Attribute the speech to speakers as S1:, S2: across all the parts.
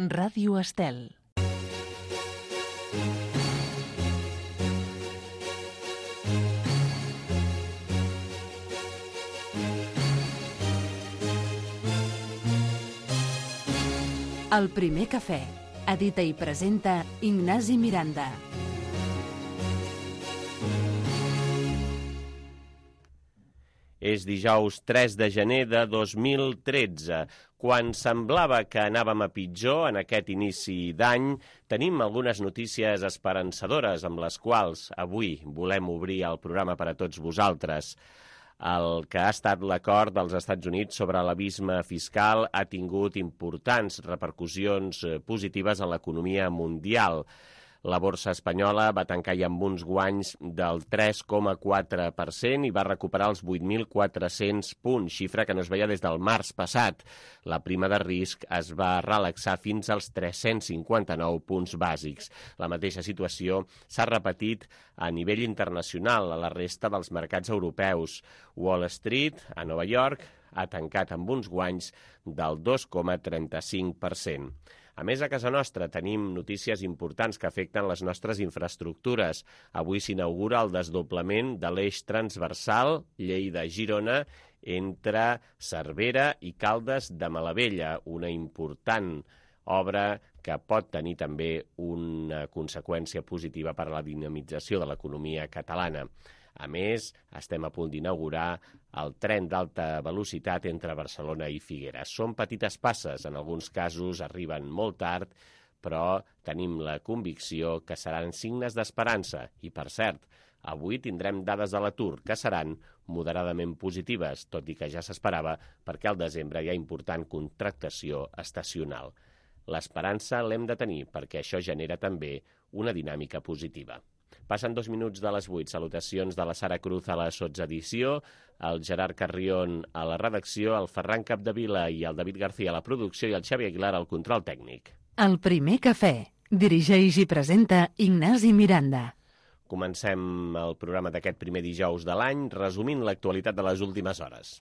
S1: Ràdio Estel. El primer cafè. Edita i presenta Ignasi Miranda.
S2: És dijous 3 de gener de 2013. Quan semblava que anàvem a pitjor en aquest inici d'any, tenim algunes notícies esperançadores amb les quals avui volem obrir el programa per a tots vosaltres. El que ha estat l'acord dels Estats Units sobre l'abisme fiscal ha tingut importants repercussions positives en l'economia mundial. La borsa espanyola va tancar ja amb uns guanys del 3,4% i va recuperar els 8.400 punts, xifra que no es veia des del març passat. La prima de risc es va relaxar fins als 359 punts bàsics. La mateixa situació s'ha repetit a nivell internacional a la resta dels mercats europeus. Wall Street, a Nova York, ha tancat amb uns guanys del 2,35%. A més, a casa nostra tenim notícies importants que afecten les nostres infraestructures. Avui s'inaugura el desdoblament de l'eix transversal Lleida-Girona entre Cervera i Caldes de Malavella, una important obra que pot tenir també una conseqüència positiva per a la dinamització de l'economia catalana. A més, estem a punt d'inaugurar el tren d'alta velocitat entre Barcelona i Figueres. Són petites passes, en alguns casos arriben molt tard, però tenim la convicció que seran signes d'esperança. I, per cert, avui tindrem dades de l'atur que seran moderadament positives, tot i que ja s'esperava perquè al desembre hi ha important contractació estacional. L'esperança l'hem de tenir perquè això genera també una dinàmica positiva. Passen 2 minuts de les 8. Salutacions de la Sara Cruz a la sotsedició, el Gerard Carrión a la redacció, el Ferran Capdevila i el David García a la producció i el Xavi Aguilar al control tècnic.
S1: El primer cafè. Dirigeix i presenta Ignasi Miranda.
S2: Comencem el programa d'aquest primer dijous de l'any resumint l'actualitat de les últimes hores.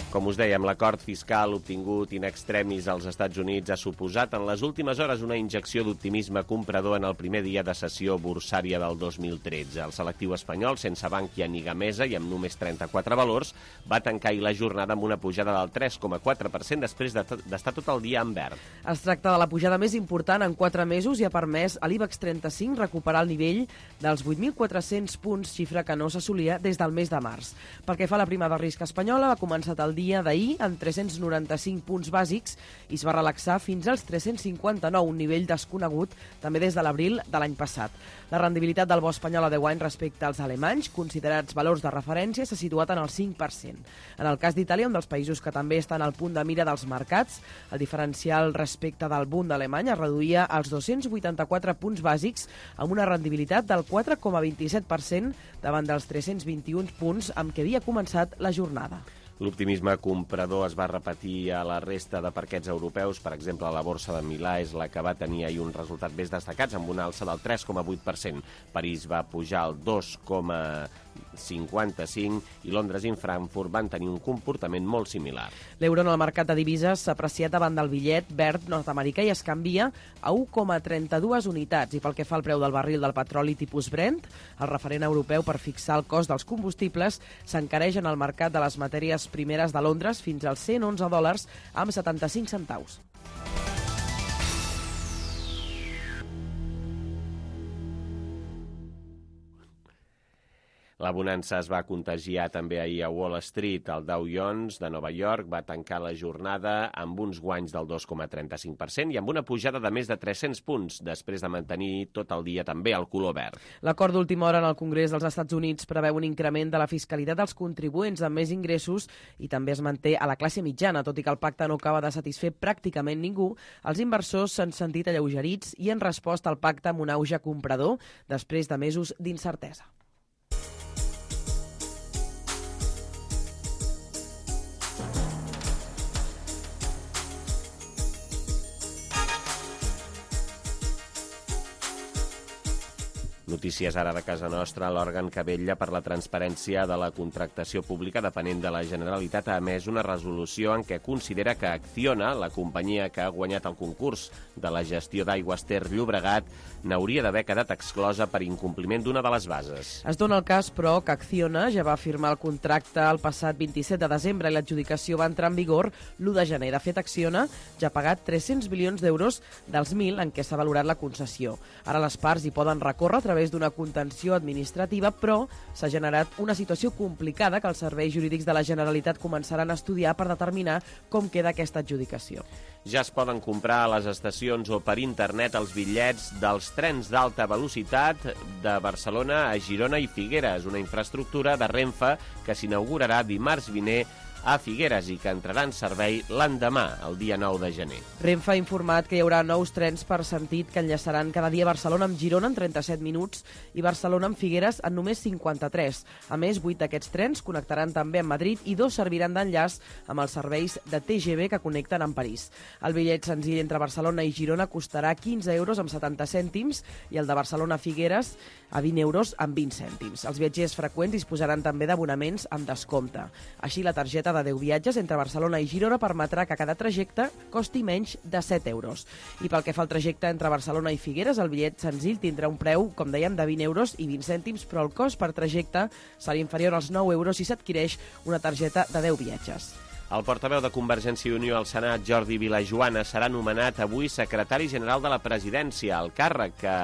S2: Com us dèiem, l'acord fiscal obtingut in extremis als Estats Units ha suposat en les últimes hores una injecció d'optimisme comprador en el primer dia de sessió borsària del 2013. El selectiu espanyol, sense Bankia ni Gamesa i amb només 34 valors, va tancar ahir la jornada amb una pujada del 3,4% després d'estar tot el dia en verd.
S3: Es tracta de la pujada més important en 4 mesos i ha permès a l'IBEX 35 recuperar el nivell dels 8.400 punts, xifra que no s'assolia des del mes de març. Pel que fa a la prima de risc espanyola, va començar el dia d'ahir amb 395 punts bàsics i es va relaxar fins als 359, un nivell desconegut també des de l'abril de l'any passat. La rendibilitat del bo espanyol a 10 anys respecte als alemanys, considerats valors de referència, s'ha situat en el 5%. En el cas d'Itàlia, un dels països que també estan al punt de mira dels mercats, el diferencial respecte del Bund alemany es reduïa als 284 punts bàsics amb una rendibilitat del 4,27% davant dels 321 punts amb què havia començat la jornada.
S2: L'optimisme comprador es va repetir a la resta de parquets europeus. Per exemple, la borsa de Milà és la que va tenir ahir un resultat més destacats amb una alça del 3,8%. París va pujar el 2,55% i Londres i Frankfurt van tenir un comportament molt similar.
S3: L'euro en el mercat de divises s'ha apreciat davant del bitllet verd nord-americà i es canvia a 1,32 unitats. I pel que fa al preu del barril del petroli tipus Brent, el referent europeu per fixar el cost dels combustibles s'encareix en el mercat de les matèries primeres de Londres fins als $111 amb 75 centaus.
S2: La bonança es va contagiar també ahir a Wall Street. El Dow Jones de Nova York va tancar la jornada amb uns guanys del 2,35% i amb una pujada de més de 300 punts, després de mantenir tot el dia també el color verd.
S3: L'acord d'última hora en el Congrés dels Estats Units preveu un increment de la fiscalitat dels contribuents amb més ingressos i també es manté a la classe mitjana. Tot i que el pacte no acaba de satisfer pràcticament ningú, els inversors s'han sentit alleugerits i han respost al pacte amb un auge comprador després de mesos d'incertesa.
S2: Notícies ara de casa nostra, l'òrgan que vetlla per la transparència de la contractació pública depenent de la Generalitat ha emès una resolució en què considera que Acciona, la companyia que ha guanyat el concurs de la gestió d'aigües Ter Llobregat, n'hauria d'haver quedat exclosa per incompliment d'una de les bases.
S3: Es dona el cas, però, que Acciona ja va firmar el contracte el passat 27 de desembre i l'adjudicació va entrar en vigor l'1 de gener. De fet, Acciona ja ha pagat 300 milions d'euros dels 1.000 en què s'ha valorat la concessió. Ara les parts hi poden recórrer a través d'una contenció administrativa, però s'ha generat una situació complicada que els serveis jurídics de la Generalitat començaran a estudiar per determinar com queda aquesta adjudicació.
S2: Ja es poden comprar a les estacions o per internet els bitllets dels trens d'alta velocitat de Barcelona a Girona i Figueres, una infraestructura de Renfe que s'inaugurarà dimarts vinent a Figueres i que entrarà en servei l'endemà, el dia 9 de gener.
S3: Renfe ha informat que hi haurà nous trens per sentit que enllaçaran cada dia Barcelona amb Girona en 37 minuts i Barcelona amb Figueres en només 53. A més, 8 d'aquests trens connectaran també amb Madrid i 2 serviran d'enllaç amb els serveis de TGV que connecten amb París. El bitllet senzill entre Barcelona i Girona costarà 15 euros amb 70 cèntims i el de Barcelona a Figueres a 20 euros amb 20 cèntims. Els viatgers freqüents disposaran també d'abonaments amb descompte. Així, la targeta de 10 viatges entre Barcelona i Girona permetrà que cada trajecte costi menys de 7 euros. I pel que fa al trajecte entre Barcelona i Figueres, el bitllet senzill tindrà un preu, com dèiem, de 20 euros i 20 cèntims, però el cost per trajecte serà inferior als 9 euros si s'adquireix una targeta de 10 viatges.
S2: El portaveu de Convergència i Unió al Senat, Jordi Vilajoana, serà nomenat avui secretari general de la presidència, el càrrec que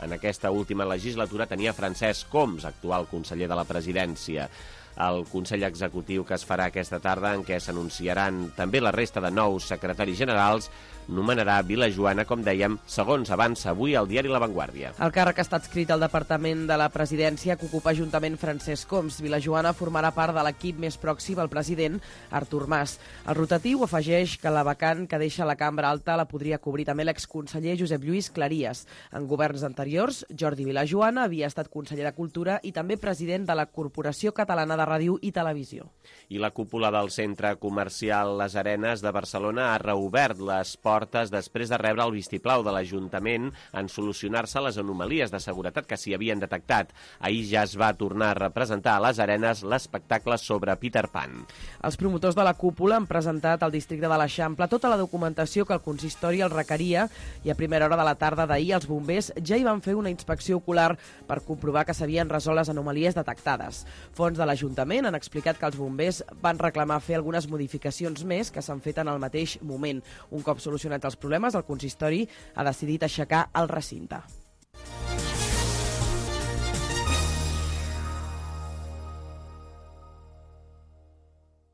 S2: en aquesta última legislatura tenia Francesc Homs, actual conseller de la presidència. El Consell Executiu que es farà aquesta tarda, en què s'anunciaran també la resta de nous secretaris generals, nomenarà Vilajoana, com dèiem, segons avança avui al diari La Vanguardia.
S3: El càrrec està adscrit al Departament de la Presidència que ocupa juntament Francesc Homs. Vilajoana formarà part de l'equip més pròxim al president, Artur Mas. El rotatiu afegeix que la vacant que deixa la cambra alta la podria cobrir també l'exconseller Josep Lluís Claries. En governs anteriors, Jordi Vilajoana havia estat conseller de Cultura i també president de la Corporació Catalana de Ràdio i Televisió.
S2: I la cúpula del Centre Comercial Les Arenes de Barcelona ha reobert les portes després de rebre el vistiplau de l'Ajuntament en solucionar-se les anomalies de seguretat que s'hi havien detectat. Ahir ja es va tornar a representar a Les Arenes l'espectacle sobre Peter Pan.
S3: Els promotors de la cúpula han presentat al districte de l'Eixample tota la documentació que el consistori el requeria i a primera hora de la tarda d'ahir els bombers ja hi van fer una inspecció ocular per comprovar que s'havien resolt les anomalies detectades. Fons de l'Ajuntament han explicat que els bombers van reclamar fer algunes modificacions més que s'han fet en el mateix moment. Un cop solucionats els problemes, el consistori ha decidit aixecar el recinte.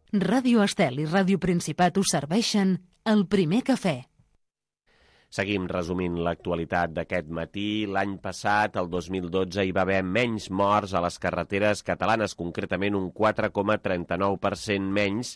S1: Ràdio Estel i Ràdio Principat us serveixen el primer cafè.
S2: Seguim resumint l'actualitat d'aquest matí. L'any passat, el 2012, hi va haver menys morts a les carreteres catalanes, concretament un 4,39% menys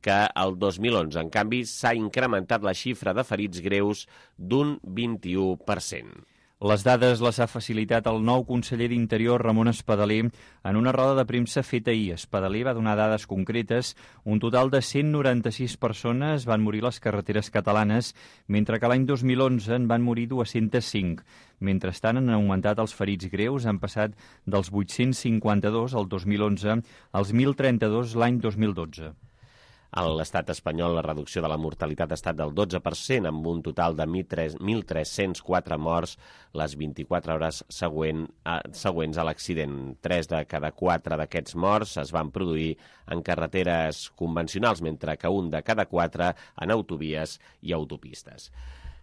S2: que el 2011. En canvi, s'ha incrementat la xifra de ferits greus d'un 21%.
S4: Les dades les ha facilitat el nou conseller d'Interior, Ramon Espadaler, en una roda de premsa feta ahir. Espadaler va donar dades concretes. Un total de 196 persones van morir a les carreteres catalanes, mentre que l'any 2011 en van morir 205. Mentrestant, han augmentat els ferits greus, han passat dels 852 al 2011 als 1.032 l'any 2012.
S2: A l'estat espanyol, la reducció de la mortalitat ha estat del 12%, amb un total de 1.304 morts les 24 hores següents a l'accident. 3 de cada 4 d'aquests morts es van produir en carreteres convencionals, mentre que 1 de cada 4 en autovies i autopistes.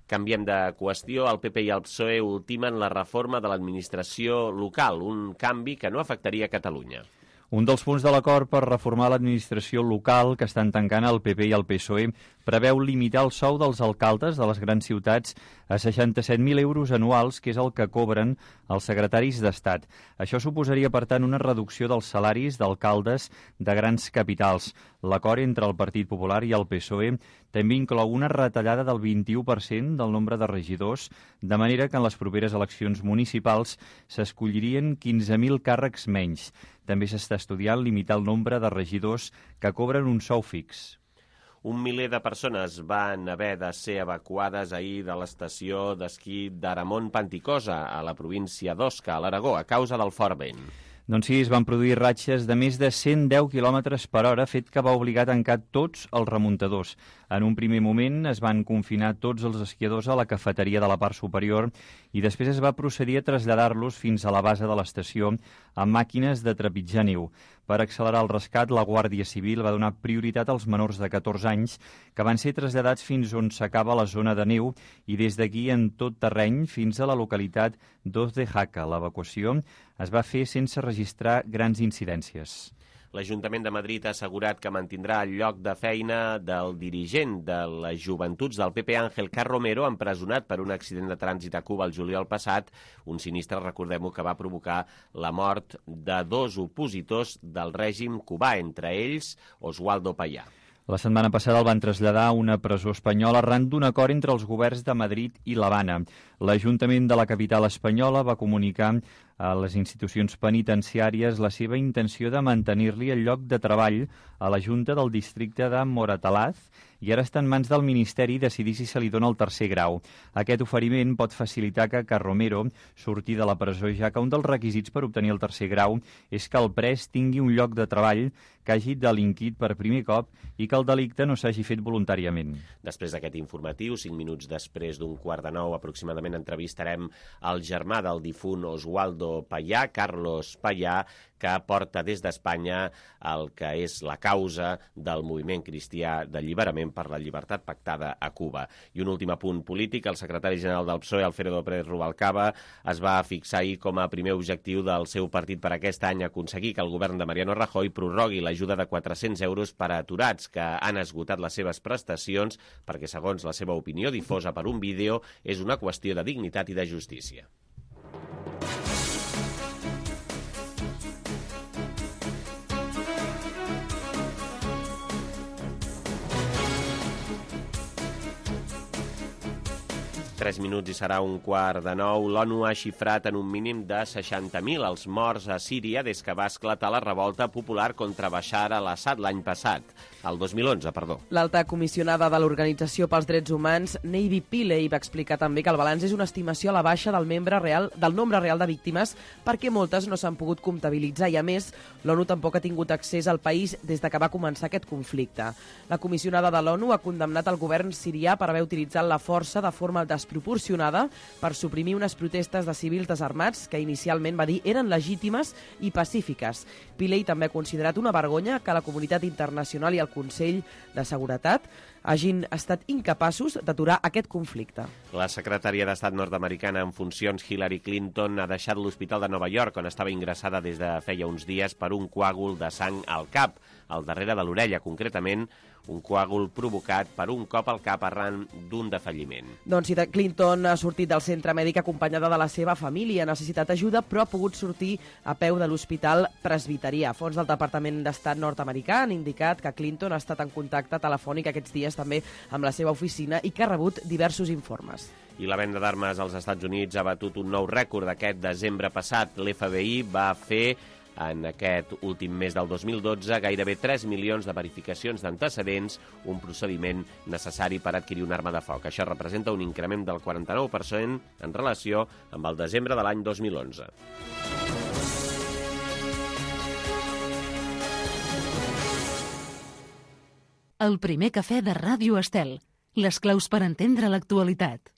S2: Canviem de qüestió. El PP i el PSOE ultimen la reforma de l'administració local, un canvi que no afectaria Catalunya.
S4: Un dels punts de l'acord per reformar l'administració local que estan tancant el PP i el PSOE preveu limitar el sou dels alcaldes de les grans ciutats a 67.000 euros anuals, que és el que cobren els secretaris d'Estat. Això suposaria, per tant, una reducció dels salaris d'alcaldes de grans capitals. L'acord entre el Partit Popular i el PSOE també inclou una retallada del 21% del nombre de regidors, de manera que en les properes eleccions municipals s'escollirien 15.000 càrrecs menys. També s'està estudiant limitar el nombre de regidors que cobren un sou fix.
S2: Un miler de persones van haver de ser evacuades ahir de l'estació d'esquí d'Aramon Panticosa, a la província d'Osca, a l'Aragó, a causa del fort vent.
S4: Doncs sí, es van produir ratxes de més de 110 km per hora, fet que va obligar a tancar tots els remuntadors. En un primer moment es van confinar tots els esquiadors a la cafeteria de la part superior i després es va procedir a traslladar-los fins a la base de l'estació amb màquines de trepitjar neu. Per accelerar el rescat, la Guàrdia Civil va donar prioritat als menors de 14 anys que van ser traslladats fins on s'acaba la zona de neu i des d'aquí en tot terreny fins a la localitat d'Oz de Jaca. L'evacuació es va fer sense registrar grans incidències.
S2: L'Ajuntament de Madrid ha assegurat que mantindrà el lloc de feina del dirigent de les joventuts del PP, Ángel Carromero, empresonat per un accident de trànsit a Cuba el juliol passat, un sinistre, recordem-ho, que va provocar la mort de 2 opositors del règim cubà, entre ells Oswaldo Payá.
S4: La setmana passada el van traslladar a una presó espanyola arran d'un acord entre els governs de Madrid i l'Havana. L'Ajuntament de la capital espanyola va comunicar a les institucions penitenciàries la seva intenció de mantenir-li el lloc de treball a la Junta del districte de Moratalaz i ara està en mans del Ministeri decidir si se li dona el 3è grau. Aquest oferiment pot facilitar que Carromero surti de la presó, ja que un dels requisits per obtenir el 3è grau és que el pres tingui un lloc de treball, que hagi delinquit per primer cop i que el delicte no s'hagi fet voluntàriament.
S2: Després d'aquest informatiu, 5 minuts després d'un 8:45 aproximadament, entrevistarem el germà del difunt Oswaldo Payá, Carlos Payá, que porta des d'Espanya el que és la causa del moviment cristià d'alliberament per la llibertat pactada a Cuba. I un últim apunt polític, el secretari general del PSOE, Alfredo Pérez Rubalcaba, es va fixar ahir com a primer objectiu del seu partit per aquest any aconseguir que el govern de Mariano Rajoy prorrogui l'ajuda de 400 euros per a aturats que han esgotat les seves prestacions perquè, segons la seva opinió difosa per un vídeo, és una qüestió de dignitat i de justícia. Tres minuts i serà 8:45. L'ONU ha xifrat en un mínim de 60.000 els morts a Síria des que va esclatar la revolta popular contra Bashar al-Assad l'any passat, el 2011, perdó.
S3: L'alta comissionada de l'Organització pels Drets Humans, Navy Pillay, va explicar també que el balanç és una estimació a la baixa del nombre real de víctimes perquè moltes no s'han pogut comptabilitzar i, a més, l'ONU tampoc ha tingut accés al país des de que va començar aquest conflicte. La comissionada de l'ONU ha condemnat el govern sirià per haver utilitzat la força de forma desproporcionada per suprimir unes protestes de civils desarmats que inicialment va dir eren legítimes i pacífiques. Pillay també ha considerat una vergonya que la comunitat internacional i el Consell de Seguretat hagin estat incapaços d'aturar aquest conflicte.
S2: La secretària d'Estat nord-americana en funcions, Hillary Clinton, ha deixat l'Hospital de Nova York, on estava ingressada des de feia uns dies per un coàgul de sang al cap, al darrere de l'orella, concretament un coàgul provocat per un cop al cap arran d'un defalliment.
S3: Doncs sí, Clinton ha sortit del centre mèdic acompanyada de la seva família, ha necessitat ajuda, però ha pogut sortir a peu de l'Hospital Presbiterià. Fons del Departament d'Estat nord-americà han indicat que Clinton ha estat en contacte telefònic aquests dies també amb la seva oficina i que ha rebut diversos informes.
S2: I la venda d'armes als Estats Units ha batut un nou rècord aquest desembre passat. L'FBI va fer en aquest últim mes del 2012 gairebé 3 milions de verificacions d'antecedents, un procediment necessari per adquirir una arma de foc. Això representa un increment del 49% en relació amb el desembre de l'any 2011.
S1: El primer cafè de Ràdio Estel. Les claus per entendre l'actualitat.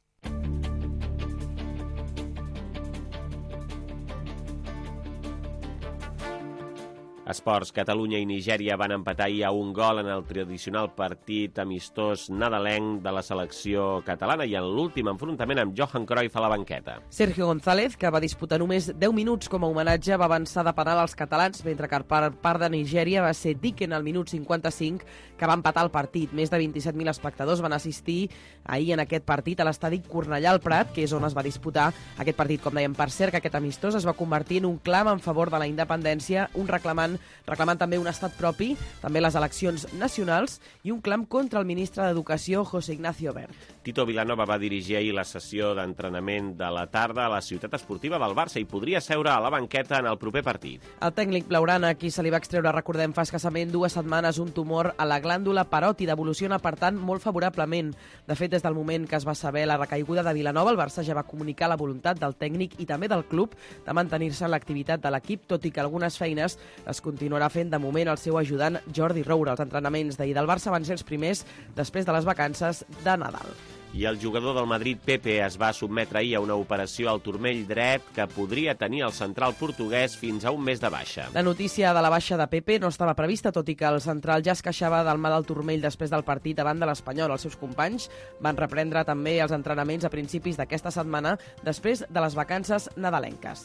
S2: Esports. Catalunya i Nigèria van empatar ahir a un gol en el tradicional partit amistós nadalenc de la selecció catalana i en l'últim enfrontament amb Johan Cruyff a la banqueta.
S3: Sergio González, que va disputar només 10 minuts com a homenatge, va avançar de penal als catalans, mentre que per part de Nigèria va ser Dicken al minut 55 que va empatar el partit. Més de 27.000 espectadors van assistir ahir en aquest partit a l'estadi Cornellà al Prat, que és on es va disputar aquest partit. Com dèiem, per cert, que aquest amistós es va convertir en un clam en favor de la independència, un reclamant Parlament, reclamant també un estat propi, també les eleccions nacionals i un clam contra el ministre d'Educació, José Ignacio Wert.
S2: Tito Vilanova va dirigir ahir la sessió d'entrenament de la tarda a la ciutat esportiva del Barça i podria seure a la banqueta en el proper partit.
S3: El tècnic blaugrana, a qui se li va extreure, recordem, fa escassament 2 setmanes un tumor a la glàndula paròtida, evoluciona, per tant, molt favorablement. De fet, des del moment que es va saber la recaiguda de Vilanova, el Barça ja va comunicar la voluntat del tècnic i també del club de mantenir-se en l'activitat de l'equip, tot i que algunes feines les continuarà fent de moment el seu ajudant Jordi Roura. Els entrenaments d'ahir del Barça van ser els primers després de les vacances de Nadal.
S2: I el jugador del Madrid, Pepe, es va sotmetre ahir a una operació al turmell dret que podria tenir el central portuguès fins a un mes de baixa.
S3: La notícia de la baixa de Pepe no estava prevista, tot i que el central ja es queixava del mal del turmell després del partit davant de l'Espanyol. Els seus companys van reprendre també els entrenaments a principis d'aquesta setmana, després de les vacances nadalenques.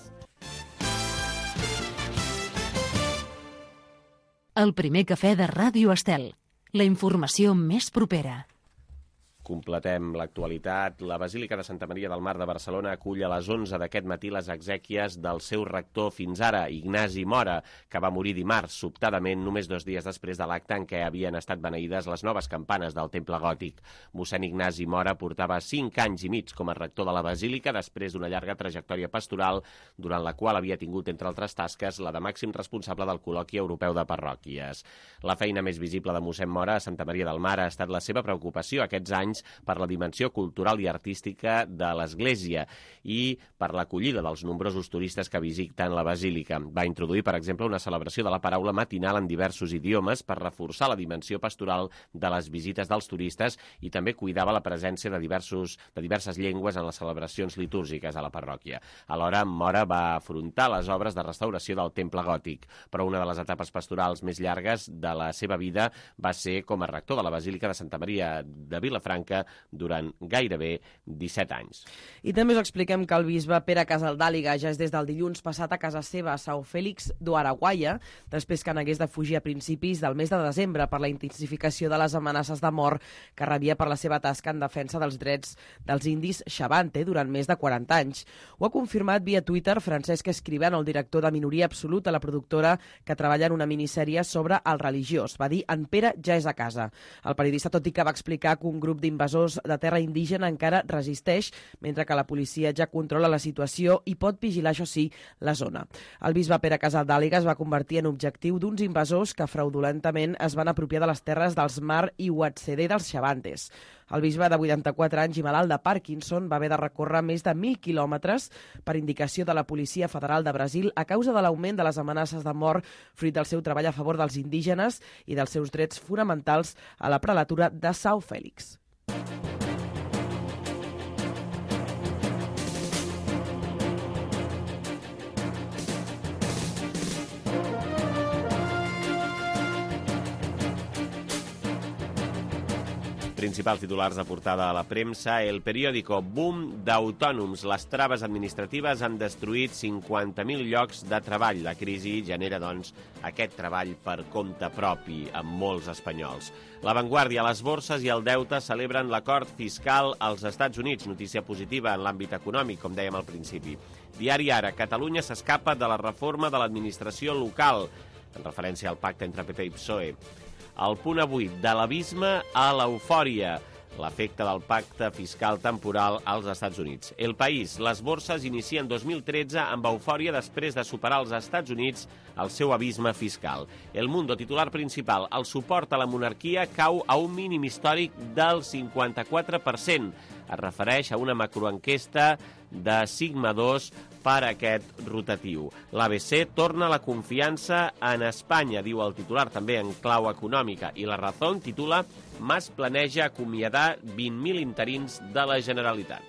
S1: El primer cafè de Ràdio Estel. La informació més propera.
S2: Completem l'actualitat. La Basílica de Santa Maria del Mar de Barcelona acull a les 11 d'aquest matí les exèquies del seu rector fins ara, Ignasi Mora, que va morir dimarts, sobtadament, només 2 dies després de l'acte en què havien estat beneïdes les noves campanes del Temple Gòtic. Mossèn Ignasi Mora portava 5 anys i mig com a rector de la Basílica després d'una llarga trajectòria pastoral, durant la qual havia tingut, entre altres tasques, la de màxim responsable del Col·loqui Europeu de Parròquies. La feina més visible de mossèn Mora a Santa Maria del Mar ha estat la seva preocupació aquests anys per la dimensió cultural i artística de l'Església i per l'acollida dels nombrosos turistes que visiten la Basílica. Va introduir, per exemple, una celebració de la paraula matinal en diversos idiomes per reforçar la dimensió pastoral de les visites dels turistes i també cuidava la presència de diverses llengües en les celebracions litúrgiques a la parròquia. Alhora, Mora va afrontar les obres de restauració del Temple Gòtic, però una de les etapes pastorals més llargues de la seva vida va ser com a rector de la Basílica de Santa Maria de Vilafranca durant gairebé 17 anys.
S3: I també us expliquem que el bisbe Pere Casaldàliga ja és des del dilluns passat a casa seva a São Félix do Araguaia, després que n'hagués de fugir a principis del mes de desembre per la intensificació de les amenaces de mort que rebia per la seva tasca en defensa dels drets dels indis Xavante durant més de 40 anys. Ho ha confirmat via Twitter Francesc Escrivano, el director de Minoria Absoluta, la productora que treballa en una minissèrie sobre el religiós. Va dir: en Pere ja és a casa. El periodista, tot i que va explicar que un grup d'invasors de terra indígena encara resisteix, mentre que la policia ja controla la situació i pot vigilar, això sí, la zona. El bisbe Pere Casaldàliga es va convertir en objectiu d'uns invasors que fraudulentament es van apropiar de les terres dels Mar i Uatzedé dels Xavantes. El bisbe de 84 anys i malalt de Parkinson va haver de recórrer més de 1.000 quilòmetres per indicació de la Policia Federal de Brasil a causa de l'augment de les amenaces de mort fruit del seu treball a favor dels indígenes i dels seus drets fonamentals a la prelatura de São Félix.
S2: Principals titulars de portada a la premsa. El periòdico: boom d'autònoms. Les traves administratives han destruït 50.000 llocs de treball. La crisi genera, doncs, aquest treball per compte propi amb molts espanyols. La Vanguardia: les borses i el deute celebren l'acord fiscal als Estats Units. Notícia positiva en l'àmbit econòmic, com dèiem al principi. Diari Ara: Catalunya s'escapa de la reforma de l'administració local, en referència al pacte entre PP i PSOE. El Punt Avui: de l'abisme a l'eufòria, l'efecte del pacte fiscal temporal als Estats Units. El País: les borses inicien 2013 amb eufòria després de superar als Estats Units el seu abisme fiscal. El Mundo, titular principal: el suport a la monarquia cau a un mínim històric del 54%. Es refereix a una macroenquesta de Sigma 2 per aquest rotatiu. L'ABC: torna la confiança en Espanya, diu el titular, també en clau econòmica. I La Razón titula: Mas planeja acomiadar 20.000 interins de la Generalitat.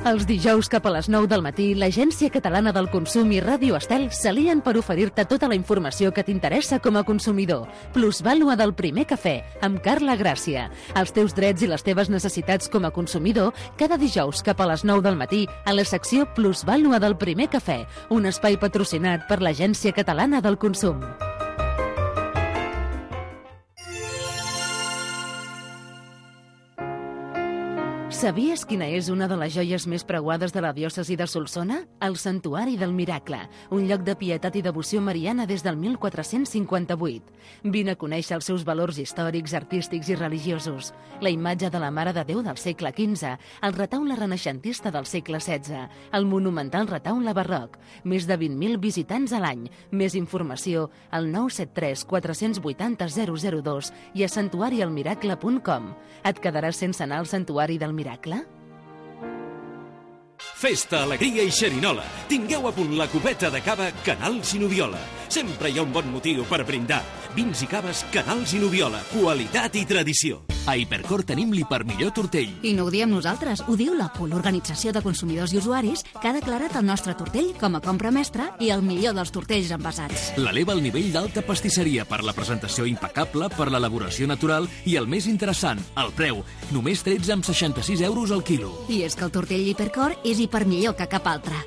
S1: Els dijous cap a les 9 del matí, l'Agència Catalana del Consum i Ràdio Estel s'alien per oferir-te tota la informació que t'interessa com a consumidor. Plusvàlua del primer cafè, amb Carla Gràcia. Els teus drets i les teves necessitats com a consumidor, cada dijous cap a les 9 del matí, a la secció Plusvàlua del primer cafè, un espai patrocinat per l'Agència Catalana del Consum. Sabies quina és una de les joies més preuades de la diòcesi de Solsona? El Santuari del Miracle, un lloc de pietat i devoció mariana des del 1458. Vine a conèixer els seus valors històrics, artístics i religiosos. La imatge de la Mare de Déu del segle XV, el retaule renaixentista del segle XVI, el monumental retaule barroc, més de 20.000 visitants a l'any. Més informació al 973 480 002 i a santuarialmiracle.com. Et quedaràs sense anar al Santuari del Miracle?
S5: Festa, alegria i xerinola. Tingueu a punt la copeta de cava Canals i Noviola. Sempre hi ha un bon motiu per brindar. Vins i caves Canals i Noviola. Qualitat i tradició. A Hipercor tenim l'hipermillor tortell.
S6: I no ho diem nosaltres, ho diu la PUL, Organització de Consumidors i Usuaris, que ha declarat el nostre tortell com a compra mestra i el millor dels tortells envasats.
S5: L'eleva al nivell d'alta pastisseria per la presentació impecable, per l'elaboració natural i el més interessant, el preu. Només 13,66 € al quilo.
S6: I és que el tortell Hipercor és hipermillor que cap altre.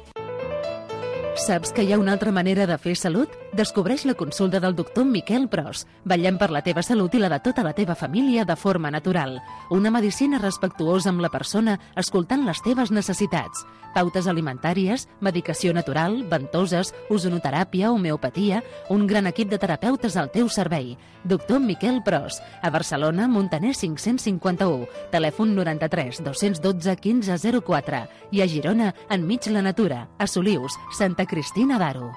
S1: Saps que hi ha una altra manera de fer salut? Descobreix la consulta del doctor Miquel Pros. Vetllem per la teva salut i la de tota la teva família de forma natural. Una medicina respectuosa amb la persona, escoltant les teves necessitats. Pautes alimentàries, medicació natural, ventoses, ozonoteràpia, homeopatia, un gran equip de terapeutes al teu servei. Doctor Miquel Pros. A Barcelona, Montaner 551. Telèfon 93 212 1504. I a Girona, enmig la natura. A Solius, Santa Cristina d'Aro.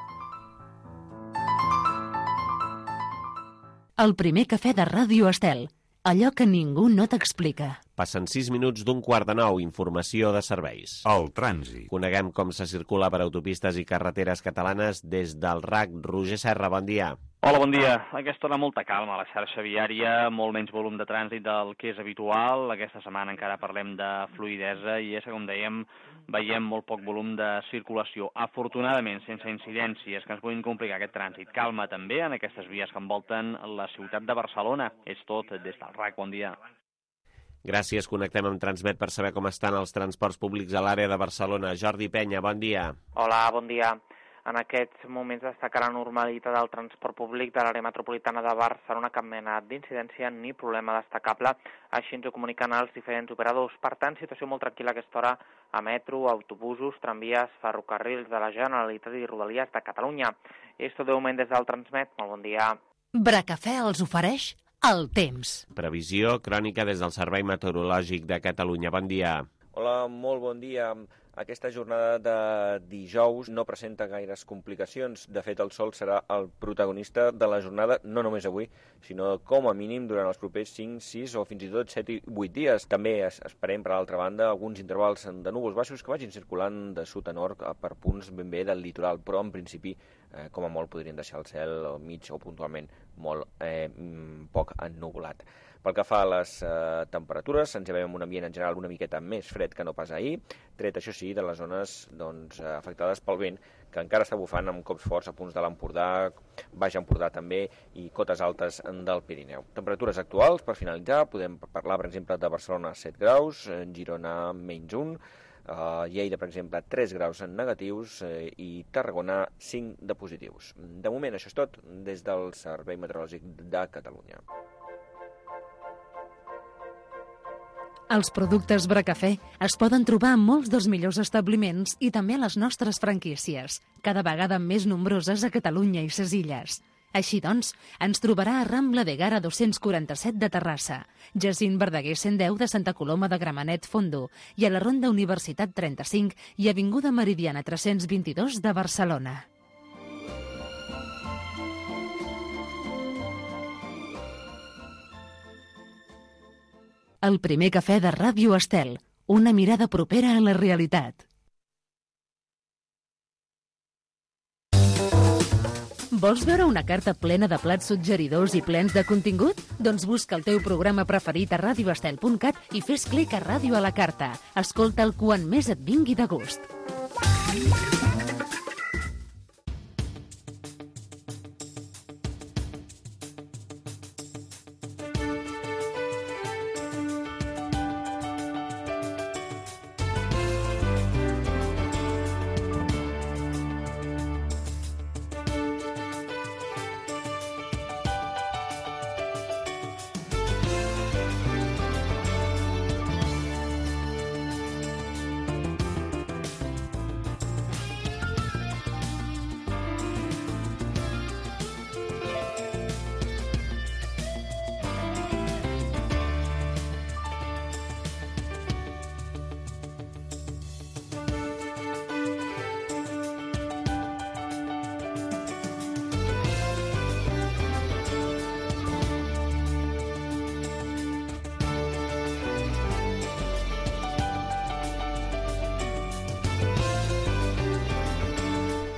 S1: El primer cafè de Ràdio Estel. Allò que ningú no t'explica.
S2: Passen 6 minuts d'un 8:45. Informació de serveis.
S7: El trànsit.
S2: Coneguem com se circula per autopistes i carreteres catalanes des del RAC. Roger Serra, bon dia.
S8: Hola, bon dia. A aquesta hora molta calma a la xarxa viària, molt menys volum de trànsit del que és habitual. Aquesta setmana encara parlem de fluïdesa i és que, com dèiem, veiem molt poc volum de circulació. Afortunadament, sense incidències que ens puguin complicar aquest trànsit. Calma també en aquestes vies que envolten la ciutat de Barcelona. És tot des del RAC. Bon dia.
S2: Gràcies. Connectem amb Transmet per saber com estan els transports públics a l'àrea de Barcelona. Jordi Penya, bon dia.
S9: Hola, bon dia. En aquests moments destaca la normalitat del transport públic de l'àrea metropolitana de Barcelona, cap mena d'incidència ni problema destacable. Així ens ho comuniquen els diferents operadors. Per tant, situació molt tranquil·la a aquesta hora a metro, autobusos, tramvies, ferrocarrils de la Generalitat i Rodalies de Catalunya. És tot de moment des del Transmet. Molt bon dia.
S1: Bracafè els ofereix el temps.
S2: Previsió crònica des del Servei Meteorològic de Catalunya. Bon dia.
S10: Hola, molt bon dia. Aquesta jornada de dijous no presenta gaires complicacions. De fet, el sol serà el protagonista de la jornada, no només avui, sinó com a mínim durant els propers 5, 6 o fins i tot 7 i 8 dies. També esperem, per l'altra banda, alguns intervals de núvols baixos que vagin circulant de sud a nord per punts ben bé del litoral, però en principi, com a molt, podrien deixar el cel mig o puntualment molt poc ennuvolat. Pel que fa a les temperatures, ens llevem un ambient en general una miqueta més fred que no pas ahir, tret, això sí, de les zones afectades pel vent, que encara està bufant amb cops forts a punts de l'Empordà, Baix Empordà també, i cotes altes del Pirineu. Temperatures actuals, per finalitzar, podem parlar, per exemple, de Barcelona 7 graus, Girona menys 1, Lleida, per exemple, 3 graus en negatius i Tarragona 5 de positius. De moment, això és tot des del Servei Meteorològic de Catalunya.
S1: Els productes Bracafè es poden trobar en molts dels millors establiments i també a les nostres franquícies, cada vegada més nombroses a Catalunya i ses Illes. Així doncs, ens trobarà a Rambla de Gara 247 de Terrassa, Jacint Verdaguer 110 de Santa Coloma de Gramenet Fondo i a la Ronda Universitat 35 i Avinguda Meridiana 322 de Barcelona. El primer cafè de Ràdio Estel, una mirada propera a la realitat. Vols veure una carta plena de plats suggeridors i plens de contingut? Doncs busca el teu programa preferit a radioestel.cat i fes clic a Ràdio a la carta. Escolta'l quan més et vingui de gust.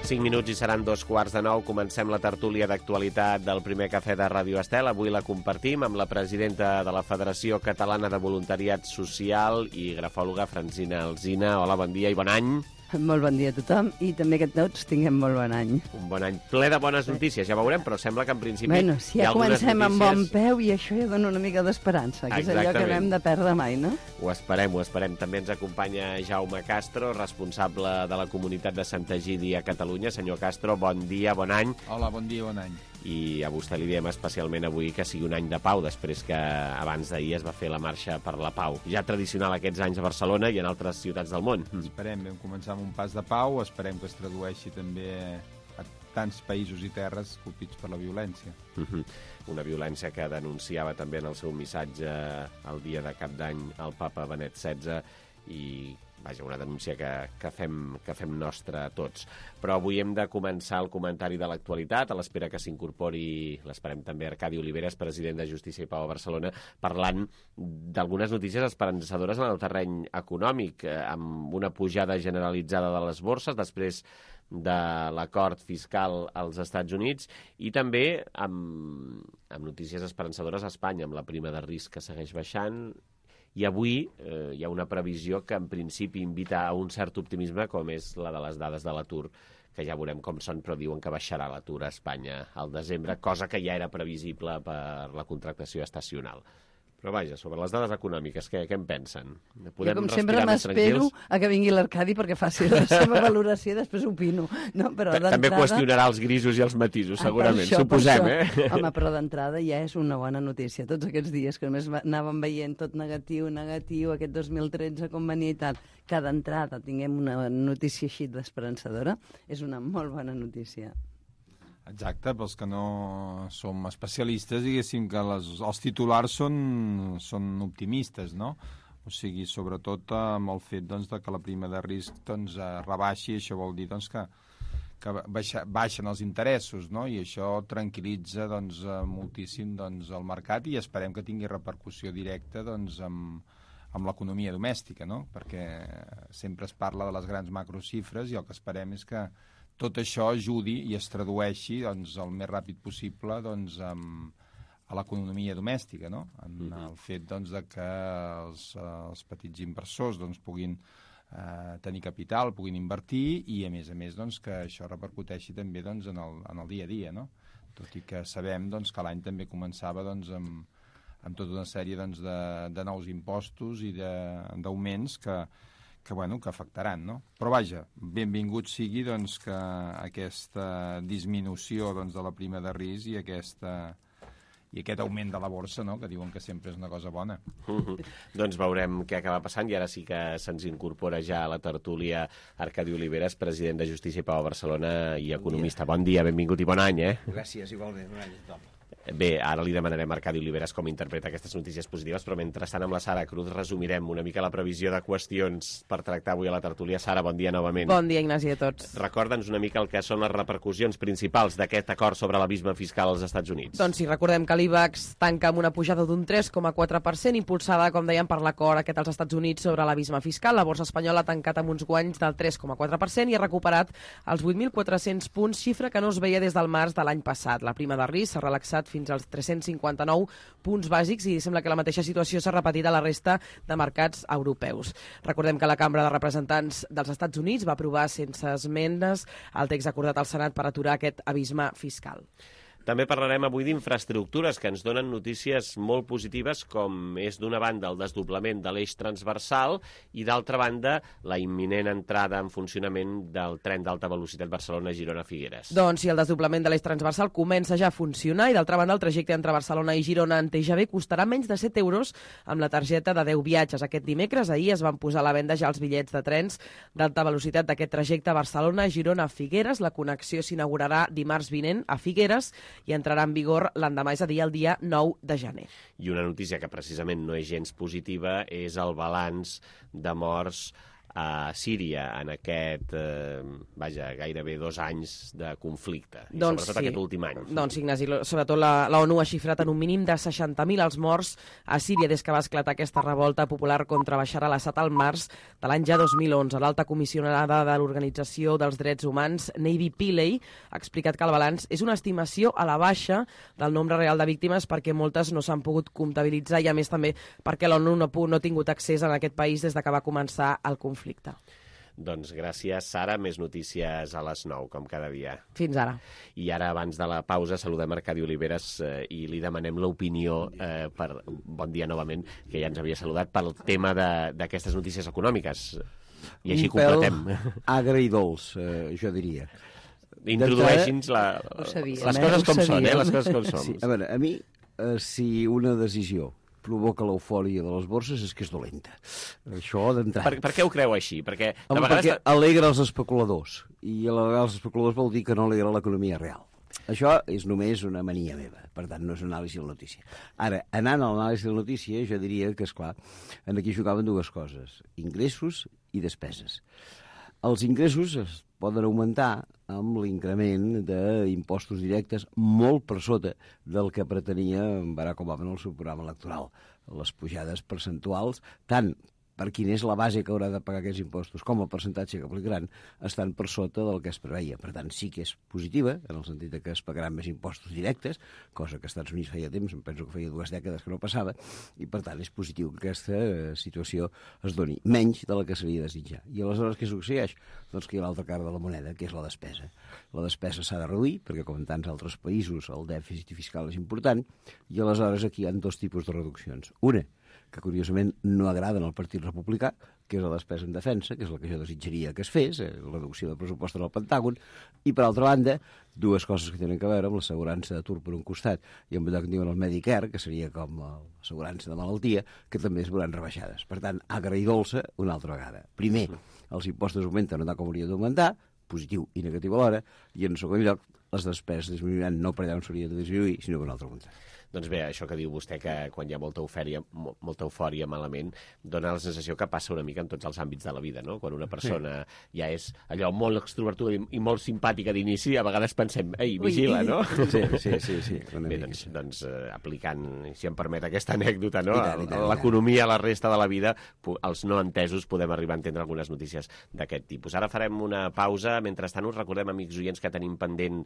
S2: 5 minuts i seran 2:15. Comencem la tertúlia d'actualitat del primer cafè de Ràdio Estel. Avui la compartim amb la presidenta de la Federació Catalana de Voluntariat Social i grafòloga Francina Alsina. Hola, bon dia i bon any.
S7: Molt bon dia a tothom i també que tots tinguem molt bon any.
S2: Un bon any ple de bones notícies, ja veurem, però sembla que en principi
S7: bueno, si
S2: hi ha algunes
S7: comencem
S2: notícies...
S7: amb bon peu i això ja dona una mica d'esperança, que és allò que no hem de perdre mai, no?
S2: Ho esperem, ho esperem. També ens acompanya Jaume Castro, responsable de la comunitat de Santa Egidi a Catalunya. Senyor Castro, bon dia, bon any.
S11: Hola, bon dia, bon any.
S2: I a vostè li diem especialment avui que sigui un any de pau, després que abans d'ahir es va fer la marxa per la pau. Ja tradicional aquests anys a Barcelona i en altres ciutats del món.
S11: Esperem, vam començar amb un pas de pau, esperem que es tradueixi també a tants països i terres colpits per la violència.
S2: Una violència que denunciava també en el seu missatge el dia de Cap d'Any el papa Benet XVI i... Vaja, una denúncia que fem nostra tots. Però avui hem de començar el comentari de l'actualitat, a l'espera que s'incorpori, l'esperem també, Arcadi Oliveres, president de Justícia i Pau a Barcelona, parlant d'algunes notícies esperançadores en el terreny econòmic, amb una pujada generalitzada de les borses, després de l'acord fiscal als Estats Units, i també amb notícies esperançadores a Espanya, amb la prima de risc que segueix baixant. I avui hi ha una previsió que en principi invita a un cert optimisme, com és la de les dades de l'atur, que ja veurem com són, però diuen que baixarà l'atur a Espanya al desembre, cosa que ja era previsible per la contractació estacional. Però vaja, sobre les dades econòmiques, què en pensen?
S7: Jo, com sempre, m'espero a que vingui l'Arcadi perquè faci la seva valoració i després opino. No, però
S2: també qüestionarà els grisos i els matisos, segurament, suposem,
S7: Home, però d'entrada ja és una bona notícia. Tots aquests dies que només anàvem veient tot negatiu, aquest 2013 com venia i tal, que d'entrada tinguem una notícia així d'esperançadora, és una molt bona notícia.
S11: Exacte, pels que no som especialistes, diguéssim que els titulars són optimistes, no? O sigui, sobretot amb el fet de que la prima de risc rebaixi, això vol dir que baixen els interessos, no? I això tranquil·litza moltíssim el mercat i esperem que tingui repercussió directa amb l'economia domèstica, no? Perquè sempre es parla de les grans macrocifres i el que esperem és que tot això ajudi i es tradueixi el més ràpid possible a l'economia domèstica, no? En el fet de que els petits inversors puguin tenir capital, puguin invertir i, a més, que això repercuteixi també en el dia a dia, no? Tot i que sabem que l'any també començava amb tota una sèrie de nous impostos i d'augments que afectaran, no? Però vaja, benvingut sigui que aquesta disminució de la prima de risc i aquest augment de la borsa, no? Que diuen que sempre és una cosa bona.
S2: Doncs veurem què acaba passant i ara sí que se'ns incorpora ja a la tertúlia Arcadi Oliveres, president de Justícia i Pau a Barcelona i economista. Bon dia, benvingut i bon any,
S12: Gràcies, igualment, bon any a tothom.
S2: Bé, ara li demanarem a Arcadi Oliveres com interpreta aquestes notícies positives, però mentrestant amb la Sara Cruz resumirem una mica la previsió de qüestions per tractar avui a la tertúlia. Sara, bon dia novament.
S3: Bon dia, Ignasi, a tots.
S2: Recorda'ns una mica el que són les repercussions principals d'aquest acord sobre l'abisme fiscal als Estats Units.
S3: Doncs sí, recordem que l'IBEX tanca amb una pujada d'un 3,4%, impulsada, com dèiem, per l'acord aquest als Estats Units sobre l'abisme fiscal. La borsa espanyola ha tancat amb uns guanys del 3,4% i ha recuperat els 8.400 punts, xifra que no es veia des del març de l'any passat. La prima de risc s'ha relaxat fins als 359 punts bàsics i sembla que la mateixa situació s'ha repetit a la resta de mercats europeus. Recordem que la Cambra de Representants dels Estats Units va aprovar sense esmenes el text acordat al Senat per aturar aquest abisme fiscal.
S2: També parlarem avui d'infraestructures que ens donen notícies molt positives, com és d'una banda el desdoblament de l'eix transversal i d'altra banda la imminent entrada en funcionament del tren d'alta velocitat Barcelona-Girona-Figueres.
S3: Doncs sí, el desdoblament de l'eix transversal comença ja a funcionar i d'altra banda el trajecte entre Barcelona i Girona en TGV costarà menys de 7 euros amb la targeta de 10 viatges. Aquest dimecres, ahir, es van posar a la venda ja els bitllets de trens d'alta velocitat d'aquest trajecte Barcelona-Girona-Figueres. La connexió s'inaugurarà dimarts vinent a Figueres i entrarà en vigor l'endemà, és a dir, el dia 9 de gener.
S2: I una notícia que precisament no és gens positiva és el balanç de morts a Síria en aquest, gairebé 2 anys de conflicte, i sobretot aquest últim any.
S3: Doncs, Ignasi, sobretot la ONU ha xifrat en un mínim de 60.000 els morts a Síria des que va esclatar aquesta revolta popular contra Bashar al-Assad al març de l'any ja 2011. L'alta comissionada de l'Organització dels Drets Humans, Navy Pillay, ha explicat que el balanç és una estimació a la baixa del nombre real de víctimes perquè moltes no s'han pogut comptabilitzar i, a més, també perquè l'ONU no ha tingut accés en aquest país des que va començar el conflicte.
S2: Doncs gràcies, Sara. Més notícies a les 9, com cada dia.
S3: Fins ara.
S2: I ara, abans de la pausa, saludem Arcadi Oliveres i li demanem l'opinió, bon dia novament, que ja ens havia saludat, pel tema d'aquestes notícies econòmiques. I així completem.
S12: Un pèl agre i dolç, jo diria.
S2: Introdueixi'ns les coses com són, les coses com són.
S12: Sí, a veure, a mi, si una decisió provoca l'eufòria de les borses és que és dolenta. Això d'entrada.
S2: Per què ho creu així? Perquè
S12: alegra els especuladors. I alegra els especuladors vol dir que no alegra l'economia real. Això és només una mania meva. Per tant, no és una anàlisi de la notícia. Ara, anant a l'anàlisi de la notícia, jo diria que, esclar, aquí jugaven dues coses. Ingressos i despeses. Els ingressos es poden augmentar amb l'increment d'impostos directes molt per sota del que pretenia Barack Obama en el seu programa electoral. Les pujades percentuals, tant per quina és la base que haurà de pagar aquests impostos com el percentatge que aplicaran, estan per sota del que es preveia. Per tant, sí que és positiva, en el sentit que es pagaran més impostos directes, cosa que als Estats Units feia temps, em penso que feia 2 dècades que no passava, i per tant és positiu que aquesta situació es doni menys de la que seria desitjar. I aleshores què succeeix? Doncs que hi ha l'altra cara de la moneda, que és la despesa. La despesa s'ha de reduir, perquè com en tants altres països el dèficit fiscal és important, i aleshores aquí hi ha 2 tipus de reduccions. Una, que curiosament no agraden al Partit Republicà, que és la despesa en defensa, que és la que jo desitjaria que es fes, la reducció del pressupost en el Pentàgon, i per altra banda, 2 coses que tenen a veure amb l'assegurança d'atur per un costat i amb allò que diuen el Medicare, que seria com l'assegurança de malaltia, que també es veuran rebaixades. Per tant, agra i dolça una altra vegada. Primer, els impostos augmenten no tant com haurien d'augmentar, positiu i negatiu alhora, i en segon lloc, les despeses disminuiran no per allà on s'hauria de disminuir, sinó per un altre contrari.
S2: Doncs bé, això que diu vostè, que quan hi ha molta eufòria malament, dona la sensació que passa una mica en tots els àmbits de la vida, no? Quan una persona ja és allò molt extrovertuda i molt simpàtica d'inici, a vegades pensem, ei, vigila, no?
S12: Sí.
S2: Bé, doncs aplicant, si em permet aquesta anècdota, no? L'economia a la resta de la vida, els no entesos podem arribar a entendre algunes notícies d'aquest tipus. Ara farem una pausa. Mentrestant us recordem, amics oients, que tenim pendent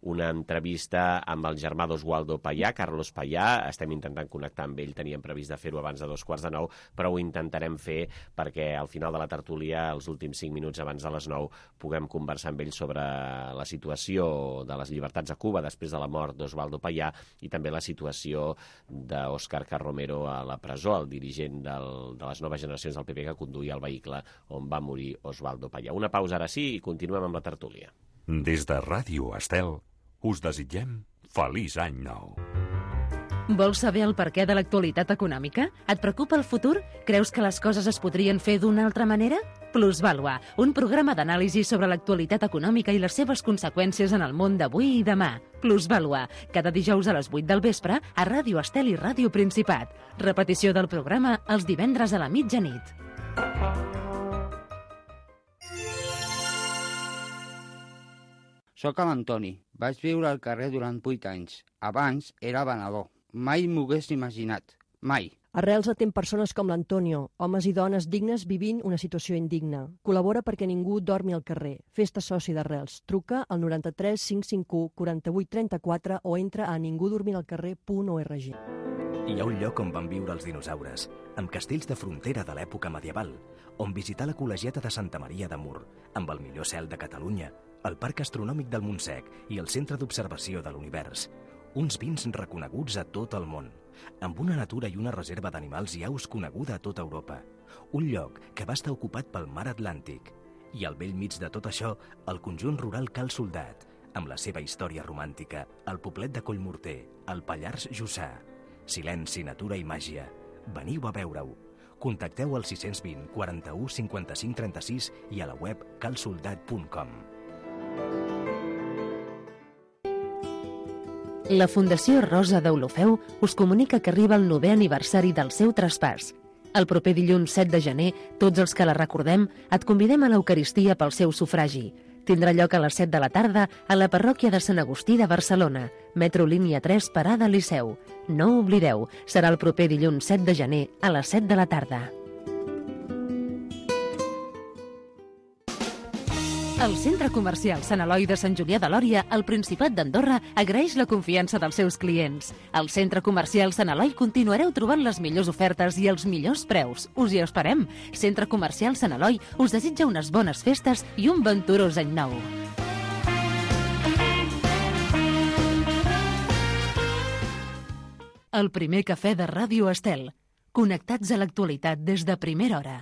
S2: una entrevista amb el germà d'Oswaldo Payá, Carlos Payá. Estem intentant connectar amb ell, teníem previst de fer-ho abans de 8:45, però ho intentarem fer perquè al final de la tertúlia, els últims 5 minuts abans de les 9, puguem conversar amb ell sobre la situació de les llibertats a Cuba després de la mort d'Oswaldo Payá i també la situació d'Òscar Carromero a la presó, el dirigent de les noves generacions del PP que conduïa el vehicle on va morir Oswaldo Payá. Una pausa ara sí i continuem amb la tertúlia.
S13: Des de Ràdio Estel us desitgem feliç any nou.
S1: Vols saber el perquè de l'actualitat econòmica? Et preocupa el futur? Creus que les coses es podrien fer d'una altra manera? Plusvàlua, un programa d'anàlisi sobre l'actualitat econòmica i les seves conseqüències en el món d'avui i demà. Plusvàlua, cada dijous a les 8 del vespre a Ràdio Estel i Ràdio Principat. Repetició del programa els divendres a la mitjanit.
S14: Soc l'Antoni. Vaig viure al carrer durant 8 anys. Abans era venedor. Mai m'ho hagués imaginat. Mai.
S15: Arrels atén persones com l'Antonio, homes i dones dignes vivint una situació indigna. Col·labora perquè ningú dormi al carrer. Fes-te soci d'Arrels. Truca al 93 551 48 34 o entra a ningudormiralcarrer.org.
S16: Hi ha un lloc on van viure els dinosaures, amb castells de frontera de l'època medieval, on visitar la col·legiata de Santa Maria de Mur, amb el millor cel de Catalunya, el Parc Astronòmic del Montsec i el Centre d'Observació de l'Univers. Uns vins reconeguts a tot el món, amb una natura i una reserva d'animals i aus coneguda a tota Europa. Un lloc que va estar ocupat pel mar Atlàntic. I al bell mig de tot això, el conjunt rural Cal Soldat, amb la seva història romàntica, el poblet de Collmorter, el Pallars Jussà. Silenci, natura i màgia. Veniu a veure-ho. Contacteu al 620 41 55 36 i a la web calsoldat.com.
S1: La Fundació Rosa d'Olofeu us comunica que arriba el 9è aniversari del seu traspàs. El proper dilluns 7 de gener, tots els que la recordem, et convidem a l'Eucaristia pel seu sufragi. Tindrà lloc a les 7 de la tarda a la parròquia de Sant Agustí de Barcelona, metro línia 3, parada Liceu. No ho oblideu, serà el proper dilluns 7 de gener a les 7 de la tarda. El Centre Comercial Sant Eloi de Sant Julià de Lòria, al Principat d'Andorra, agraeix la confiança dels seus clients. Al Centre Comercial Sant Eloi continuareu trobant les millors ofertes i els millors preus. Us hi esperem. Centre Comercial Sant Eloi us desitja unes bones festes i un venturós any nou. El primer cafè de Ràdio Estel. Connectats a l'actualitat des de primera hora.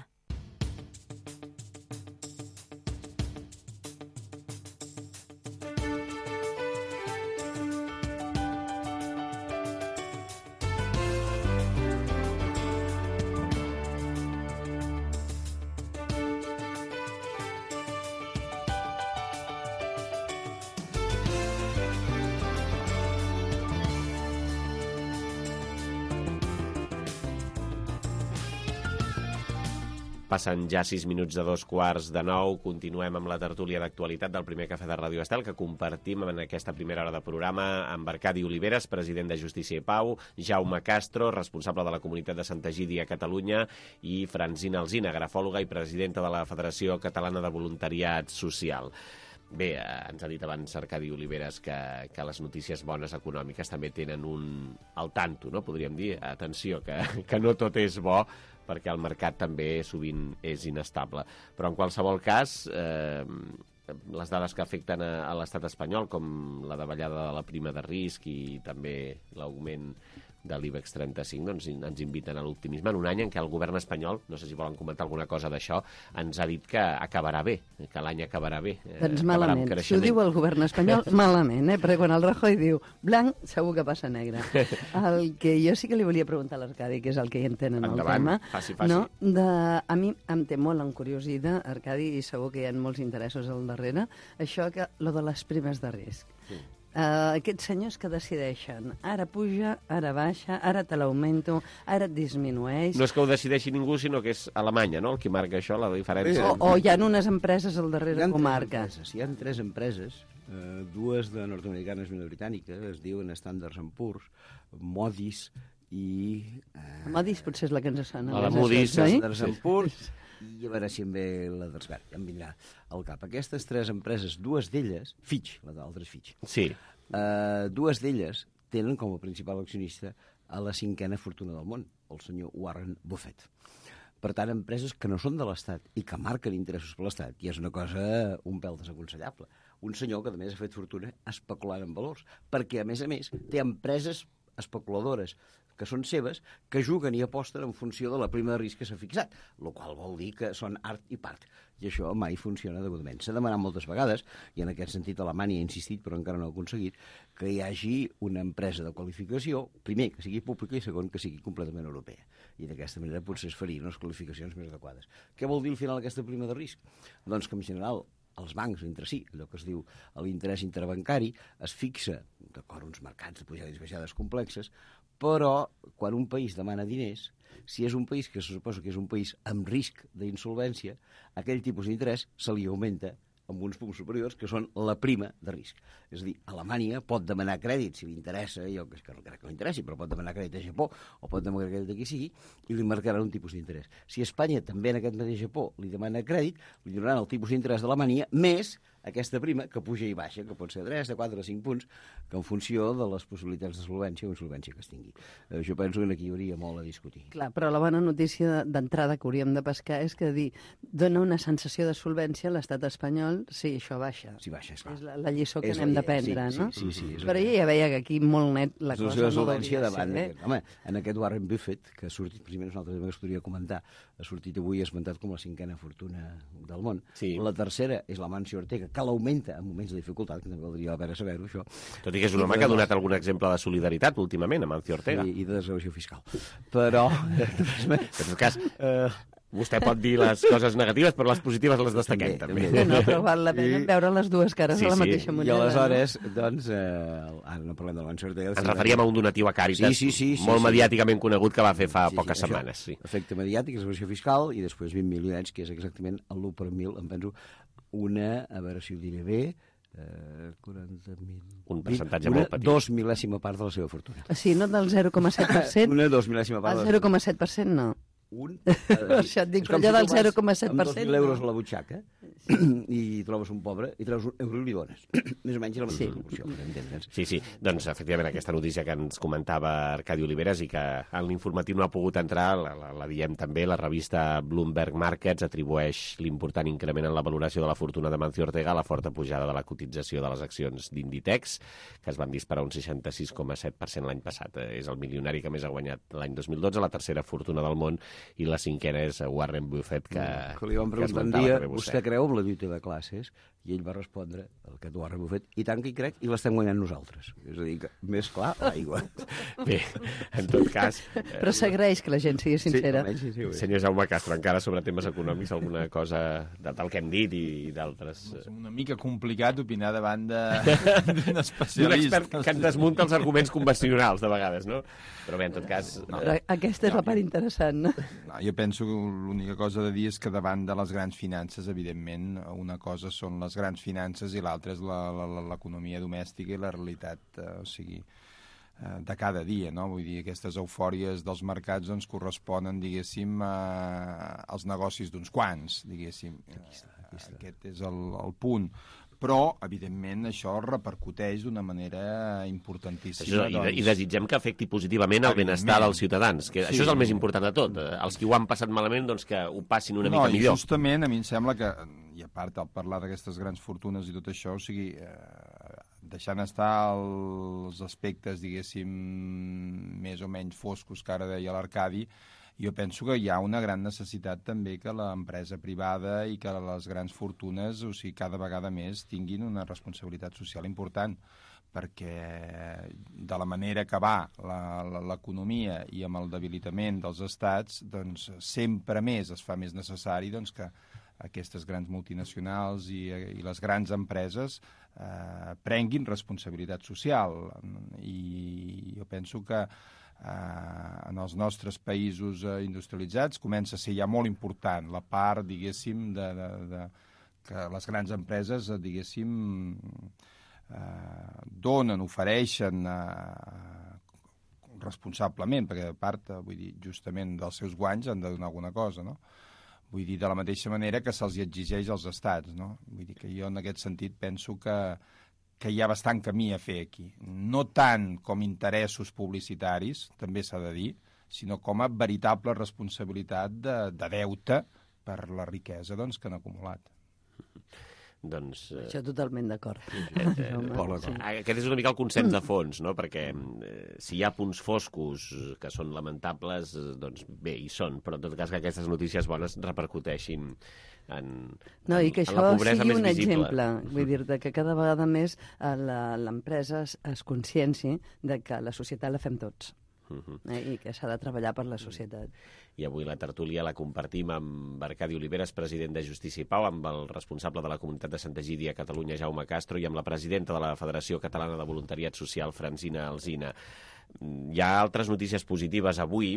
S2: Passen ja 6 minuts de 2:45. Continuem amb la tertúlia d'actualitat del primer cafè de Ràdio Estel, que compartim en aquesta primera hora de programa amb Arcadi Oliveres, president de Justícia i Pau, Jaume Castro, responsable de la comunitat de Santa Egídia a Catalunya, i Francina Alsina, grafòloga i presidenta de la Federació Catalana de Voluntariat Social. Bé, ens ha dit abans Arcadi Oliveres que les notícies bones econòmiques també tenen al tanto, no? Podríem dir, atenció, que no tot és bo, perquè el mercat també sovint és inestable. Però en qualsevol cas, les dades que afecten a l'estat espanyol, com la davallada de la prima de risc i també l'augment de l'IBEX 35, doncs ens inviten a l'optimisme en un any en què el govern espanyol, no sé si volen comentar alguna cosa d'això, ens ha dit que acabarà bé, que l'any acabarà bé.
S7: Doncs malament, si ho diu el govern espanyol, malament, perquè quan el Rajoy diu blanc, segur que passa negre. El que jo sí que li volia preguntar a l'Arcadi, que és el que hi entenen el tema,
S2: faci.
S7: No? A mi em té molt encuriosida, Arcadi, i segur que hi ha molts interessos al darrere, això que lo de les primes de risc. Sí. Aquests senyors que decideixen ara puja, ara baixa, ara te l'augmento, ara et disminueix...
S2: No és que ho decideixi ningú, sinó que és Alemanya, no?, el que marca això, la diferència.
S7: O hi ha unes empreses al darrere que ho marca.
S12: Hi ha 3 empreses, dues de nord-americanes i una britànica, es diuen Standard & Poor's, Moody's i...
S7: Moody's potser és la que ens sona.
S2: La Moody's,
S12: Standard & Poor's, i a veure si em ve la d'Esbert, ja em vindrà al cap. Aquestes 3 empreses, dues d'elles, Fitch, la d'altra és Fitch,
S2: sí.
S12: Dues d'elles tenen com a principal accionista a la 5a fortuna del món, el senyor Warren Buffett. Per tant, empreses que no són de l'Estat i que marquen interessos per l'Estat, i és una cosa un pèl desaconsellable. Un senyor que, a més, ha fet fortuna especulant en valors, perquè, a més, té empreses especuladores que són seves, que juguen i aposten en funció de la prima de risc que s'ha fixat, el qual vol dir que són art i part. I això mai funciona degudament. S'ha demanat moltes vegades, i en aquest sentit Alemanya ha insistit, però encara no ha aconseguit, que hi hagi una empresa de qualificació, primer, que sigui pública, i segon, que sigui completament europea. I d'aquesta manera potser es farien unes qualificacions més adequades. Què vol dir al final aquesta prima de risc? Doncs que en general els bancs entre si, allò que es diu l'interès interbancari, es fixa, d'acord, uns mercats de pujades i baixades complexes, però quan un país demana diners, si és un país que se suposa que és un país amb risc d'insolvència, aquell tipus d'interès se li augmenta amb uns punts superiors, que són la prima de risc. És a dir, Alemanya pot demanar crèdit, si li interessa, jo crec que no li interessi, però pot demanar crèdit a Japó, o pot demanar crèdit a qui sigui, i li marcaran un tipus d'interès. Si Espanya també en aquest mateix Japó li demana crèdit, li donaran el tipus d'interès d'Alemanya, més aquesta prima que puja i baixa, que pot ser de 3, de 4, de 5 punts, que en funció de les possibilitats de solvència o insolvència que es tingui. Jo penso que aquí hi hauria molt a discutir.
S7: Clar, però la bona notícia d'entrada que hauríem de pescar és que dona una sensació de solvència a l'estat espanyol, sí, això baixa.
S12: Sí, baixa, esclar.
S7: És la lliçó que hem d'aprendre, no?
S12: Sí.
S7: Però jo ja veia que aquí molt net la cosa
S12: no solvència davant. Home, en aquest Warren Buffett, que ha sortit, primer nosaltres també es podria comentar, ha sortit avui esmentat com la 5a fortuna del món.
S2: Sí.
S12: La tercera és l'Amancio Ortega, que l'augmenta en moments de dificultat, que també valdria la pena saber-ho, això.
S2: Tot i que és un home que ha donat algun exemple de solidaritat últimament, Amancio Ortega.
S12: I de desgravació fiscal. Però,
S2: en tot cas, Vostè pot dir les coses negatives, però les positives les destaquem, també.
S7: No, però val la pena veure les dues cares de la mateixa moneda.
S12: I aleshores, doncs, ara no parlem del Manso Ortega...
S2: Ens referíem a un donatiu a Càritas, molt mediàticament conegut, que va fer fa poques setmanes.
S12: Efecte mediàtic, execució fiscal, i després 20 milionets, que és exactament l'1 per 1.000, em penso, a veure si ho diré bé, 40.000...
S2: Un percentatge molt petit.
S12: 2 mil·lèsima part de la seva fortuna.
S7: Sí, no del 0,7%?
S12: Una 2 mil·lèsima part.
S7: El 0,7% no. Això et dic, però allò del 0,7%.
S12: Amb 2.000 euros a la butxaca i trobes un pobre i treus un euro i li dones. Més o menys la mateixa proporció, per entendre'ns.
S2: Sí, doncs efectivament aquesta notícia que ens comentava Arcadi Oliveres i que en l'informatiu no ha pogut entrar, la diem també, la revista Bloomberg Markets atribueix l'important increment en la valoració de la fortuna de Mancio Ortega a la forta pujada de la cotització de les accions d'Inditex, que es van disparar un 66,7% l'any passat. És el milionari que més ha guanyat l'any 2012, la tercera fortuna del món, i la cinquena és Warren Buffett, que
S12: li van preguntar un dia, vostè creu en la lluita de classes? I ell va respondre, aquest Warren Buffett, i tant que hi crec, i l'estem guanyant nosaltres. És a dir, que més clar, l'aigua.
S2: Bé, en tot cas...
S7: Però s'agraeix que la gent sigui sincera.
S12: Sí,
S2: senyor Jaume Castro, encara sobre temes econòmics, alguna cosa del que hem dit i d'altres...
S11: És una mica complicat opinar davant d'un especialista.
S2: D'un expert que ens desmunta els arguments convencionals, de vegades, no? Però bé, en tot cas...
S7: Però aquesta és la part interessant, no?
S11: No, jo penso que l'única cosa de dir és que davant de les grans finances, evidentment, una cosa són les grans finances i l'altra és l'economia domèstica i la realitat, de cada dia, no? Vull dir, aquestes eufòries dels mercats doncs corresponen, diguéssim, als negocis d'uns quants, diguéssim. Aquest és el punt. Però, evidentment, això repercuteix d'una manera importantíssima.
S2: I desitgem que afecti positivament el benestar dels ciutadans, que això és el més important de tot. Els que ho han passat malament, doncs que ho passin una mica millor.
S11: No, i justament a mi em sembla que, i a part al parlar d'aquestes grans fortunes i tot això, o sigui, deixant estar els aspectes, diguéssim, més o menys foscos que ara deia l'Arcadi, jo penso que hi ha una gran necessitat també que l'empresa privada i que les grans fortunes, o sigui, cada vegada més tinguin una responsabilitat social important, perquè de la manera que va l'economia i amb el debilitament dels estats, doncs sempre més es fa més necessari doncs, que aquestes grans multinacionals i les grans empreses prenguin responsabilitat social. I jo penso que en els nostres països industrialitzats comença a ser ja molt important la part, diguéssim, que les grans empreses, diguéssim, donen, ofereixen responsablement, perquè a part, vull dir, justament dels seus guanys han de donar alguna cosa, no? Vull dir, de la mateixa manera que se'ls exigeix als estats, no? Vull dir que jo en aquest sentit penso que hi ha bastant camí a fer aquí. No tant com interessos publicitaris, també s'ha de dir, sinó com a veritable responsabilitat de deute per la riquesa doncs, que han acumulat.
S2: Doncs,
S7: això totalment d'acord.
S2: Aquest és una mica el consens de fons, no? Perquè si hi ha punts foscos que són lamentables, doncs bé, hi són, però en tot cas que aquestes notícies bones repercuteixin
S7: no, i que això sigui un exemple, vull dir-te que cada vegada més l'empresa es conscienci de que la societat la fem tots i que s'ha de treballar per la societat.
S2: I avui la tertúlia la compartim amb Arcadi Oliveres, president de Justícia i Pau, amb el responsable de la comunitat de Santa Egídia a Catalunya, Jaume Castro, i amb la presidenta de la Federació Catalana de Voluntariat Social, Francina Alsina. Hi ha altres notícies positives avui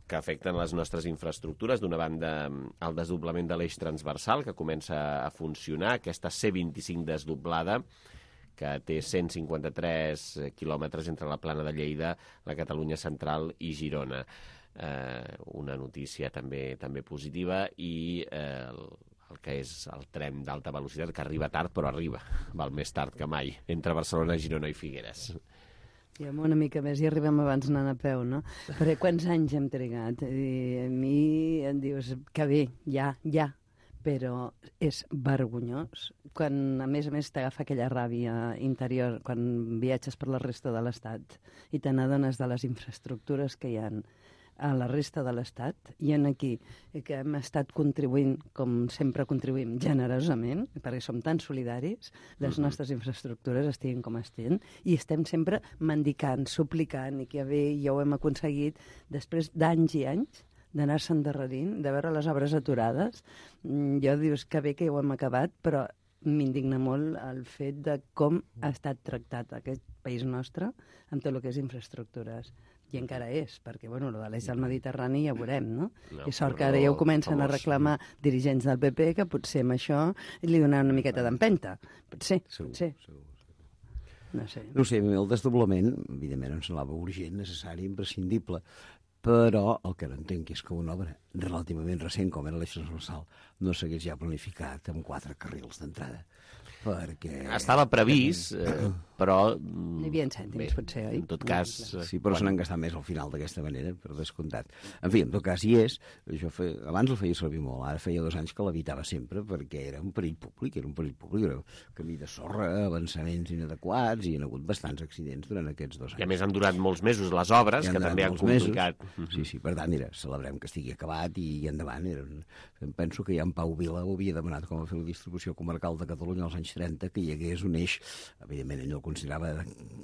S2: que afecten les nostres infraestructures. D'una banda, el desdoblament de l'eix transversal, que comença a funcionar, aquesta C25 desdoblada, que té 153 quilòmetres entre la Plana de Lleida, la Catalunya Central i Girona. Una notícia també positiva, i el que és el tren d'alta velocitat, que arriba tard, però arriba, val més tard que mai, entre Barcelona, Girona i Figueres.
S7: I amb una mica més, i arribem abans anant a peu, no? Perquè quants anys hem trigat? I a mi em dius que bé, ja, però és vergonyós quan, a més, t'agafa aquella ràbia interior quan viatges per la resta de l'Estat i te n'adones de les infraestructures que hi ha a la resta de l'Estat i en aquí, que hem estat contribuint, com sempre contribuïm, generosament, perquè som tan solidaris, les nostres infraestructures estiguin com estiguin, i estem sempre mendicant, suplicant, i que bé, ja ho hem aconseguit, després d'anys i anys, d'anar-se endarrerint, de veure les obres aturades. Jo dius que bé que ho hem acabat, però m'indigna molt el fet de com ha estat tractat aquest país nostre amb tot el que és infraestructures. I encara és, perquè, bueno, el de l'eix del Mediterrani ja veurem, no? I sort que ara ja ho comencen a reclamar dirigents del PP, que potser amb això li donaran una miqueta d'empenta. Potser. No sé.
S12: No sé, el desdoblament, evidentment, em semblava urgent, necessari, imprescindible, però el que no entenc és que una obra relativament recent, com era l'eix transversal, no s'hagués ja planificat amb 4 carrils d'entrada. Perquè...
S2: Estava previst, però...
S7: Hi havia cèntims, potser, oi?
S2: En tot cas...
S12: Sí, però se n'han gastat més al final d'aquesta manera, per descomptat. En fi, en tot cas, hi és. Abans el feia servir molt, ara feia 2 anys que l'evitava sempre, perquè era un perill públic, era un camí de sorra, avançaments inadequats, i hi ha hagut bastants accidents durant aquests 2 anys.
S2: I a més han durat molts mesos les obres, que també han complicat.
S12: Sí, per tant, celebrem que estigui acabat i endavant. Penso que ja en Pau Vila ho havia demanat com a fer la distribució comarcal de Catalunya als anys 30, que hi hagués un eix, evidentment ell no el considerava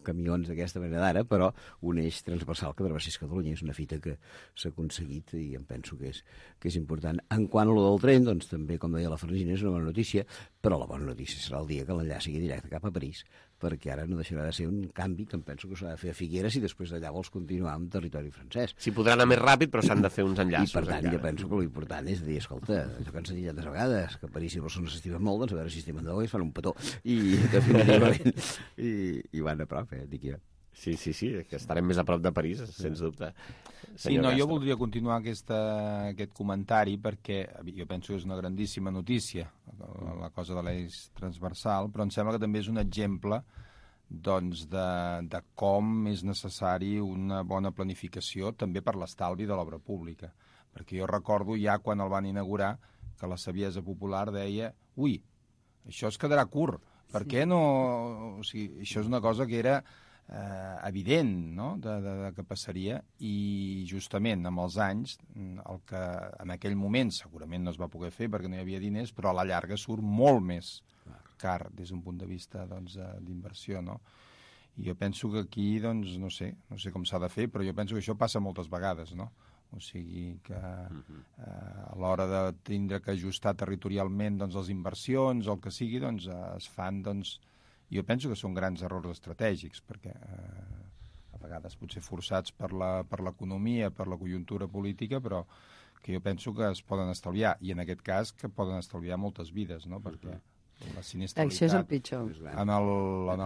S12: camions d'aquesta manera d'ara, però un eix transversal que travessés Catalunya. És una fita que s'ha aconseguit i em penso que és important. En quant a lo del tren, doncs també, com deia la Francina, és una bona notícia, però la bona notícia serà el dia que l'enllaç sigui directe cap a París, perquè ara no deixarà de ser un canvi que em penso que s'ha de fer a Figueres i després d'allà vols continuar amb territori francès.
S2: Sí, podrà anar més ràpid, però s'han de fer uns enllaços.
S12: I per tant, jo penso que l'important és dir, escolta, això que ens han dit tantes vegades, que París i Barcelona s'estimen molt, doncs a veure si estimen d'ou i es fan un petó. I definitivament, i van a prop, dic jo.
S2: Sí, que estarem més a prop de París, sens dubte.
S11: Sí, no, jo voldria continuar aquest comentari perquè jo penso que és una grandíssima notícia, la cosa de l'eix transversal, però em sembla que també és un exemple doncs, de com és necessari una bona planificació també per l'estalvi de l'obra pública. Perquè jo recordo ja quan el van inaugurar que la saviesa popular deia ui, això es quedarà curt, per què no... O sigui, això és una cosa que era evident, no?, de que passaria, i justament amb els anys el que en aquell moment segurament no es va poder fer perquè no hi havia diners, però a la llarga surt molt més car des d'un punt de vista d'inversió, no? I jo penso que aquí, doncs, no sé com s'ha de fer, però jo penso que això passa moltes vegades, no? O sigui que a l'hora de tindre que ajustar territorialment doncs, les inversions o el que sigui, doncs es fan, doncs, jo penso que són grans errors estratègics, perquè a vegades potser forçats per l'economia, per la conjuntura política, però que jo penso que es poden estalviar, i en aquest cas que poden estalviar moltes vides, no? Perquè la sinistralitat...
S7: Això és el pitjor.
S11: En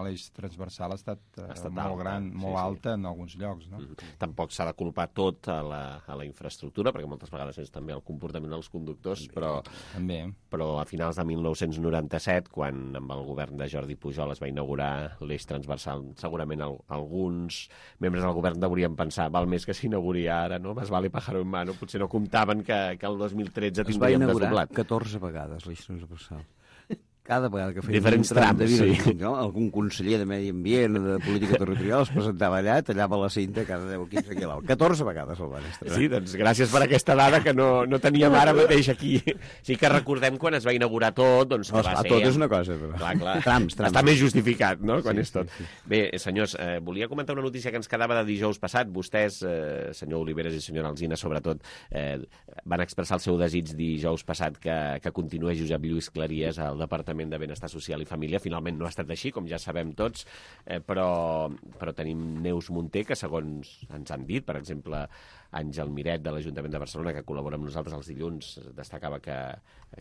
S11: l'eix transversal ha estat molt gran, molt alta en alguns llocs, no?
S2: Tampoc s'ha de culpar tot a la infraestructura, perquè moltes vegades és també el comportament dels conductors, però a finals de 1997, quan amb el govern de Jordi Pujol es va inaugurar l'eix transversal, segurament alguns membres del govern deurien pensar, val més que s'inauguri ara, no? Más vale pájaro en mano, potser no comptaven que el 2013 tindríem desdoblat.
S12: Es va inaugurar 14 vegades l'eix transversal. Cada vegada que feia
S2: diferents trams, sí.
S12: No? Algun conseller de Medi Ambient, de Política Territorial, es presentava allà, tallava la cinta cada 10 o 15 quilòmetres. 14 vegades el van estrenar.
S2: Sí, doncs gràcies per aquesta dada que no teníem ara mateix aquí. Sí que recordem quan es va inaugurar tot, doncs que va ser...
S12: Tot és una cosa, però...
S2: Clar.
S12: Trams.
S2: Està més justificat, no?, quan és tot. Sí. Bé, senyors, volia comentar una notícia que ens quedava de dijous passat. Vostès, senyor Oliveres i senyora Alsina, sobretot, van expressar el seu desig dijous passat que continués Josep Lluís Claries al Departament de Benestar Social i Família. Finalment no ha estat així, com ja sabem tots, però tenim Neus Munté, que segons ens han dit, per exemple, Àngel Miret de l'Ajuntament de Barcelona, que col·labora amb nosaltres els dilluns, destacava que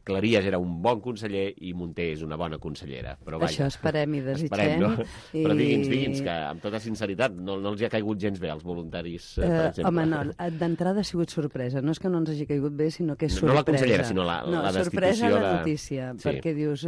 S2: Claries era un bon conseller i Munté és una bona consellera. Però, vaja,
S7: això esperem i desitgem.
S2: No? Però digui'ns, que amb tota sinceritat no els hi ha caigut gens bé als voluntaris, per exemple.
S7: Home, no, d'entrada ha sigut sorpresa. No és que no ens hagi caigut bé, sinó que és sorpresa.
S2: No la consellera, sinó la destitució.
S7: Sorpresa la notícia, perquè dius,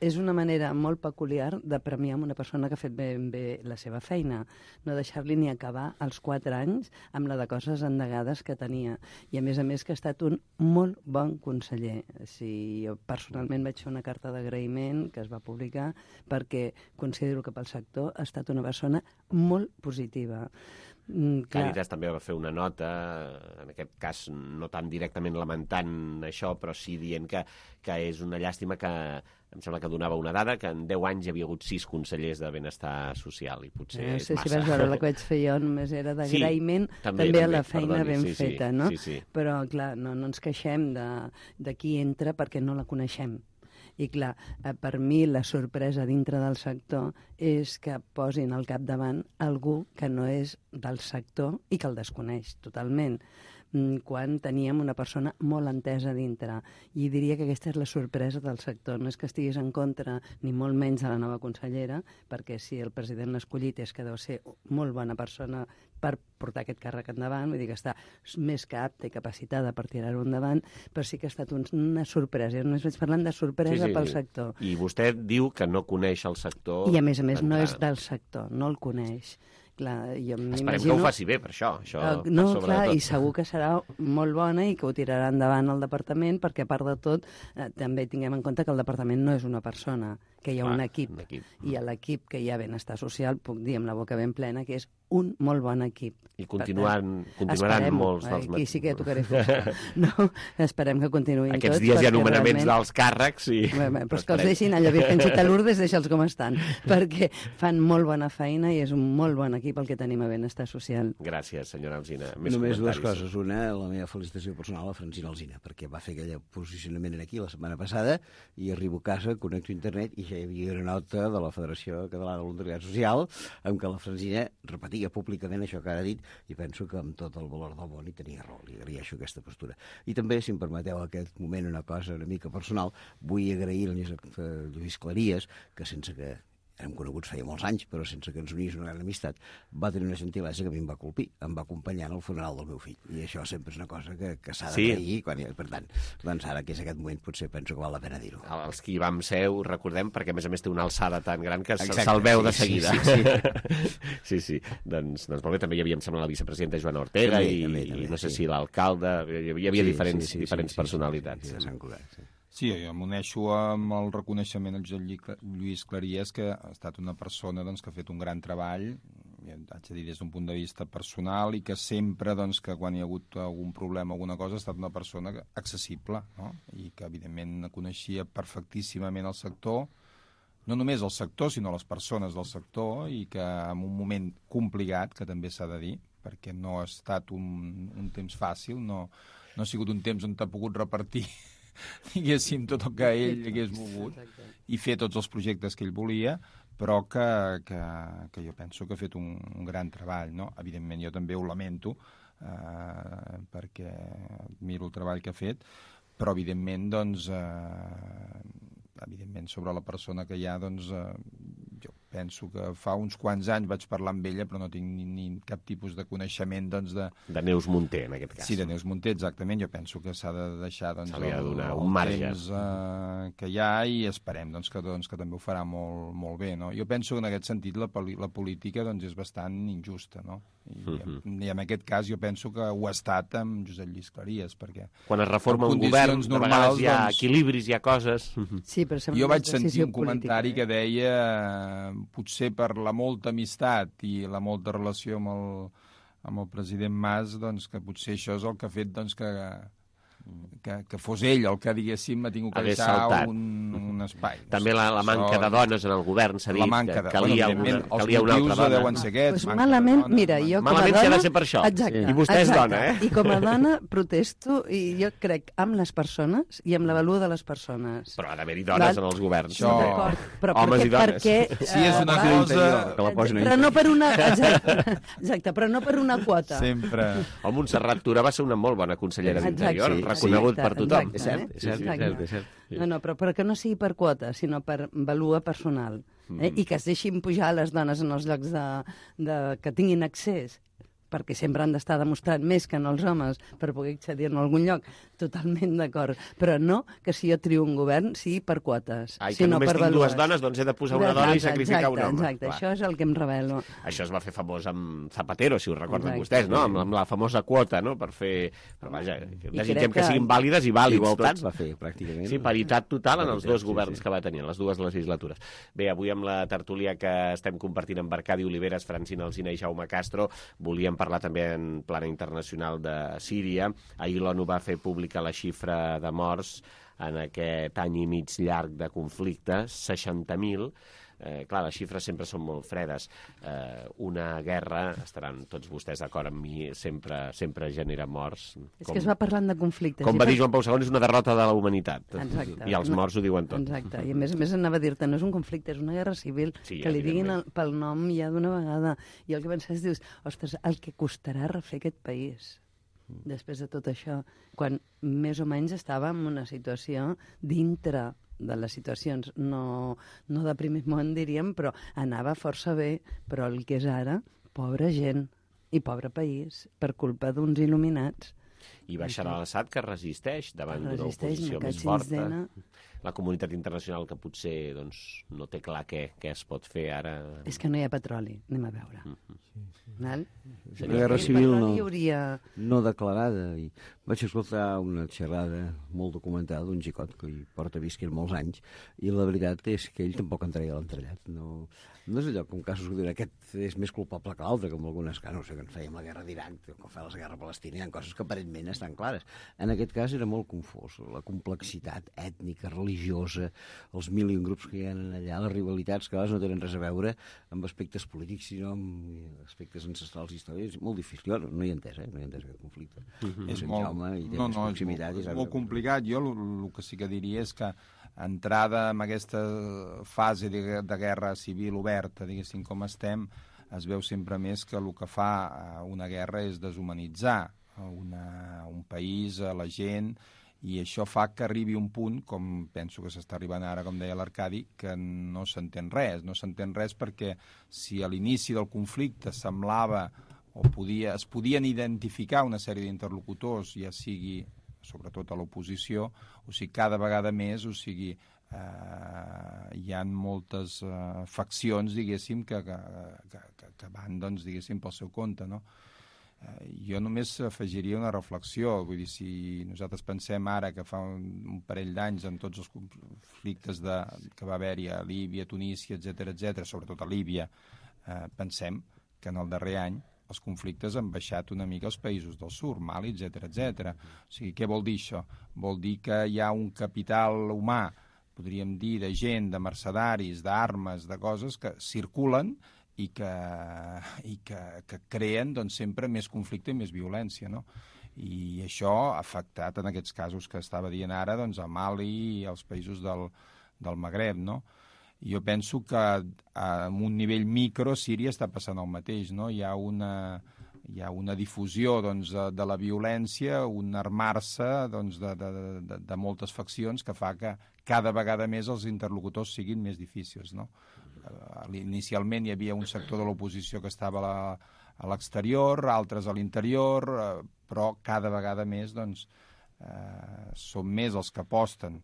S7: és una manera molt peculiar de premiar una persona que ha fet ben bé la seva feina, no deixar-li ni acabar els 4 anys amb la de coses endegades que tenia. I a més que ha estat un molt bon conseller. Jo personalment vaig fer una carta d'agraïment que es va publicar perquè considero que pel sector ha estat una persona molt positiva.
S2: Càritas també va fer una nota, en aquest cas no tan directament lamentant això, però sí dient que és una llàstima que em sembla que donava una dada, que en 10 anys hi havia hagut 6 consellers de benestar social, i potser és massa.
S7: Si vas veure la que vaig fer jo, només era d'agraïment també a la feina ben feta, no?
S2: Sí.
S7: Però, clar, no ens queixem de qui entra perquè no la coneixem. I, clar, per mi la sorpresa dintre del sector és que posin al capdavant algú que no és del sector i que el desconeix totalment, quan teníem una persona molt entesa dintre. I diria que aquesta és la sorpresa del sector. No és que estiguis en contra, ni molt menys de la nova consellera, perquè si el president l'ha escollit és que deu ser molt bona persona per portar aquest càrrec endavant, vull dir que està més que apta i capacitada per tirar-ho endavant, però sí que ha estat una sorpresa. Jo només vaig parlant de sorpresa pel sector.
S2: I vostè diu que no coneix el sector...
S7: I a més no és del sector, no el coneix. Clar, jo
S2: esperem que ho faci bé, per això.
S7: No, clar, i segur que serà molt bona i que ho tirarà endavant el departament, perquè a part de tot també tinguem en compte que el departament no és una persona, que hi ha un equip. I a l'equip que hi ha benestar social, puc dir amb la boca ben plena, que és un molt bon equip.
S2: I continuaran molts dels...
S7: Aquí sí que ja tocaré fusta. No, esperem que continuïn tots.
S2: Aquests dies hi ha nomenaments dels càrrecs i...
S7: Però és que els deixin allò, Virgencita Lourdes, deixa'ls com estan, perquè fan molt bona feina i és un molt bon equip el que tenim a benestar social.
S2: Gràcies, senyora Alsina.
S12: Només dues coses. Una, la meva felicitació personal a Francina Alsina, perquè va fer aquell posicionament aquí la setmana passada i arribo a casa, connecto a internet i ja hi havia una nota de la Federació Catalana de Voluntariat Social en què la Francina repetia públicament això que ara ha dit i penso que amb tot el valor del món hi tenia raó, li agraeixo aquesta postura. I també, si em permeteu aquest moment una cosa una mica personal, vull agrair a Lluís Claries, que sense que hem coneguts feia molts anys, però sense que ens unís una gran amistat, va tenir una gentilesa que a mi em va colpir, em va acompanyar en el funeral del meu fill. I això sempre és una cosa que s'ha d'agrair, per tant, doncs ara que és aquest moment potser penso que val la pena dir-ho.
S2: Els que hi vam ser ho recordem perquè a més té una alçada tan gran que se'l veu de seguida. Sí. Doncs molt bé, també hi havia, em sembla, la vicepresidenta Joana Ortega i no sé si l'alcalde, hi havia diferents personalitats.
S11: Sí, de Sant Cugat, Sí, jo m'uneixo amb el reconeixement al Josep Lluís Claries, que ha estat una persona que ha fet un gran treball, haig de dir des d'un punt de vista personal, i que sempre, que quan hi ha hagut algun problema o alguna cosa, ha estat una persona accessible, no? I que, evidentment, coneixia perfectíssimament el sector, no només el sector, sinó les persones del sector, i que en un moment complicat, que també s'ha de dir, perquè no ha estat un temps fàcil, no ha sigut un temps on t'ha pogut repartir diguéssim tot el que ell hagués volgut i fer tots els projectes que ell volia, però que jo penso que ha fet un gran treball, no? Evidentment jo també ho lamento perquè admiro el treball que ha fet, però evidentment sobre la persona que hi ha jo penso que fa uns quants anys vaig parlar amb ella, però no tinc ni cap tipus de coneixement
S2: de Neus Munté, en aquest cas.
S11: Sí, de Neus Munté, exactament. Jo penso que s'ha de deixar
S2: el temps
S11: que hi ha i esperem que també ho farà molt bé, no? Jo penso que en aquest sentit la política és bastant injusta, no? I en aquest cas jo penso que ho ha estat amb Josep Lluís Claries, perquè
S2: quan es reforma un govern, de vegades hi ha equilibris, hi ha coses...
S7: Sí, però
S11: jo vaig sentir un comentari que deia potser per la molta amistat i la molta relació amb el president Mas, que potser això és el que ha fet que fos ell el que, diguéssim, m'ha tingut que deixar un espai.
S2: També la manca de dones en el govern s'ha dit que calia una altra dona.
S11: Deuen ser aquests.
S7: Malament, mira, jo com a dona...
S2: Malament s'ha de ser per això. I vostè és dona, eh?
S7: I com a dona protesto, i jo crec amb les persones i amb la valua de les persones.
S2: Però ha d'haver-hi dones en els governs.
S7: Homes
S2: i dones.
S11: Si és una cosa...
S7: Però no per una... Exacte, però no per una quota.
S11: Sempre.
S2: El Montserrat Tura va ser una molt bona consellera d'Interior, reconegut per tothom.
S12: És cert.
S7: No, però que no sigui per quota, sinó per valua personal. I que es deixin pujar les dones en els llocs que tinguin accés perquè sempre han d'estar demostrant més que no els homes per poder accedir-ne a algun lloc, totalment d'acord, però no que si jo trio un govern sigui per quotes,
S2: que
S7: sinó
S2: només
S7: per
S2: tinc
S7: vàlues.
S2: dues dones, doncs he de posar una dona i sacrificar un home.
S7: Exacte, això és el que em revelo.
S2: Això es va fer famós amb Zapatero, si ho recorden vostès, no? Amb la famosa quota, no? Per fer... Però vaja, desitgem que siguin vàlides i vàlids.
S12: Igualtat va fer, pràcticament.
S2: Sí, paritat total en els dos governs que va tenir, en les dues legislatures. Bé, avui amb la tertúlia que estem compartint amb Arcadi Oliveres, Francina Alsina i Jaume Castro, volíem parlar també en plana internacional de Síria. Ahir l'ONU va fer pública la xifra de morts en aquest any i mig llarg de conflicte, 60.000. Clar, les xifres sempre són molt fredes. Una guerra, estaran tots vostès d'acord amb mi, sempre genera morts.
S7: És que es va parlant de conflictes.
S2: Com va dir Joan Pau II, és una derrota de la humanitat.
S7: Exacte.
S2: I els morts ho diuen tot.
S7: Exacte. I a més anava a dir-te, no és un conflicte, és una guerra civil, que li diguin pel nom ja d'una vegada. I el que penses, dius, ostres, el que costarà refer aquest país després de tot això, quan més o menys estava en una situació dintre de les situacions, no de primer món, diríem, però anava força bé, però el que és ara, pobra gent i pobre país, per culpa d'uns il·luminats.
S2: I Bashar al-Assad, que resisteix davant d'una oposició més forta. La comunitat internacional, que potser no té clar què es pot fer ara.
S7: És que no hi ha petroli, anem a veure.
S12: Una guerra civil no declarada. I vaig escoltar una xerrada molt documentada d'un xicot que hi porta visquent molts anys, i la veritat és que ell tampoc en treia l'entrellat. No és allò com casos que diuen aquest és més culpable que l'altre, com algunes que no sé, que en fèiem la guerra d'Iran, com fa la guerra palestina, hi ha coses que aparentment estan clares. En aquest cas era molt confós, la complexitat ètnica, religiosa, els mil i un grups que hi ha allà, les rivalitats que a vegades no tenen res a veure amb aspectes polítics, sinó amb aspectes ancestrals i històrics. És molt difícil, jo no hi he entès, no hi he entès aquest conflicte.
S11: És molt complicat. Jo el que sí que diria és que entrada en aquesta fase de guerra civil oberta, diguéssim, com estem, es veu sempre més que el que fa una guerra és deshumanitzar un país, a la gent, i això fa que arribi un punt, com penso que s'està arribant ara, com deia l'Arcadi, que no s'entén res. No s'entén res perquè si a l'inici del conflicte semblava o es podien identificar una sèrie d'interlocutors, ja sigui sobretot a l'oposició, o sigui, cada vegada més, o sigui, hi ha moltes faccions, diguéssim, que van, doncs, diguéssim, pel seu compte, no? Jo només afegiria una reflexió, vull dir, si nosaltres pensem ara que fa un parell d'anys amb tots els conflictes que va haver-hi a Líbia, Tunísia, etc., sobretot a Líbia, pensem que en el darrer any els conflictes han baixat una mica als països del sud, Mali, etc. O sigui, què vol dir això? Vol dir que hi ha un capital humà, podríem dir, de gent, de mercedaris, d'armes, de coses que circulen i que creen, doncs, sempre més conflicte i més violència, no? I això ha afectat en aquests casos que estava dient ara, doncs, a Mali i als països del Magreb, no? Jo penso que a un nivell micro Síria està passant el mateix, no? Hi ha una difusió, doncs, de la violència, un armar-se, doncs, de moltes faccions que fa que cada vegada més els interlocutors siguin més difícils, no? Inicialment hi havia un sector de l'oposició que estava a l'exterior, altres a l'interior, però cada vegada més, doncs, són més els que aposten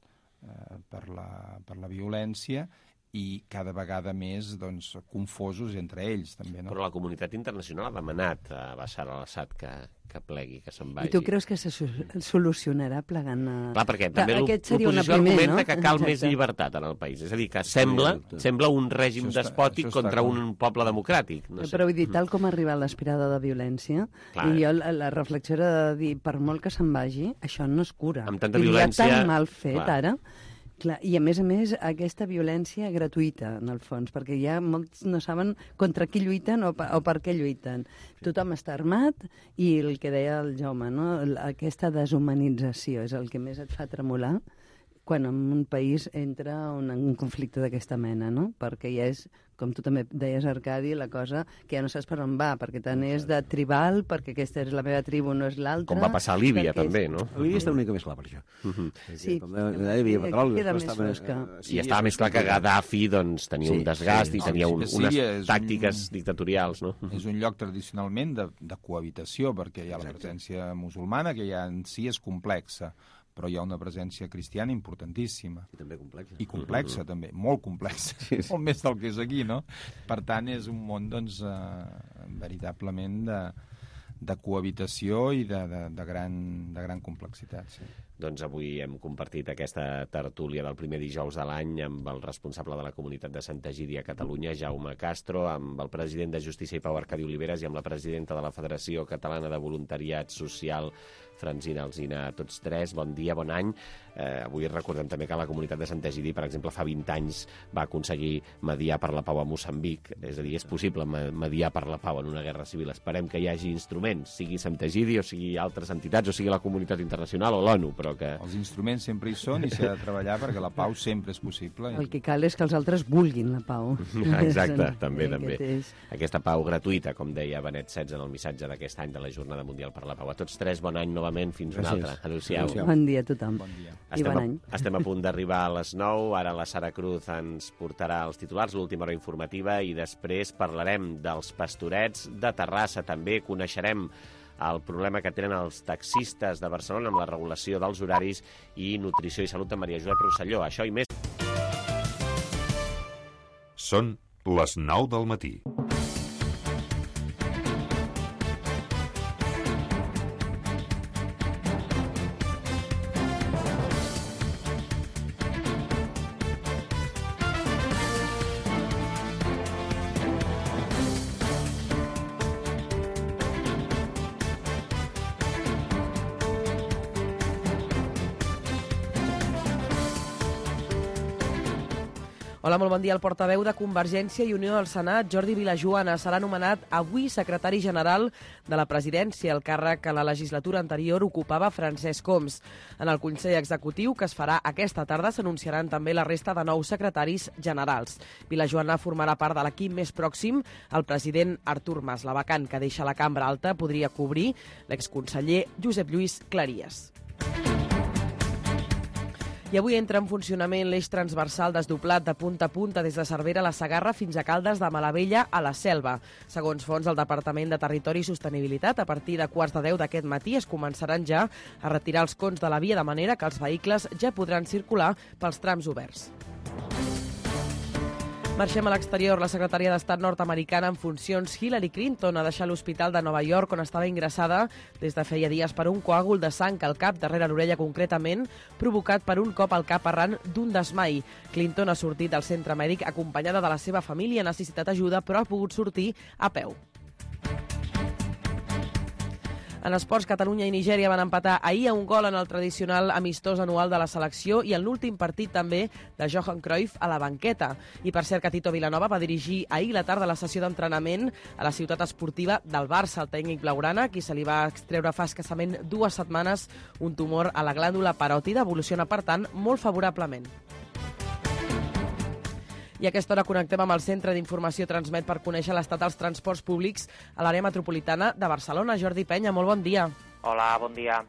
S11: per la violència i cada vegada més, doncs, confosos entre ells, també, no?
S2: Però la comunitat internacional ha demanat a Bashar al-Assad que plegui, que se'n vagi.
S7: I tu creus que se solucionarà plegant a...
S2: Clar, perquè també l'oposició argumenta que cal més llibertat en el país. És a dir, que sembla un règim despòtic contra un poble democràtic. No sé.
S7: Però vull dir, tal com ha arribat l'esperada de violència, i jo la reflexió era de dir, per molt que se'n vagi, això no es cura.
S2: Amb tanta violència...
S7: Hi ha tan mal fet, ara... Clar, i a més, aquesta violència gratuïta, en el fons, perquè ja molts no saben contra qui lluiten o per què lluiten. Tothom està armat i el que deia el Jaume, no? Aquesta deshumanització és el que més et fa tremolar quan en un país entra un conflicte d'aquesta mena, no? Perquè ja és, com tu també deies, Arcadi, la cosa que ja no saps per on va, perquè tant és de tribal, perquè aquesta és la meva tribu, no és l'altra...
S2: Com va passar a Líbia, també, no?
S12: A Líbia està una mica més clar per això.
S7: Sí,
S12: queda
S7: més fosca.
S2: I estava més clar que Gaddafi tenia un desgast i tenia unes tàctiques dictatorials, no?
S11: És un lloc tradicionalment de cohabitació, perquè hi ha la presència musulmana, que ja en si és complexa, però hi ha una presència cristiana importantíssima.
S12: I també complexa.
S11: I complexa, també. Molt complexa. Molt més del que és aquí, no? Per tant, és un món, veritablement de cohabitació i de gran complexitat, sí.
S2: Doncs avui hem compartit aquesta tertúlia del primer dijous de l'any amb el responsable de la comunitat de Santa Egídia a Catalunya, Jaume Castro, amb el president de Justícia i Pau, Arcadi Oliveres, i amb la presidenta de la Federació Catalana de Voluntariat Social, Francina Alsina. A tots tres, bon dia, bon any. Avui recordem també que la comunitat de Santa Egídia, per exemple, fa 20 anys va aconseguir mediar per la pau a Moçambic. És a dir, és possible mediar per la pau en una guerra civil. Esperem que hi hagi instruments, sigui Santa Egídia, o sigui altres entitats, o sigui la comunitat internacional o l'ONU, però que...
S11: Els instruments sempre hi són i s'ha de treballar perquè la pau sempre és possible.
S7: El que cal és que els altres vulguin la pau.
S2: Exacte, també. Aquesta pau gratuïta, com deia Benet XVI en el missatge d'aquest any de la Jornada Mundial per la Pau. A tots tres, bon any novament, fins una altra. Adéu-siau.
S7: Bon dia a tothom.
S11: Bon dia.
S2: Estem a punt d'arribar a les 9, ara la Sara Cruz ens portarà els titulars, l'última hora informativa, i després parlarem dels pastorets de Terrassa. També coneixerem el problema que tenen els taxistes de Barcelona amb la regulació dels horaris i nutrició i salut de Maria Josep Rosselló. Això i més.
S13: Són les 9 del matí.
S3: Hola, molt bon dia. El portaveu de Convergència i Unió al Senat, Jordi Vilajoana, serà nomenat avui secretari general de la presidència, el càrrec que la legislatura anterior ocupava Francesc Homs. En el Consell Executiu, que es farà aquesta tarda, s'anunciaran també la resta de nous secretaris generals. Vilajoana formarà part de l'equip més pròxim al president Artur Mas. La vacant que deixa la cambra alta podria cobrir l'exconseller Josep Lluís Claries. I avui entra en funcionament l'eix transversal desdoblat de punta a punta des de Cervera a la Segarra fins a Caldes de Malavella a la Selva. Segons fonts del Departament de Territori i Sostenibilitat, a partir de 9:15 d'aquest matí es començaran ja a retirar els cons de la via, de manera que els vehicles ja podran circular pels trams oberts. Marxem a l'exterior. La secretària d'Estat nord-americana en funcions, Hillary Clinton, ha deixat l'hospital de Nova York, on estava ingressada des de feia dies per un coàgul de sang al cap, darrere l'orella concretament, provocat per un cop al cap arran d'un desmai. Clinton ha sortit del centre mèdic acompanyada de la seva família, ha necessitat ajuda, però ha pogut sortir a peu. En esports, Catalunya i Nigèria van empatar ahir a un gol en el tradicional amistós anual de la selecció i en l'últim partit també de Johan Cruyff a la banqueta. I per cert que Tito Vilanova va dirigir ahir la tarda la sessió d'entrenament a la ciutat esportiva del Barça, el tècnic blaugrana, qui se li va extreure fa escassament 2 setmanes un tumor a la glàndula paròtida, evoluciona per tant molt favorablement. I a aquesta hora connectem amb el Centre d'Informació Transmet per conèixer l'estat dels transports públics a l'àrea metropolitana de Barcelona. Jordi Penya, molt bon dia.
S9: Hola, bon dia.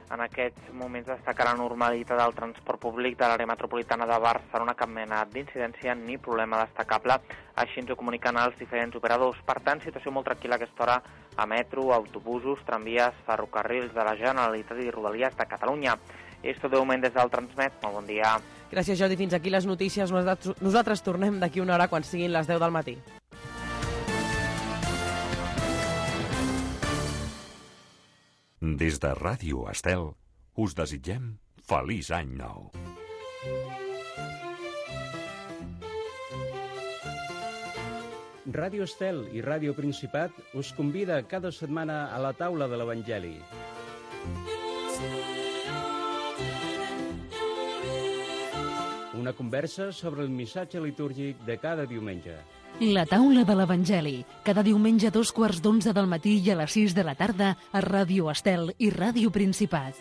S9: En aquests moments destaca la normalitat del transport públic de l'àrea metropolitana de Barcelona, cap mena d'incidència ni problema destacable. Així ens ho comuniquen els diferents operadors. Per tant, situació molt tranquil·la a aquesta hora a metro, autobusos, tramvies, ferrocarrils de la Generalitat i Rodalies de Catalunya. És tot de moment des del Transmet. Molt bon dia.
S3: Gràcies, Jordi. Fins aquí les notícies. Nosaltres tornem d'aquí una hora quan siguin les 10 del matí.
S13: Des de Ràdio Estel us desitgem feliç any nou.
S17: Ràdio Estel i Ràdio Principat us convida cada setmana a la taula de l'Evangeli. Una conversa sobre el missatge litúrgic de cada diumenge.
S1: La taula de l'Evangeli, cada diumenge a 2:15 del matí i a les 6 de la tarda a Ràdio Estel i Ràdio Principat.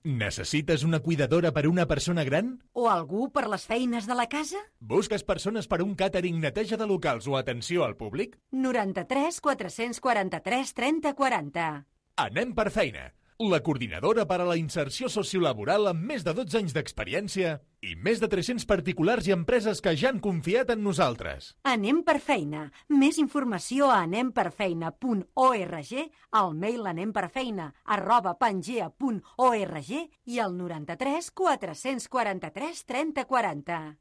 S18: Necessites una cuidadora per una persona gran?
S19: O algú per les feines de la casa?
S18: Busques persones per un càtering, neteja de locals o atenció al públic?
S19: 93 443 30 40.
S18: Anem per feina. La coordinadora per a la inserció sociolaboral amb més de 12 anys d'experiència i més de 300 particulars i empreses que ja han confiat en nosaltres.
S19: Anem per feina. Més informació a anemperfeina.org, al mail anemperfeina@pangea.org i al 93 443 30 40.